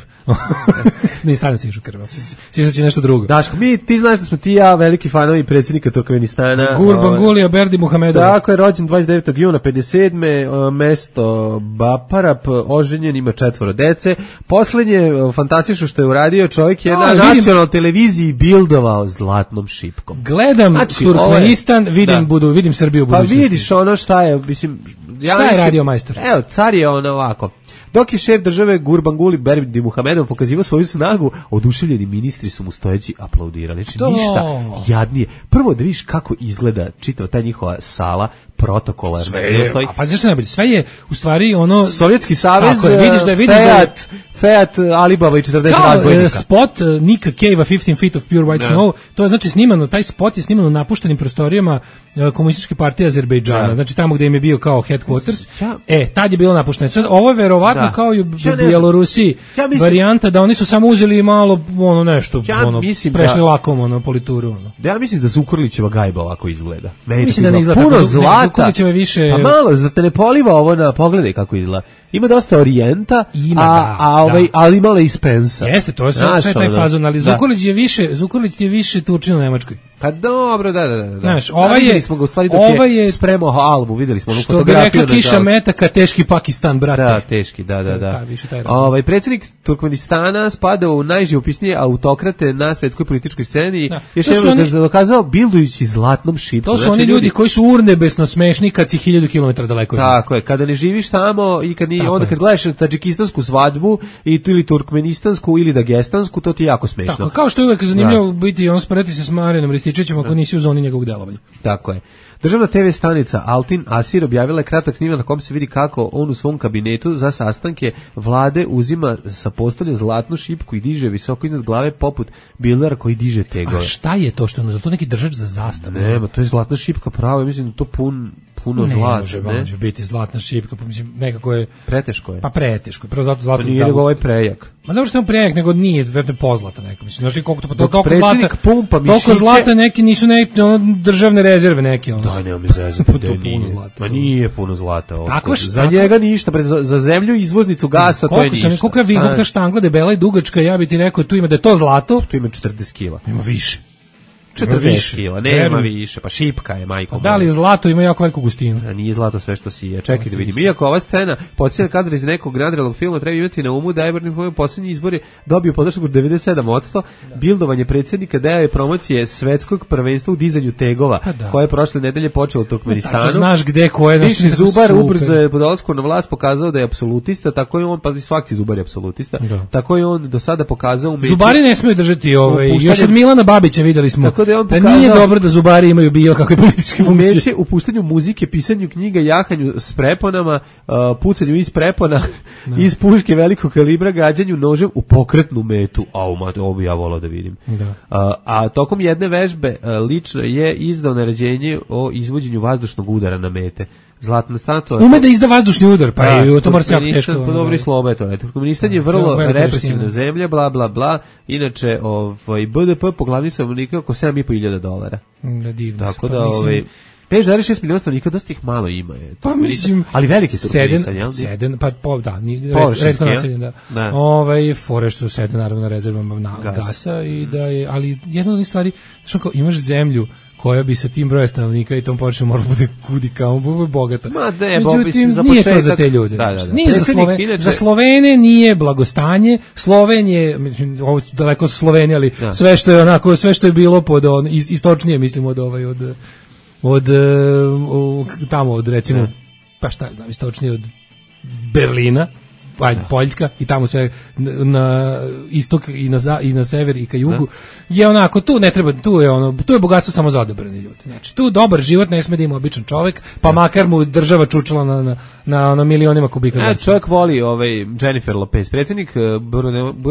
Ne, sad nam sišu krv, ali sis- sisat će nešto drugo.
Daško, mi, ti znaš da smo ti i ja veliki fanovi predsjednika Turkmenistana.
Gurbanguly Berdi Muhamedov.
Tako je, rođen dvadeset devetog juna pedeset sedme mesto Baparap, oženjen, ima četvoro dece. Poslednje, e, fantastično što je uradio, čovjek je
A,
na
vidim-
nacionalnoj televiziji bildovao zlatnom šipkom.
Gledam
Znači,
Turkmenistan,
ovo je-
vidim
da.
budu, vidim Srbiju u
Pa
budućnosti.
vidiš ono šta je, mislim... Ja
Šta je
mislim-
radio majstor?
Evo, car je on ovako. Dok je šef države Gurbanguly Berdi Muhamedov pokazivao svoju snagu, oduševljeni ministri su mu stojeći aplaudirali. Znači,
To.
ništa jadnije. Prvo da vidiš kako izgleda čitava ta njihova sala, protokolarna.
Sve je,
Stoji-
a pa zašto najbolje? Sve je u stvari ono
Sovjetski savez,
Tako je, vidiš da vidiš da je-
Fiat, Fiat, Alibaba i četrdeset
kao
razbojnika.
e, spot uh, Nika Cave-a fifteen feet of pure white
Da.
snow, to je znači snimano, taj spot je snimano u napuštenim prostorijama uh, komunističke partije Azerbejdžana,
Da.
znači tamo gde im je bio kao headquarters.
Ja-
E, tad je bilo napušteno. Sad ovo je verovatno
Da.
kao i u
Ja ne znam.
Bjelorusiji
Ja mislim-
varijanta da oni su samo uzeli malo ono nešto,
Ja
ono
mislim
prešli
da-
lakom ono polituru ono.
Ja mislim da Zukorlićeva gajba ovako izgleda. Meni
Mislim
tako
da ne izgleda
puno
tako. Zu- ne,
zlata.
Zukorlićeva je više-
Pa malo, za te ne poliva ovo na, pogledaj kako izgleda. Ima dosta orijenta,
Ima,
a,
da,
a ovaj,
da.
ali malo i Spensa.
Jeste, to je sve,
Znaš,
sve taj
ono,
fazon, ali
da.
Zukorlić je više, Zukorlić je više Turčin u Nemačkoj.
Pa dobro, da, da, da. da.
Znaš,
Da,
ovaj
vidjeli
je-
smo ga u stvari dok
ovaj
je,
je-
spremao albu, videli smo onu
Što bi
fotografiju.
rekla Kiša
nažalost.
Metaka, teški Pakistan, brate.
Da, teški, da, da,
To je
da.
taj, više taj razlog.
Ovaj predsjednik Turkmenistana spada u najživopisnije autokrate na svetskoj političkoj sceni.
Da.
Još
To su
jednom
oni-
ga dokazao bildujući zlatnom šipkom.
To su
Znači,
oni ljudi koji su urnebesno smešni kad si hiljadu kilometara daleko. od njih.
Tako je, kada ne živiš tamo i kad ni,
Tako
onda
je.
kad gledaš tadžikistansku svadbu i tu ili turkmenistansku ili dagestansku, to ti je jako smešno.
Tako, kao što je uvek zanimljivo biti on sporeti se s Marijanom Rističevićem ako nisi u zoni njegovog delovanja.
Tako je. Državna te ve stanica Altin Asir objavila je kratak snimak na kom se vidi kako on u svom kabinetu za sastanke vlade uzima sa postolja zlatnu šipku i diže visoko iznad glave poput bildera koji diže tegove.
A šta je to što je za to neki držač za zastavu?
Nema, to je zlatna šipka pravo, ja mislim da je to pun, puno
ne
zlata.
može,
ne?
može biti zlatna šipka, pa mislim nekako je
Preteško je.
pa preteško. je. Prvo zato zlato
Pa nije nego ovaj prejak.
Ma dobro što je on prejak, nego nije, verovatno pozlata neka. Mislim, znaš li koliko to pa
Dok
toliko
predsjednik
zlata.
pumpa
Toliko
mišiće-
zlata neki nisu neki ono, državne rezerve neke ono.
Da, nema mi zezati,
Pa
da
to
nije.
puno zlata.
Ma nije puno zlata. ovo.
Tako što-
za
tako-
njega ništa, bre, za, za zemlju izvoznicu gasa to je
Koliko
ništa.
sam, koliko je vi, koliko ta
Znaš,
štangla debela i dugačka, ja bi ti rekao tu ima da je to zlato.
tu ima četrdeset kila.
Ima više.
četrdeset
više.
kila, nema
Verujem.
više, pa šipka je, majko.
Pa da li
moja.
zlato ima jako veliku gustinu?
A nije zlato sve što si je. Čekaj da vidim. Iako ova scena podsjeća kadar iz nekog nadrealnog filma, treba imati na umu da je u posljednji izbori dobio podršku devedeset sedam posto. Bildovanje predsjednika deo je promocije svetskog prvenstva u dizanju tegova,
Pa da.
koje je prošle nedelje počeo u Turkmenistanu.
Tačno znaš gde ko je, znaš,
Višnji
tako
Zubar
super.
ubrzo je po dolasku na vlast pokazao da je apsolutista, tako je on, pa i svaki Zubar je apsolutista,
Da.
tako je on do sada pokazao umeće.
Zubari ne smiju držati ovaj,
Upuštanje-
još od Milana Babića videli smo.
Tako da je on
nije
pokazao-
dobro da zubari imaju bilo kakve političke funkcije.
Umeće u puštanju muzike, pisanju knjiga, jahanju s preponama, uh, pucanju iz prepona, iz puške velikog kalibra, gađanju nožem u pokretnu metu. Au, ma, ovo bi ja volao da vidim.
Da.
Uh, a tokom jedne vežbe uh, lično je izdao naređenje o izvođenju vazdušnog udara na mete. Zlatna statua.
Ume da izda vazdušni udar, pa je to mora se jako
Turkmenistan-
teško.
Pa
ono,
dobro i
da.
slobo je to. ne. Turkmenistan je
Da,
vrlo
velika
represivna
veština.
zemlja, bla, bla, bla. Inače, ovaj, B D P po glavi stanovnika oko sedam i po hiljada dolara.
Da, divno.
Tako
Pa
da,
mislim-
ovaj, pet zarez šest miliona stanovnika, dosta ih malo ima. Je.
Pa mislim,
ali veliki Turkmenistan,
Seden,
jel?
Seden, pa po, da, ni
Površinski,
retko
jel?
naseljen, da.
Da.
Ovaj fore što Seden naravno na rezervama na
Gas.
gasa i da je, ali jedna od onih stvari, što kao imaš zemlju koja bi sa tim brojem stanovnika i tom počne mora bude kudi kao bogata.
Ma ne,
međutim,
za
nije
početak,
to za te ljude.
Da, da, da.
Nije za, Sloven, inače... za Slovene nije blagostanje. Sloven je, ovo daleko su Sloveni, ali da. sve što je onako, sve što je bilo pod on, istočnije, mislim, od ovaj, od, od, od tamo, od recimo, da. pa šta znam, istočnije od Berlina, ajde, Poljska i tamo sve na istok i na za, i na sever i ka jugu da. je onako, tu ne treba, tu je ono, tu je bogatstvo samo za odabrane ljude. Znači, tu dobar život ne sme da ima običan čovjek, pa da. makar mu država čučala na na na, na milionima kubika
gasa. E, čovjek voli ovaj Jennifer Lopez, predsjednik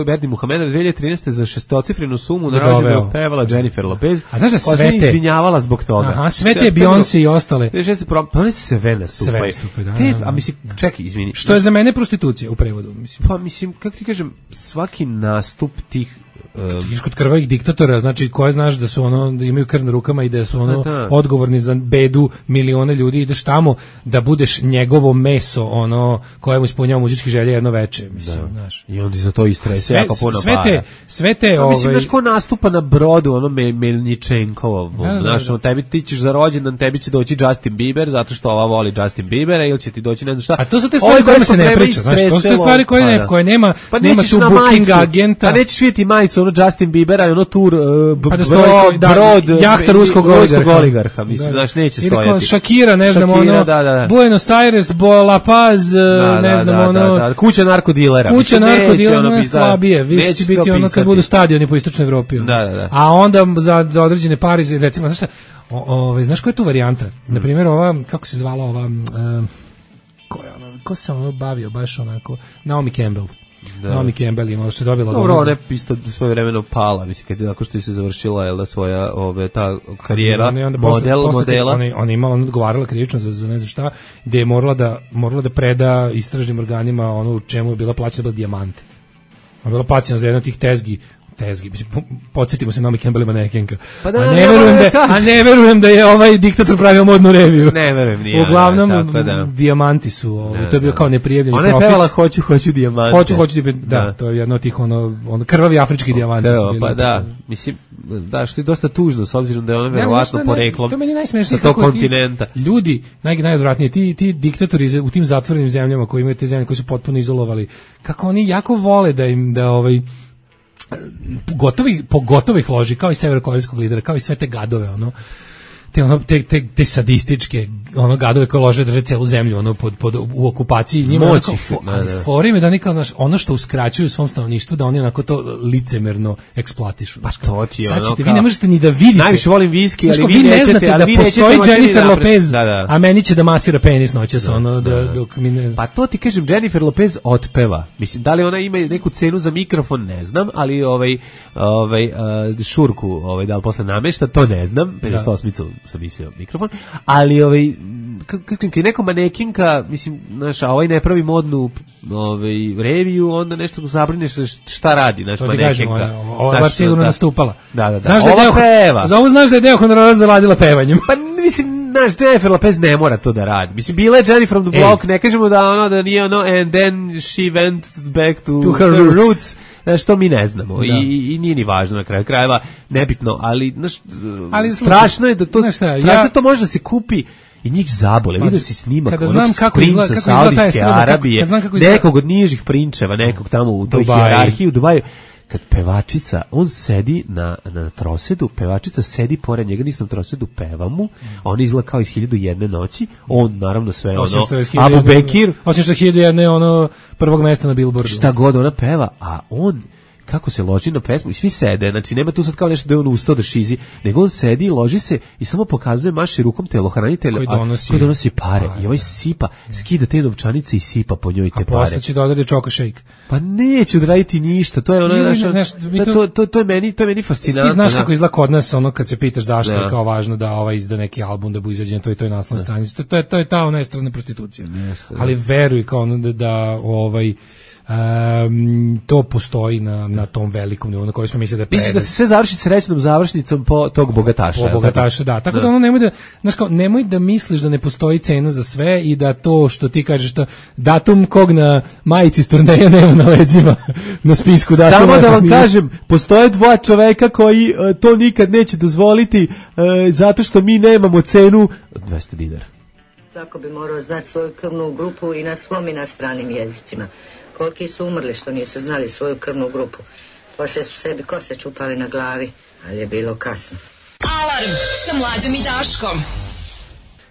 Berdi Muhameda dve hiljade trinaeste za šestocifrenu sumu naravno pevala Jennifer Lopez.
A znaš da sve te
izvinjavala zbog toga.
Aha, sve te Beyoncé i ostale.
Sve se pro, pa sve nastupaju.
Sve da,
te,
da, da.
a mislim, čekaj, izvini.
Što je za mene prostitucija u prevodu, mislim.
Pa mislim, kako ti kažem, svaki nastup tih
um, kod krvavih diktatora, znači koje znaš da su ono, da imaju krv na rukama i da su ono da, da. odgovorni za bedu miliona ljudi, ideš tamo da budeš njegovo meso, ono kojemu ispunjava muzičke želje jedno veče, mislim, da. znaš.
I onda za to istrese jako puno
sve te,
para.
sve te,
pa,
ovaj...
mislim, znaš ko nastupa na brodu, ono me, Melničenkovo, da, da, znaš, da. tebi ti ćeš za rođendan, tebi će doći Justin Bieber, zato što ova voli Justin Biebera, ili će ti doći ne znam šta.
A to su te stvari koje se ne priča, znaš, to su te stvari koje, ne, koje nema,
pa
nema tu booking majicu, agenta.
Pa nećeš vidjeti majicu, ono Justin Biebera i ono tur uh, b-
pa da
stoji,
brod, da,
brod
jahta ruskog oligarha,
oligarha mislim, da, znaš, neće stojati.
Ili kao Shakira, ne znam,
Shakira,
ono,
da, da, da.
Buenos Aires, La Paz, da, ne znam,
da,
ono,
da, da. kuća narkodilera.
Kuća narkodilera ono slabije, više će biti ono kad budu stadioni po istočnoj Evropi.
Da, da, da.
A onda za, za određene pare, recimo, znaš šta, o, o, znaš koja je tu varijanta? Hmm. Na primjer, ova, kako se zvala ova, uh, ko je ono, ko se ono bavio baš onako, Naomi Campbell. Da. Naomi Campbell ima što je dobila.
Dobro, ona je isto svoje vremeno pala, mislim kad je nakon što je se završila je da svoja ove ta karijera onda, onda model posle, modela.
Ona ona imala ona odgovarala krivično za, za ne znam šta, gde je morala da morala da preda istražnim organima ono u čemu je bila plaćena bila dijamante. Ona bila plaćena za jednu od tih tezgi tezgi, podsjetimo se Naomi Campbell manekenka. Pa da, a, ne verujem da, da a ne verujem da je ovaj diktator pravio modnu reviju.
Ne verujem ni ja.
Uglavnom,
da, da.
dijamanti su, ovaj, to je bio kao neprijavljeni
profit.
Ona
je pevala hoću, hoću dijamante.
Hoću, hoću, da, da, to je jedno od tih ono, ono krvavi afrički dijamanti.
Evo, pa da, mislim, da, što je dosta tužno, s obzirom da je ona verovatno poreklom.
To meni najsmešnije
sa tog kontinenta.
Ti, ljudi, naj, najodvratnije, ti, ti diktatori u tim zatvorenim zemljama koji imaju te zemlje, koji su potpuno izolovali, kako oni jako vole da im, da ovaj, gotovi, pogotovo ih loži, kao i severokorejskog lidera, kao i sve te gadove, ono, te, ono, te, te, te sadističke ono gadove koje lože drže celu zemlju ono pod, pod u okupaciji njima onako, ali forim je da nikad znaš ono što uskraćuju svom stanovništvu da oni onako to licemerno eksploatišu.
Pa to ti
ono
kao...
vi ne možete ni da vidite.
Najviše volim viski, ali
vi,
vi
ne
nećete,
znate
ali
da
vi
postoji Jennifer Lopez,
da, da.
a meni će da masira penis noćas
da,
ono da,
da.
dok mi ne...
Pa to ti kažem, Jennifer Lopez otpeva. Mislim, da li ona ima neku cenu za mikrofon, ne znam, ali ovaj, ovaj uh, šurku, ovaj, da li posle namešta, to ne znam, pedeset osmicu sam mislio mikrofon, ali ovaj kako neko manekinka, mislim, znaš, a ovaj ne pravi modnu ovaj, reviju, onda nešto zabrineš šta radi, znaš, manekinka.
Ova je bar sigurno nastupala.
Da, da, da.
Znaš da je deo,
peva.
Za ovo znaš da je deo honorara zaradila pevanjem.
Pa, mislim, znaš, Jennifer Lopez ne mora to da radi. Mislim, bila je Jennifer from the Block, ne kažemo da ono, da nije ono, and then she went back to,
to her, her roots. roots.
Znaš, to mi ne znamo. Da. I, i nije ni važno na kraju krajeva, nebitno, ali, znaš, ali strašno je da to, šta, strašno ja, to može da se kupi i njih zabole. Vidio si snimak
kada znam kako
princa Saudijske Arabije, nekog od nižih prinčeva, nekog tamo u toj hijerarhiji u Dubaju, kad pevačica, on sedi na, na trosedu, pevačica sedi pored njega, nisam trosedu, peva mu, a on izgleda kao iz hiljadu jedne noći, on naravno sve ono, Abu Bekir.
Osim što je hiljadu jedne ono prvog mesta na Billboardu.
Šta god ona peva, a on kako se loži na pesmu i svi sede, znači nema tu sad kao nešto da je on ustao da šizi, nego on sedi, loži se i samo pokazuje, maši rukom telohranitelja koji donosi, koji donosi pare a, i ovaj sipa, skida te novčanice i sipa po njoj te
a
pare.
A posle će da odredi čoka shake.
Pa neće odraditi ništa, to je ono,
ne,
naša,
neš,
da,
to,
to, to, to je meni, to je meni fascinantno.
Ti znaš kako izgleda kod nas, ono kad se pitaš zašto je kao važno da ovaj izda neki album da bu izađen to i to je naslovna stranica. To, to je to je ta ona strana prostitucija. Ali veruj kao ono da, da ovaj Um, to postoji na, na na tom velikom nivou na koji smo mislili da je
Misliš da se sve završi srećnom završnicom po tog bogataša?
Po bogataša, da. Tako da, da ono nemoj da, znaš kao, nemoj da misliš da ne postoji cena za sve i da to što ti kažeš da datum kog na majici s turneja nema na leđima na spisku datuma.
Samo da vam kažem, postoje dva čoveka koji uh, to nikad neće dozvoliti uh, zato što mi nemamo cenu dvesta dinara.
Tako bi morao znati svoju krvnu grupu i na svom i na stranim jezicima. Koliki su umrli što nisu znali svoju krvnu grupu. Poslije su sebi kose čupali na glavi, ali je bilo kasno.
Alarm sa Mlađom i Daškom.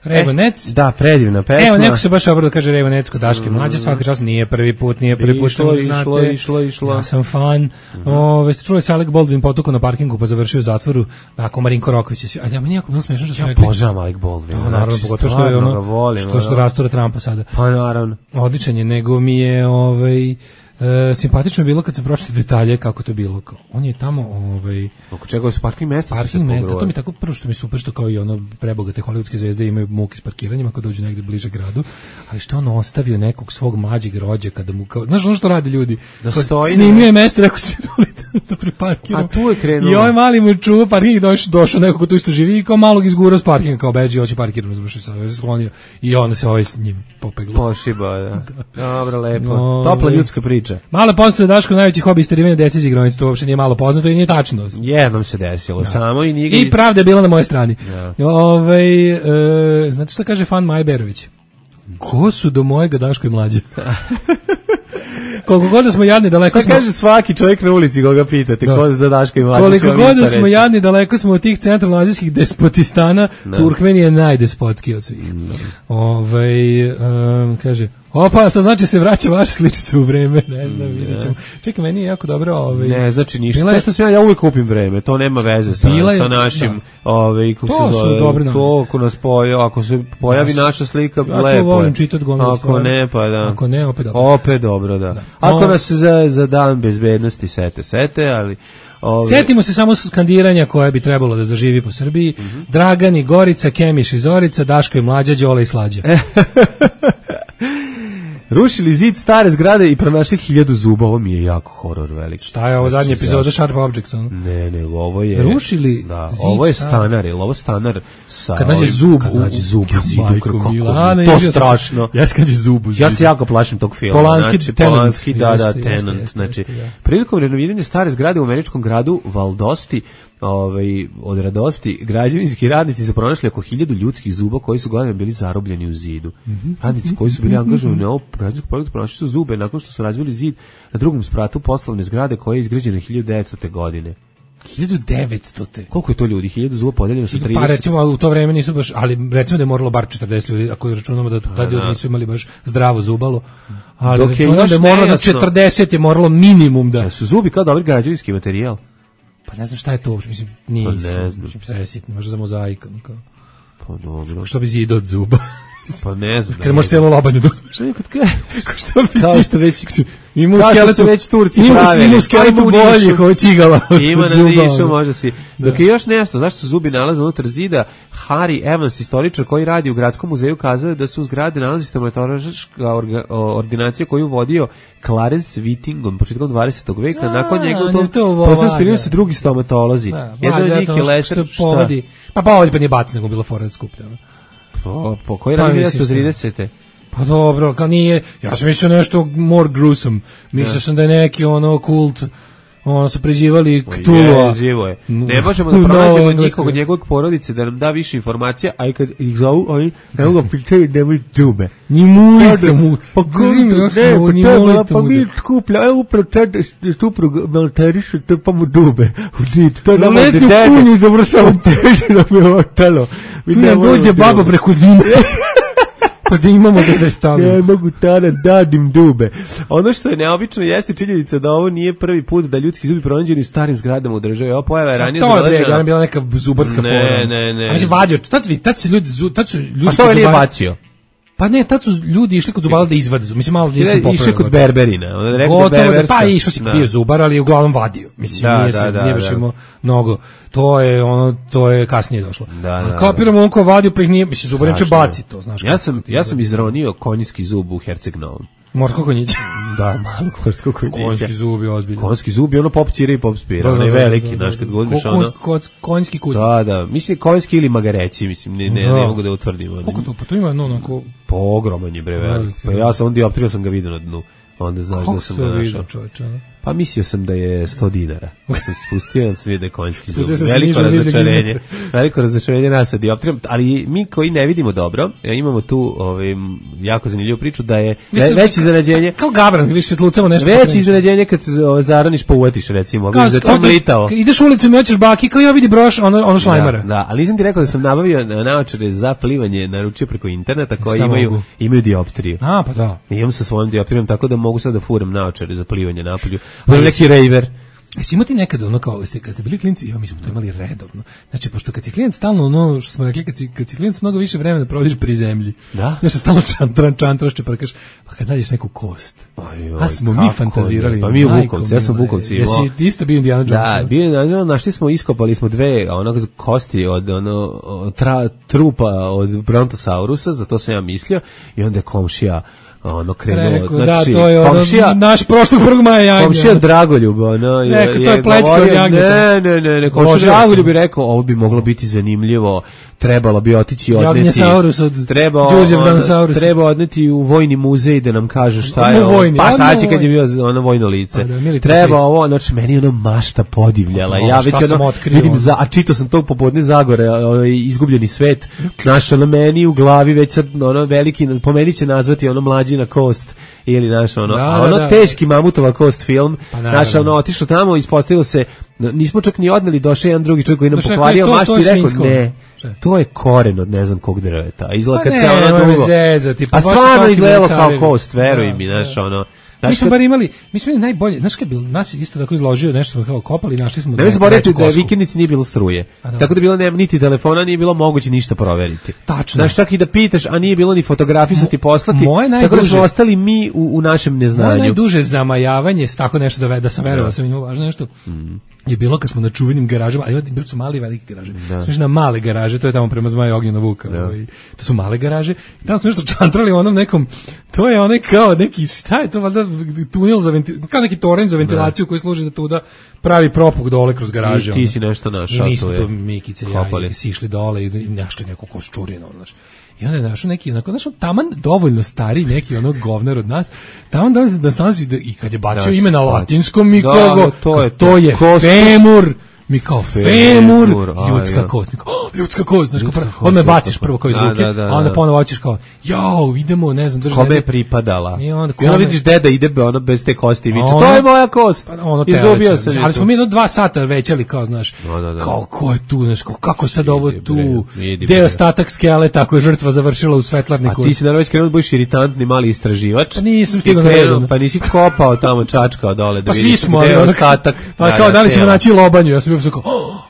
Revonec.
E, da, predivna pesma.
Evo, neko se baš obrao da kaže Revonec kod Daške Mlađe, svaka čast, nije prvi put, nije prvi put,
išlo,
znate.
Išlo, išlo, išlo.
Ja sam fan. Mm-hmm. Ove, ste čuli se Alec Baldwin potukao na parkingu pa završio u zatvoru, nakon Marinko Roković. A ja mi nijako bilo smiješno što su
ja
rekli.
Ja požavam Alec Baldwin.
Da, naravno, pogotovo što je ono,
volim,
što, što rastura Trumpa sada.
Pa naravno.
Odličan je, nego mi je, ovaj, E, simpatično je bilo kad sam pročitao detalje kako to bilo. On je tamo ovaj
oko čega su parking mesta,
parking mesta, to mi tako prvo što mi super što kao i ono prebogate hollywoodske zvezde imaju muke s parkiranjima kad dođu negde bliže gradu, ali što on ostavio nekog svog mlađeg rođaka da mu kao, znaš ono što rade ljudi,
da stoji
snimio je mesto, rekao se dolite da priparkiram.
A tu je krenuo.
I ovaj mali mu čuva parking, došao došao neko ko tu isto živi i kao malog izgurao s parkinga kao beži, hoće parkirati, završio se sklonio i onda se ovaj s njim popeglo.
Pošiba, da. Dobro, lepo. No, topla ljudska priča.
Malo poznato da Daško najveći hobi isterivanja dece iz igronice, to uopšte nije malo poznato i nije tačno.
Jednom se desilo, da. Samo i nije...
I pravda je bila na moje strani. Ja. Ove, e, znate šta kaže fan Majberović? Ko su do mojega Daško i Mlađe? Koliko god da smo jadni, daleko
šta
smo...
kaže svaki čovjek na ulici koga pitate, da. Ko za Daško i Mlađe?
Koliko god da smo jadni, daleko smo od tih centralnoazijskih despotistana, no. Turkmen je najdespotski od svih. No. Ove, um, kaže... Opa, to znači se vraća vaša sličica u vreme, ne znam, vidjet ćemo. Čekaj, meni je jako dobro... Ovaj,
ne, znači ništa. To što sam ja, ja uvijek kupim vreme, to nema veze sa, je, sa našim... Da. Ovaj, kako
to
se
su dobre nam.
To, ako nas pojavi, ako se pojavi ja, naša slika, ja lepo je. Ja to
volim čitati gomilu.
Ako ne, pa da.
Ako ne, opet dobro.
Opet dobro, da. da. Ako no, nas za, za dan bezbednosti sete, sete, ali... Ove...
Sjetimo se samo skandiranja koje bi trebalo da zaživi po Srbiji. Mm-hmm. Dragani, Gorica, Kemiš i Zorica, Daško i Mlađa, Đole i Slađa.
Rušili zid stare zgrade i pronašli hiljadu zuba, ovo mi je jako horor velik.
Šta je ovo zadnja epizoda Sharp Objects? On?
Ne, ne, ovo je...
Rušili
da, zid ovo je stanar, je ovo stanar sa...
Kad nađe zub
kad nađe zub u zidu, kako
Milana,
to je strašno.
Ja se kađe zub u zidu.
Ja se jako plašim tog filma.
Polanski,
znači,
Tenant.
Polanski, da, da,
jeste,
Tenant.
Jeste,
znači,
jeste, ja.
Prilikom renoviranja stare zgrade u američkom gradu Valdosti, ovaj, od radosti, građevinski radnici su pronašli oko hiljadu ljudskih zuba koji su godinama bili zarobljeni u zidu. Mm-hmm. Radnici koji su bili angažovani na ovom građevinskom projektu pronašli su zube nakon što su razbili zid na drugom spratu poslovne zgrade koja je izgrađena hiljadu devetstotne godine.
hiljadu devetstote
Koliko je to ljudi? hiljadu zuba podeljeno sa trideset.
Pa recimo u to vreme nisu baš, ali recimo da je moralo bar četrdeset ljudi, ako računamo da tad ljudi nisu imali baš zdravo zubalo. Ali dok računamo da je moralo da četrdeset je moralo minimum da...
da su zubi kao dobri građevinski materijal.
Pa ne znam šta je to uopšte, mislim, nije
pa ne znam.
Mislim, možda za mozaik, kao.
Pa dobro.
Što bi zid od zuba.
Pa ne znam.
Kad možeš cijelo lobanje da uzmeš.
Kao što bi kao što već
ima u skeletu
već Turci pravili.
Ima u skeletu boljih, ovo je cigala.
Ima na Nišu, može svi. Dok je još nešto, zašto se zubi nalaze unutar zida, Harry Evans, istoričar koji radi u Gradskom muzeju, kazao da su u zgrade nalazi stomatološka ordinacija koju vodio Clarence Whittingham početkom dvadesetog veka. A, nakon njega to, to posle spinili su drugi stomatolozi. Jedan od njih je Lester, šta?
Pa pa ovdje pa nije baci, nego bilo fora skuplja.
Po, po koji radi devetsto tridesete
Pa dobro, kao nije, ja sam mislio nešto more gruesome. Mislio ja. sam da je neki ono kult, ono su preživali Ktulua.
Je, živo je. Ne možemo da pronađemo no, nikog od njegovog porodice da nam da više informacija, a i kad ih zovu, oni ne mogu pitaju nemoj džube.
Ni mulica mu.
Pa kako ne, pa pa mi skuplja, evo upravo tad suprug militarišu, to pa mu džube. To je nama
dede. Letnju kunju završavam
teže da mi je ovo telo.
Tu ne dođe baba preko zime. Pa da imamo da da stavimo.
Ne mogu tada dadim dube. Ono što je neobično jeste činjenica da ovo nije prvi put da ljudski zubi pronađeni u starim zgradama u državi. Ova pojava je ranije
zabeležena. To je bila neka zubarska
fora.
Ne,
ne, ne.
A mislim, vadio, tad, tad se ljudi, tad su ljudi...
A što je nije bacio?
Pa ne, tad su ljudi išli kod zubara da izvade zub. Mislim, malo nisam popravio.
Išli kod berberina.
Gotovo, da, pa išao si bio zubar, ali je uglavnom vadio. Mislim, da, nije, da, se, da, nije baš da. imao mnogo. To je, ono, to je kasnije došlo.
Da,
a
da,
kapiramo on ko vadio, pa ih nije, mislim, zubar neće baci to, znaš.
Ja sam, ja sam izronio konjski zub u Herceg Novom.
Morsko konjiće.
Da, malo morsko konjiće.
Konjski zubi, ozbiljno.
Konjski zubi, ono pop cire i pop spira, onaj veliki, znaš, kad godiš ono...
Konjski kut.
Da, da, mislim konjski ili magareći, mislim, ne, ne, ne mogu da utvrdim.
Koliko to, pa to ima, no, onako...
Pa ogroman je, bre, velik. Pa ja sam on dioptrio, sam ga vidio na dnu. Onda znaš da sam ga našao. Pa mislio sam da je sto dinara. Pa sam spustio, onda sam vidio da je konjski zub. Veliko razočarenje. Veliko razočarenje nas sa dioptrijom, ali mi koji ne vidimo dobro, imamo tu ovaj, jako zanimljivu priču da je veće iznenađenje.
Kao gavran, vidiš svetlucamo nešto.
Veće iznenađenje kad se ovaj, zaraniš pa uvetiš, recimo.
Kao,
da tom litao.
Ideš ulicom i hoćeš baki, kao ja vidi broš, ono, ono šlajmara.
Da, da, ali nisam ti rekao da sam nabavio naočare za plivanje, naručio preko interneta koji imaju, imaju dioptriju.
A, pa da.
I imam sa svojom dioptrijom, tako da mogu sad da furam naočare za plivanje napolju. Ali neki rejver.
Jesi imao ti nekada ono kao, kad ste bili klinci, ja, mi smo to imali redovno. Znači, pošto kad si klijent stalno, ono što smo rekli, kad si, kad si klijent mnogo više vremena provodiš pri zemlji.
Da?
Znači, stalno čantran, čantraš, čeprkaš, pa kad nađeš neku kost.
Oj, oj,
a smo mi fantazirali.
Pa mi u Bukovcu, ja sam u Bukovcu imao.
Jesi ti isto bio Indiana Jones?
Da, bio Indiana Jones, našli smo, iskopali smo dve onog kosti od ono, tra, trupa od Brontosaurusa, za to sam ja mislio, i onda je komšija ono krenuo,
Reku,
znači,
da, to je
komšija,
ono, naš prošlog prvog maja janja.
Komšija Dragoljub, ono, je,
Reku, to je plećka od jagnjeta.
Ne, ne, ne, ne, komšija Dragoljub bi rekao, ovo bi moglo biti zanimljivo, trebalo bi otići odneti,
od
treba, ono, treba odneti u vojni muzej da nam kaže šta je ovo, pa šta će kad je bio ono vojno lice. Da, treba ovo, znači, meni ono mašta podivljala, o, ja već ono, otkrio, vidim, za, a čito sam to popodne Zagore, ovaj, izgubljeni svet, naš ono meni u glavi već sad, ono, veliki, po meni će nazvati ono mlađi na kost ili naš ono, da, a ono da, da. Teški mamutova kost film, pa, naš ono otišao tamo, ispostavilo se, nismo čak ni odneli, došao jedan drugi čovjek koji nam pokvario maštu i rekao ne, to je koren od ne znam kog drveta, a izgleda kad se ono dugo, a stvarno izgledalo kao kost, veruj mi, naš ono.
Mi smo bar imali, mi smo imali najbolje, znaš kad je bilo, nas isto tako izložio, nešto smo kao kopali, našli smo...
Ne mi se boriti da vikendici nije bilo struje, tako da bilo nema niti telefona, nije bilo moguće ništa proveriti.
Tačno.
Znaš, čak i da pitaš, a nije bilo ni fotografisati, poslati, tako da smo ostali mi u, u našem neznanju.
Moje najduže zamajavanje, tako nešto da, da sam verovao, sam imao važno nešto, mm. je bilo kad smo na čuvenim garažama, a bili su mali i velike garaže. Da. Smo na male garaže, to je tamo prema Zmaju Ognjena Vuka, da. Ovaj, to su male garaže, i tamo smo nešto čantrali onom nekom, to je onaj kao neki, šta je to, valjda tunel za ventilaciju, kao neki toren za ventilaciju koji služi da tuda pravi propuk dole kroz garaže.
I ti si nešto našao.
I nismo to Mikice i ja si išli dole i našli neku kosčurinu, znaš. I onda je našao neki, onako, znaš, taman dovoljno stari neki onog govner od nas, taman da da nalazi da, i kad je bacio ime na latinskom, mi kao,
da, to je,
to je femur, mi kao femur, femur ljudska kost, mi kao, oh, ljudska kost, znaš, on me baciš prvo kao iz ruke, da, da, da, a onda ponovo hoćeš kao, jao, idemo, ne znam, drža.
Kome je pripadala?
I onda,
I onda vidiš deda ide ono bez te kosti i viče, to je moja kost,
pa, ono
izgubio sam.
Ali smo mi jedno dva sata većali, kao, znaš,
no, da, da.
kao, ko je tu, znaš, kao, kako sad ovo tu, gde je ostatak skeleta ako je žrtva završila u svetlarniku.
A ti si naravno već krenuo da budeš iritantni mali istraživač.
Pa nisam stigao na redu.
Pa nisi kopao tamo, čačkao dole da
vidiš gde je
ostatak.
Pa kao, da li ćemo naći lobanju, ja sam bio kao,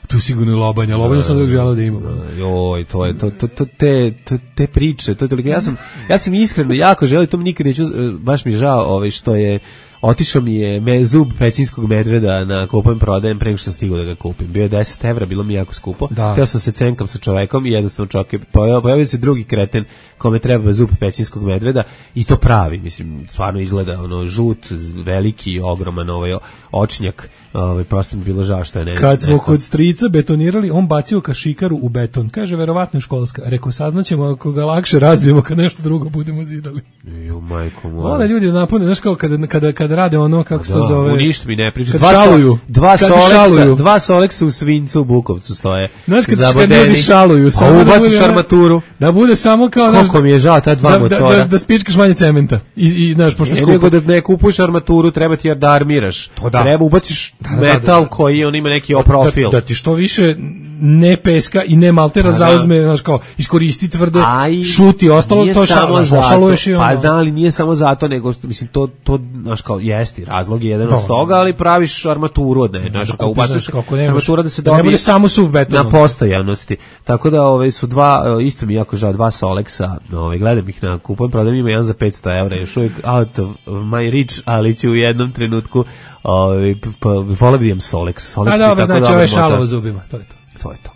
tu sigurno je lobanja, lobanja sam uvijek želeo da imam.
Joj, to je, to, to, to, te, to, te priče, to je toliko, ja sam, ja sam iskreno jako želio, to mi nikad neću, baš mi je žao ovaj, što je, otišao mi je me, zub pećinskog medveda na kupujem prodajem pre nego što sam stigao da ga kupim. Bio je deset evra, bilo mi jako skupo. Da. Htio sam se cenkam sa čovekom i jednostavno čovjek, pojavio se drugi kreten kome treba zub pećinskog medveda i to pravi, mislim, stvarno izgleda ono žut, veliki, ogroman ovaj očnjak, ovaj, prosto mi bilo žao što je ne.
Kad smo kod strica betonirali, on bacio kašikaru u beton. Kaže, verovatno je školska. Rekao, saznaćemo ako ga lakše razbijemo kad nešto drugo budemo zidali.
Jo, majko moja.
Onda ljudi napune, znaš kao kada, kada, kada rade ono, kako se to zove.
U ništa mi ne priča.
Dva, šaluju,
dva, soleksa, dva soleksa u Svincu u Bukovcu stoje.
Znaš kad, kad ljudi šaluju.
A ubaciš armaturu.
Da bude samo kao...
Koliko mi je žao, ta dva
da,
motora.
Da, da, da spičkaš manje cementa. I, i znaš, pošto skupo.
Nego da ne kupuješ armaturu, treba ti da armiraš. To da. Treba ubaciš da, da, metal da, da, koji on ima neki profil.
Da, da ti što više ne peska i ne maltera zauzme, znaš kao, iskoristi tvrdo,
Aj,
šuti, ostalo to šalo, šaluješ i ono.
Pa da, ali nije samo zato, nego, mislim, to, to znaš kao, jesti, razlog je jedan od toga, ali praviš armaturu od ne, znaš kao, ubaciš armatura da se dobije,
ne bude samo suv betonom.
Na postojanosti. Tako da, ove, su dva, isto mi jako žao, dva Solexa, ove, gledam ih na kupujem, prodajem ima jedan za petsto evra, još uvijek out of my reach, ali ću u jednom trenutku, ove, pa, volio bi imam Solex. Solex
a dobro, znači ove šalo u zubima, to je to.
To je to.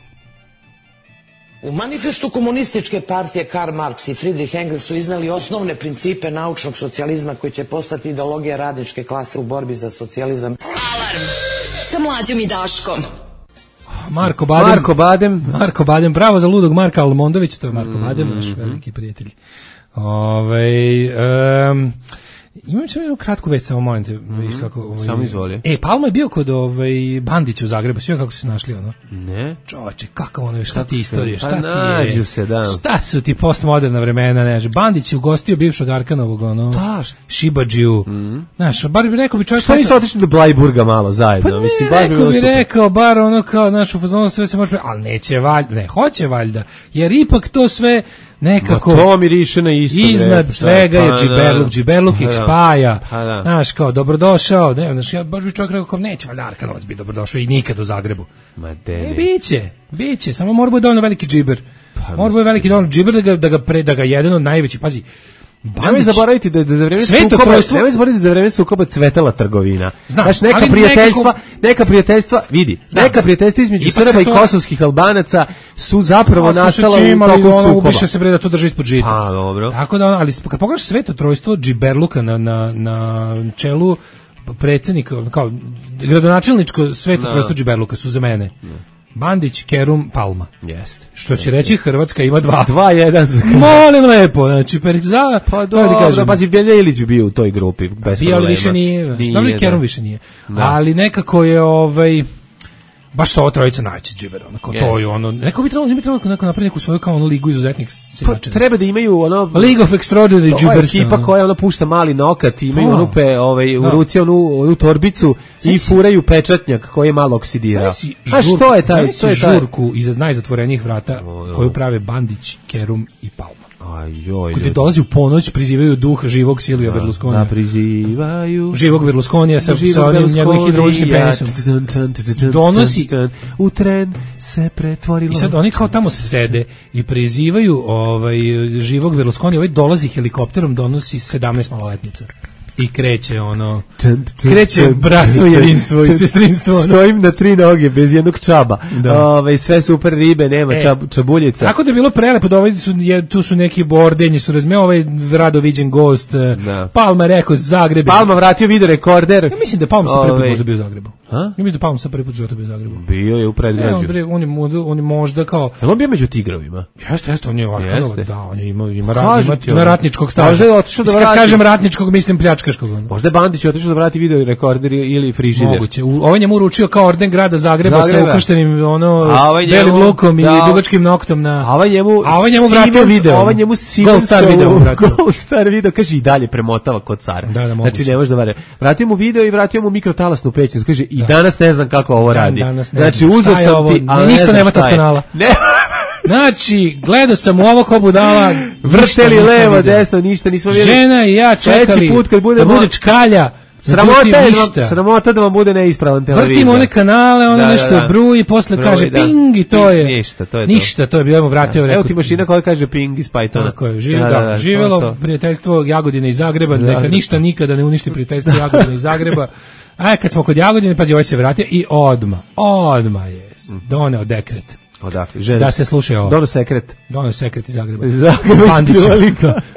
U manifestu komunističke partije Karl Marx i Friedrich Engels su iznali osnovne principe naučnog socijalizma koji će postati ideologija radničke klase u borbi za socijalizam.
Alarm sa Mlađom i Daškom.
Marko Badem.
Marko Badem.
Marko Badem, bravo za ludog Marka Almondovića, to je Marko mm-hmm. Badem, naš veliki prijatelj. Ovaj um, imam samo jednu kratku već, samo molim te, mm-hmm. vidiš kako... Ovaj,
samo izvoli.
E, Palma je bio kod ovaj, Bandića u Zagrebu, sve kako su se našli, ono?
Ne.
Čoveče, kakav ono je, šta ti istorije, šta
pa
ti
nađu
je?
Se, da.
Šta su ti postmoderna vremena, ne, Bandić je ugostio bivšog Arkanovog, ono,
da,
Šibadžiju,
mm-hmm.
znaš, bar bi rekao bi čovjek...
Šta nisu otišli do Blajburga malo zajedno?
Pa ne,
mislim,
rekao bi rekao, bar ono kao, znaš, u fazonu sve se može... Ali neće valjda, ne, hoće valjda, jer ipak to sve... nekako
ma to miriše na isto
iznad
bre,
svega
pa,
je Džiberluk, Džiberluk ih spaja,
pa,
znaš, kao dobrodošao, ne, znaš, ja baš bi čovjek rekao, kao neće valjda Arkanovac biti dobrodošao i nikad u Zagrebu.
Ma de,
e, biće, biće, samo mora bude dovoljno veliki džiber, pa, mora bude veliki dovoljno džiber da ga, da ga, pre, da ga jedan od najvećih, pazi,
Bandić, nemoj zaboraviti da, da za vreme sukoba, nemoj zaboraviti da za vreme sukoba cvetala trgovina. Znam, znaš, neka prijateljstva, nekako... neka prijateljstva, vidi, znam, neka prijateljstva između Srba i kosovskih Albanaca su zapravo no, nastala u toku sukoba.
Više se bre da to drži ispod žita.
A, dobro.
Tako da, ali kad pogledaš sveto trojstvo Džiberluka na, na, na čelu predsjednika, kao gradonačelničko sveto trojstvo Džiberluka su za mene. No. Bandić, Kerum, Palma.
Jeste.
Što će reći Hrvatska ima dva.
Dva, jedan.
Molim lepo, znači, per, za...
Pa dobro, pazi, Velja Ilić bi bio u toj grupi, bez
bio,
problema.
Ali više nije, nije dobro, Kerum više nije.
Da.
Ali nekako je, ovaj... baš sa ova trojica najveći džiber, onako yes. To je ono, neko bi trebalo, ne bi trebalo neko napraviti neku svoju kao ono ligu izuzetnih silačina.
Pa, treba da imaju ono
League of Extraordinary Gibbers.
To je ekipa koja ono pušta mali nokat, imaju oh. rupe, ovaj, u ruci onu, onu torbicu i furaju pečatnjak koji je malo oksidirao. A što je taj?
To je žurku iza najzatvorenijih vrata oh, koju prave Bandić, Kerum i Palma.
Ajoj.
Kada dolazi u ponoć, prizivaju duh živog Silvija
da,
Berlusconija.
Da, prizivaju.
Živog Berlusconija sa, sa onim njegovim hidrauličnim penisom. Donosi.
U tren se pretvorilo.
I sad oni kao tamo sede i prizivaju ovaj, živog Berlusconija. Ovaj dolazi helikopterom, donosi sedamnaest maloletnica. I kreće ono, kreće bratstvo, jedinstvo i sestrinstvo.
Stojim na tri noge, bez jednog čaba. Ove, sve super ribe, nema e, čab, čabuljica.
Tako da je bilo prelepo, da ovaj su, je, tu su neki bordenji, su razme, ovaj rado viđen gost, da. Palma rekao Zagreb.
Palma vratio video rekorder.
Ja mislim da Palma sa prvi put možda bio u Zagrebu. Ha? Ja mislim da Palma sa prvi put života bio u Zagrebu.
Bio je u predgrađu.
Ne, on, on, on, on je možda kao...
Je on bio među tigrovima?
Jeste, jeste, on je Arkanovac, da, on je ima, ima, rat, ima, ima ratničkog staža. Možda je otišao da vrati. Kad kažem ratničkog, mislim pljačkaškog.
Možda je Bandić otišao da vrati video rekorder ili frižider.
Moguće. Ovaj njemu uručio kao orden grada Zagreba, Zagreba. sa ukrštenim ono ovaj njemu, belim lukom da, i dugačkim noktom na.
A ovaj njemu,
a ovaj njemu vratio
Siemens,
video.
Ovaj njemu
Gold Star video vratio.
Gold Star video, kaže i dalje premotava kod cara.
Da, da,
znači ne može da vare. Vratio mu video i vratio mu mikrotalasnu pećnicu. Kaže i danas ne znam kako ovo radi. Znači uzeo sam ti,
a ništa nema tog kanala. Ne. Znači, gledao sam u ovo ko budala,
vrteli levo, desno, ništa nismo vidjeli.
Žena i ja čekali put kad bude da bude čkalja.
Sramota je, vam, sramota da vam bude neispravan televizor.
Vrtimo one kanale, ono da, nešto da, da. bruji i posle bruji, kaže da. ping i to je.
Ništa, to je
Ništa,
to,
to je bilo, vratio.
Da.
Rekao,
evo ti mašina koja kaže ping iz Pythona.
Tako je, živ, da, da, da, živjelo to, to. prijateljstvo Jagodine i Zagreba, da, neka da. ništa nikada ne uništi prijateljstvo Jagodine i Zagreba. A kad smo kod Jagodine, pazi, ovaj se vratio i odma, odma je doneo dekret.
Odakle, žene.
Da se slušaj ovo.
Dono sekret.
Dono sekret iz Zagreba.
Zagreba.
Bandić.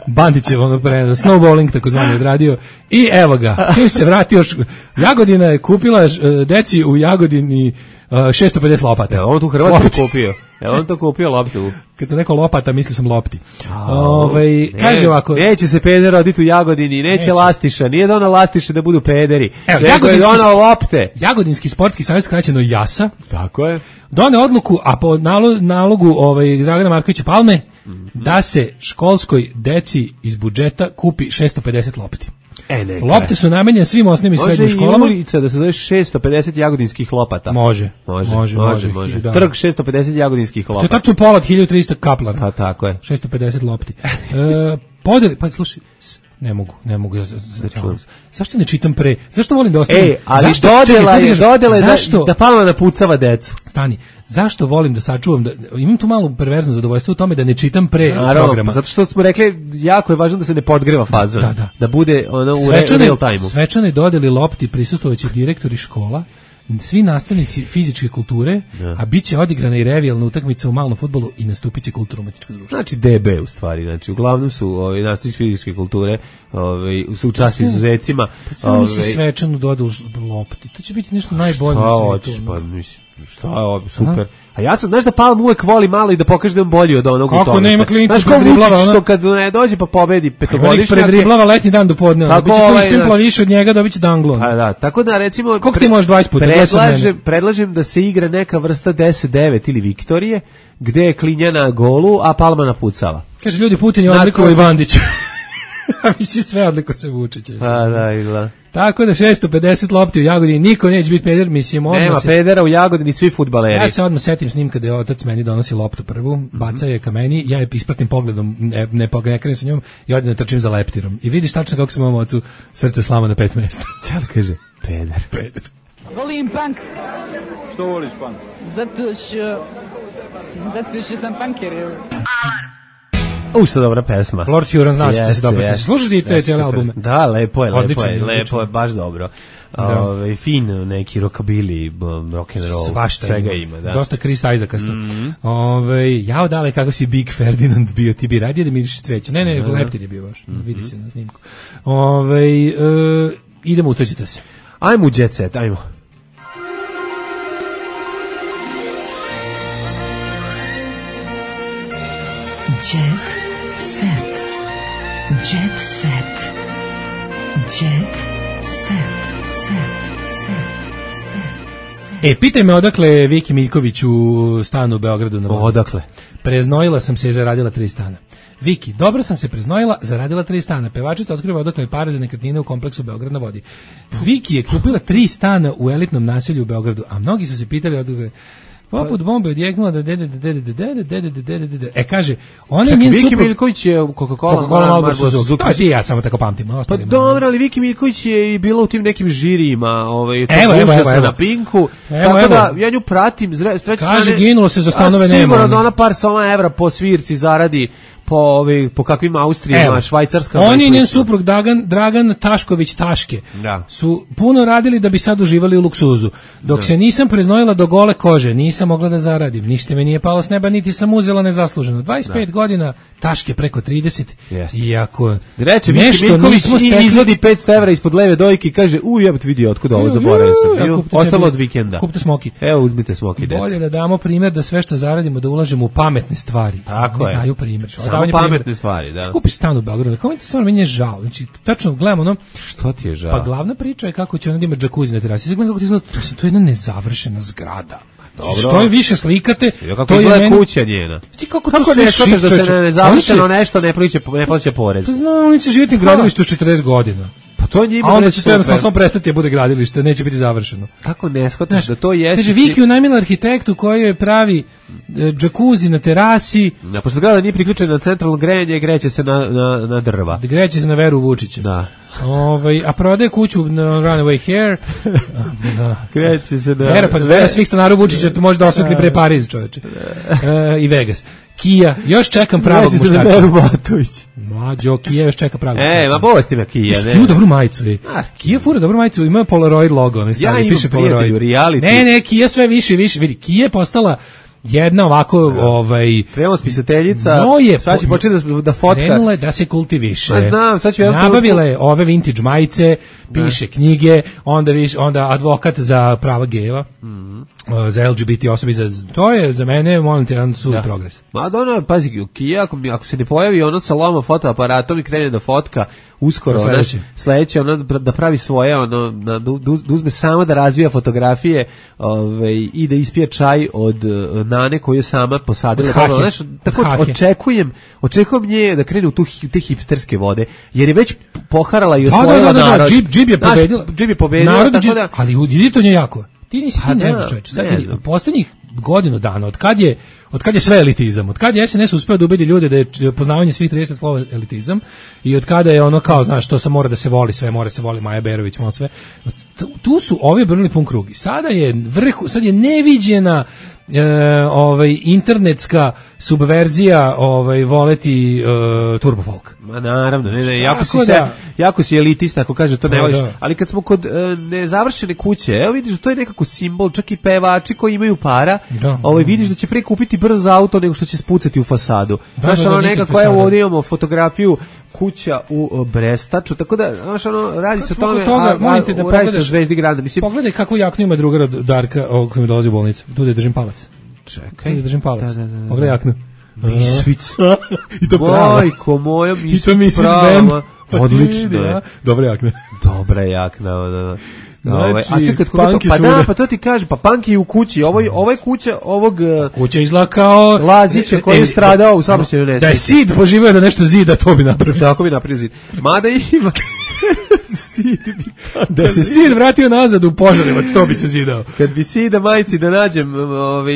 Bandić je ono pre, snowballing tako zvani odradio. I evo ga, čim se vratio, Jagodina je kupila deci u Jagodini šesto pedeset lopata.
Evo on tu Hrvatsku kupio. Evo on to kupio loptu.
Kad sam rekao lopata, mislio sam lopti. Ovaj ne, kaže ovako,
neće se peder roditi u Jagodini, neće, neće. lastiša, nije da ona lastiša da budu pederi.
Evo,
Jagodinski, ona lopte.
Jagodinski sportski savez, skraćeno JASA.
Tako je.
Done odluku, a po nalogu, nalogu ovaj Dragana Markovića Palme, mm-hmm. da se školskoj deci iz budžeta kupi šesto pedeset lopti.
E, neka.
Lopte su namenjene svim osnovnim i srednjim školama.
Može i ulica da se zove šesto pedeset jagodinskih lopata.
Može,
može,
može.
može, može. može. Trg šesto pedeset jagodinskih lopata.
To je tačno pola od hiljadu tristo kaplara.
Pa tako je.
šesto pedeset lopti. e, podeli, pa slušaj, ne mogu, ne mogu. Ja, zašto ne čitam pre? Zašto volim da ostavim?
Ej, ali
zašto,
dodela je, dodela je
zašto,
da, da Palma napucava decu.
Stani, zašto volim da sačuvam, da, imam tu malo perverzno zadovoljstvo u tome da ne čitam pre
Naravno,
programa.
Zato što smo rekli, jako je važno da se ne podgreva fazon, da, da, da. da bude ono u
svečane,
real time-u.
Svečane dodeli lopti prisustvovaće direktori škola, svi nastavnici fizičke kulture,
da.
a bit će odigrana i revijalna utakmica u malom fudbalu i nastupit će kulturno-umetničko društvo.
Znači D B u stvari, znači uglavnom su ovaj nastavnici fizičke kulture, ovaj su u čast izuzecima.
Pa samo nisi svečanu dodao lopti. To će biti nešto najbolje na svijetu.
Pa mislim, šta je super. Aha. A ja sam, znaš da Palm uvek voli malo i da pokaže da je bolji od onog.
Kako nema klinika
predriblava, što kad ne dođe pa pobedi petogodišnjak.
Predriblava letnji dan do podne. Biće koji spimpla više od njega, dobiće danglon.
A da, tako da recimo
koliko pre, ti možeš dvadeset puta
predlažem, predlažem da se igra neka vrsta deset devet ili Viktorije, gde je Klinja na golu, a Palma napucava.
Kaže ljudi, Putin je odlikovao i Vandića. A misli sve odliko se Vučića.
Pa da, izgleda.
Tako da šesto pedeset lopti u Jagodini, niko neće biti peder, mislim odmah
nema
se...
pedera u Jagodini, svi fudbaleri.
Ja se odmah setim snimka da je otac meni donosi loptu prvu, mm-hmm. baca je ka meni, ja je ispratim pogledom, ne, ne, ne krenem sa njom i odmah trčim za leptirom. I vidiš tačno kako se mom ocu srce slama na pet mesta.
Čel kaže, peder.
Peder.
Volim punk.
Što voliš punk?
Zato što... Zato što sam punker.
Alarm.
U, što dobra pesma.
Lord Huron, znaš da se dobro ste slušali te cijele albume.
Da, lepo je, lepo
odličan,
je, lepo je, baš dobro. Da. Ove, fin, neki rockabilly, rock and roll,
svašta
svega
ima.
ima, da.
Dosta Chris Isaacasto.
Mm-hmm.
Ove, jao dale, kako si Big Ferdinand bio, ti bi radije da miriš cveće. Ne, ne, leptir je bio baš, mm-hmm. vidi se na snimku. Ove, e, idemo, utođite se.
Ajmo u Jet Set, ajmo.
Jet set. Jet set. Jet set. Set. Set. Set.
E, pitaj me odakle Viki Miljković u stanu u Beogradu na vodi.
Odakle?
Preznojila sam se i zaradila tri stana. Viki, dobro sam se preznojila, zaradila tri stana. Pevačica otkriva odakle je pare za nekretnine u kompleksu Beograd na vodi. Viki je kupila tri stana u elitnom naselju u Beogradu, a mnogi su se pitali odakle... Poput bombe odjeknula da dede dede dede dede dede dede dede. E kaže, on je njen suprug.
Viki Miljković je Coca-Cola,
Coca-Cola Suzuki. To ti ja samo tako pamtim.
Pa dobro, ali Viki Miljković je i bila u tim nekim žirima, ovaj, to
evo,
na Pinku. Tako da ja nju pratim, s treće strane.
Kaže, ginulo se za stanove nema.
Sigurno da ona par soma evra po svirci zaradi po ovaj po kakvim Austrijama, Švajcarska.
On i njen suprug Dragan Dragan Tašković Taške
da.
Su puno radili da bi sad uživali u luksuzu. Dok da. Se nisam preznojila do gole kože, nisam mogla da zaradim. Ništa me nije palo s neba, niti sam uzela nezasluženo. dvadeset pet da. Godina, Taške preko trideset.
Jeste.
Iako
reče nešto nismo stekli, izvodi petsto evra ispod leve dojke i kaže: "U, jebote, vidi otkud ovo, zaboravio sam." Bio, ostalo od vikenda.
Kupite smoki.
Evo, uzmite smoki, deca.
Bolje da damo primjer da sve što zaradimo da ulažemo u pametne stvari.
Tako je.
Daju primjer.
Pametne stvari, da.
Skupiš stan u Beogradu, kako mi to stvarno meni je žao. Znači, tačno gledamo ono...
Što ti je žao?
Pa glavna priča je kako će ona da ima džakuzi na terasi. Gledam kako ti izgleda, to je jedna nezavršena zgrada. Dobro. Što je više slikate,
kako
to je meni...
kuća njena.
Ti kako,
kako
to
ne shvataš da se ne nezavršeno nešto ne plaća ne plaća porez?
Pa znam, oni će živjeti u gradilištu četrdeset godina.
Pa to njima.
A onda će to jednostavno samo prestati da bude gradilište, neće biti završeno.
Kako ne shvataš da to jeste?
Kaže, Viki unajmila arhitektu koji je pravi džakuzi na terasi.
Na pošto zgrada nije priključena na centralno grejanje, greće se na, na, na drva.
Greće se na Veru Vučića.
Da.
Ovaj, a prodaje kuću na Runaway Hair.
Greće se na...
Vera, pa Vera svih stanara Vučića može da osvetli pre Pariz, čoveče. E, I Vegas. Kia, još čekam pravog muškarca. Mlađo, Kia još čeka pravog muškarca.
E, ma bosti me Kia, ne.
Kia dobru majicu, ej. Kia fura dobru majicu, ima Polaroid logo, ne stavi,
ja
piše Polaroid.
Reality.
Ne, ne, Kia sve više, više, vidi, Kia je postala jedna ovako, da. Ovaj...
Premo spisateljica,
no je,
sad će početi da, da fotka.
Krenula je da se kultiviše.
Ma znam, sad ću jedan
nabavila je ove vintage majice, piše da. Knjige, onda, viš, onda advokat za prava gejeva. Mm-hmm. Za L G B T osobi, za, to je za mene molim te jedan sud progres.
Ma da ono, pazi, Kia, ako, ako se ne pojavi ono sa loma fotoaparatom i krene da fotka uskoro, sledeće, sledeće ono, da pravi svoje, ono, da, da, da uzme samo da razvija fotografije ove, i da ispije čaj od uh, nane koju je sama posadila. Ono, znaš, tako očekujem, očekujem nje da krene u tu, te hipsterske vode, jer je već poharala i osvojila
da, da, da, da,
narod.
Džib, džib je pobedila.
Naš, džib je pobedila,
narod,
tako
džib,
da...
Ali vidi to nje jako. Ti nisi,
pa
ti ne
da,
znaš, čovječe. Sad
ne
vidi,
znam.
u posljednjih godinu dana, od kad je, od kad je sve elitizam, od kad je S N S uspeo da ubedi ljude da je poznavanje svih trideset slova elitizam i od kada je ono kao, znaš, to se mora da se voli, sve mora se voli, Maja Berović, malo sve. Tu su ovi obrnuli pun krug. Sada je vrhu, sad je neviđena e, ovaj internetska subverzija ovaj, voleti uh, turbo folk.
Ma naravno, ne, ne, jako si,
da,
se, jako si elitista ako kaže to ne
da,
voliš,
da.
ali kad smo kod uh, nezavršene kuće, evo vidiš, to je nekako simbol, čak i pevači koji imaju para,
da,
ovaj, vidiš da će pre kupiti brz auto nego što će spucati u fasadu.
Da,
znaš,
da, da,
ono
nikad
nekako,
fasada.
evo ovdje imamo fotografiju kuća u uh, Brestaču, tako da, znaš, ono, radi se o tome,
toga,
a, a,
molim te da
radi se o
pogledaš,
Zvezdi grada, mislim.
Pogledaj kakvu jaknu ima drugara Darka, ovog koji mi dolazi u bolnicu, tu da držim palac.
Čekaj.
Tu da držim palac.
Da, da, da, da.
Pogledaj jaknu.
Misvic.
I to pravo.
Majko moja, misvic,
I to misvic
prava.
Pa
Odlično je.
Dobra jakna.
Dobra jakna, da, da.
Znači,
a čekaj, to, pa da, pa to ti kaže, pa Panki je u kući, ovo je, ovo je kuća ovog
kuća izgleda kao
Lazića koji je stradao u saobraćajnoj nesreći.
Da je Sid poživio da nešto zida, to bi napravio.
Tako bi napravio Zid. Mada ima Sid bi
da se Sid vratio nazad u Požarevac, to bi se zidao.
Kad bi Sida majci da nađem, ovaj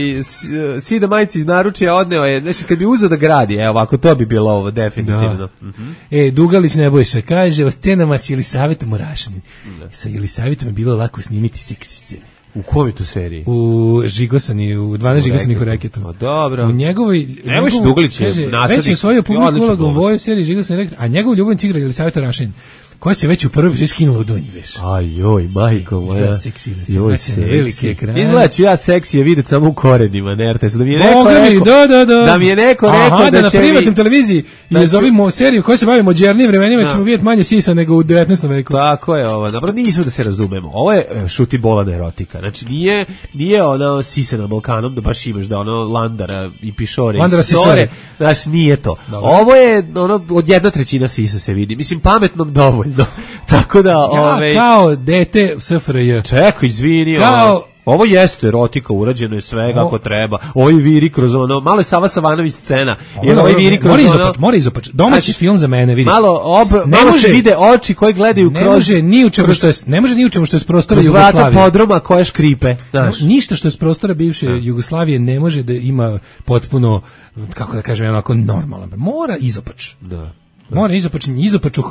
Sida majci naručio, odneo je, znači kad bi uzeo da gradi, evo ovako to bi bilo ovo definitivno.
Da. Mm-hmm. E, Dugalić Nebojša kaže o scenama s Jelisavetom Orašanin. Da. Sa Jelisavetom je bilo lako snimiti seksi scene.
U kojoj tu seriji?
U Žigosani, u dvanaest Žigosanih u Reketu.
O, dobro.
U njegovoj...
Evo što Dugalić je nastavnik.
Već je osvojio publiku ulogom u ovoj seriji Žigosani u Reketu, a njegov ljubavnic igra Jelisaveta Orašanin, koja se već u prvoj epizodu skinula u donji veš.
Aj joj, majko moja.
Izgleda seksi, da se
joj,
vraća na veliki ekran.
Izgleda ću ja seksi je vidjeti samo u korenima, ne R T S. Da mi je neko
Boga
rekao,
mi, da, da, da.
da mi je neko rekao
Aha,
da,
da na
će
privatnim
mi...
televiziji
da
i zovimo seriju koja se bavi modernim vremenima,
da. ćemo
vidjeti manje sisa nego u devetnaestom veku.
Tako je ovo. Dobro, nisu da se razumemo. Ovo je šuti bolana erotika. Znači, nije, nije ono sise na Balkanom, da baš imaš da ono Landara i Pišore
Landara
i Sore. Znači, nije to. Dobro. Ovo je ono, od jedna trećina sisa se vidi. Mislim, pametnom dovoljno. Tako da,
ja,
ove...
kao dete S F R J.
Čekaj, izvini.
Kao...
Ovo, ovo jeste erotika, urađeno je sve kako treba. Ovo je viri kroz ono, malo je Sava Savanović scena. Jer ovo je viri kroz
mora
ono...
Izopač, mora izopač. Domaći znači, film za mene, vidi.
Malo, ob,
ne
malo
može,
se vide oči koji gledaju
ne
kroz...
Može ni u čemu kroz, što je, ne može ni u čemu što je s prostora
Jugoslavije.
Jugoslavije.
Vrata podruma koje škripe. Znaš.
No, ništa što je s prostora bivše ja. Jugoslavije ne može da ima potpuno, kako da kažem, onako normalan. Mora izopač.
Da.
Mora izopačenje, izopaču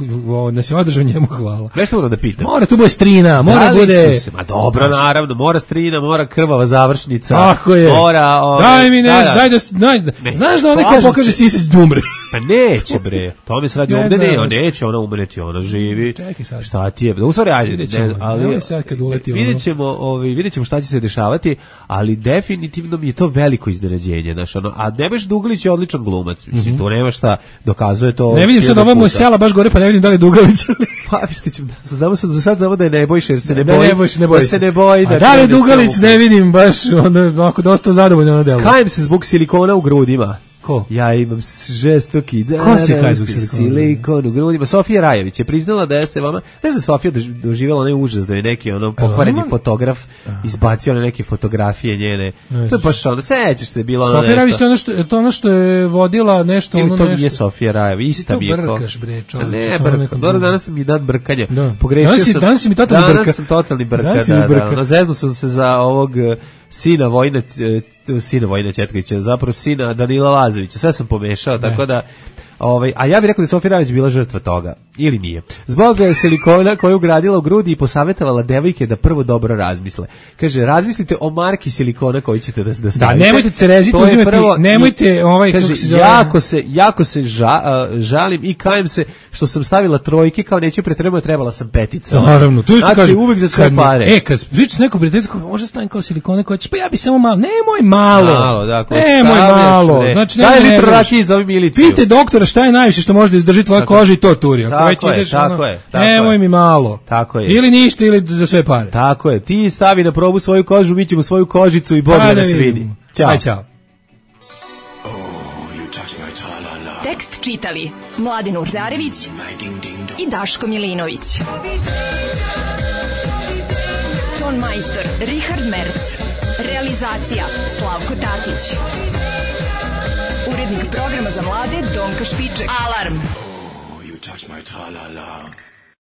da se održao njemu hvala.
Nešto moram da pitam.
Mora tu bude strina, mora da bude...
Se, ma dobro, znaš, naravno, mora strina, mora krvava završnica.
Tako je.
Mora... Ove,
daj mi nešto,
da,
daj da... Daj,
ne,
znaš da onaj ko pokaže sisać da umre?
Pa neće, bre. To mi se radi ne ovde, ne, on neće, ona umreti, ona živi.
Čekaj sad.
Šta ti je? Da, u stvari, ajde,
ne, ali sad kad uleti
vidjet ćemo, ovaj, vidjet ćemo šta će se dešavati, ali definitivno mi je to veliko iznenađenje, znaš, ono, a Nebojša Dugalić je odličan glumac, mislim, to nema šta, dokazuje to...
Ne vidim sad, ovo je moj sela baš gore, pa ne vidim da li je Dugalić.
Pa vidite ćemo, znamo sad, za sad znamo da je Nebojša, jer se ne
da,
boji,
ne boji,
da se ne boji.
Da, da li je Dugalić, ne vidim, baš, ono, ako dosta zadovoljno na delu.
Kajem se zbog silikona u grudima.
Ko?
Ja imam žestoki da,
Ko si kaj zbog silikona?
Silikon u grudima. Sofija Rajević je priznala da je se vama, ne znam, Sofija doživjela onaj užas da je neki ono pokvareni fotograf izbacio na neke fotografije njene. To je baš ono, sećaš se, bilo ono
Sofija Rajević, to je ono što, to ono što je vodila nešto,
ili
ono
to
nešto.
nije Sofija Rajević, ista mi je ko.
Brkaš, bre, čovječe.
Ne, brka. Dobro, danas mi dan brkanja.
Da.
Pogrešio
danas si,
sam.
Danas si mi totalni brka.
Danas sam totalni brka,
danas
da,
brka.
da. No, zeznuo sam se za ovog sina Vojina, sina Vojina Četkovića, zapravo sina Danila Lazovića. Sve sam pomešao, ne. Tako da... Ovaj, a ja bih rekao da je Sofija Rajević bila žrtva toga. Ili nije. Zbog silikona koju ugradila u grudi i posavetovala devojke da prvo dobro razmisle. Kaže, razmislite o marki silikona koji ćete da, da stavite.
Da, nemojte cereziti uzimati, prvo, nemojte ovaj,
kaže, se jako se, jako se ža, uh, žalim i kajem se što sam stavila trojke, kao neću pretrebati, trebala sam peticu.
Naravno, tu isto
znači,
kažem.
Uvijek za sve
kad,
pare.
E, kad pričaš neko prijateljsko, može stavim kao silikone koje ćeš, pa ja bi samo malo, nemoj malo.
Malo, da,
nemoj malo.
Ne.
Znači,
daj litru rakije za ovi miliciju.
Pite doktora šta je najviše što može da izdrži tvoja koža i to turi. Ako već
je,
ideš,
tako
ono,
je, tako
nemoj
je.
mi malo.
Tako je.
Ili ništa, ili za sve pare.
Tako je. Ti stavi na probu svoju kožu, mi ćemo svoju kožicu i Bog da nas vidi. Ćao.
Aj, čao.
Tekst čitali Mladin Urdarević i Daško Milinović. Ton majstor Richard Merc. Realizacija Slavko Tatić. Urednik programa za mlade Donka Špiček. Alarm!
Oh, you touch my tra-la-la.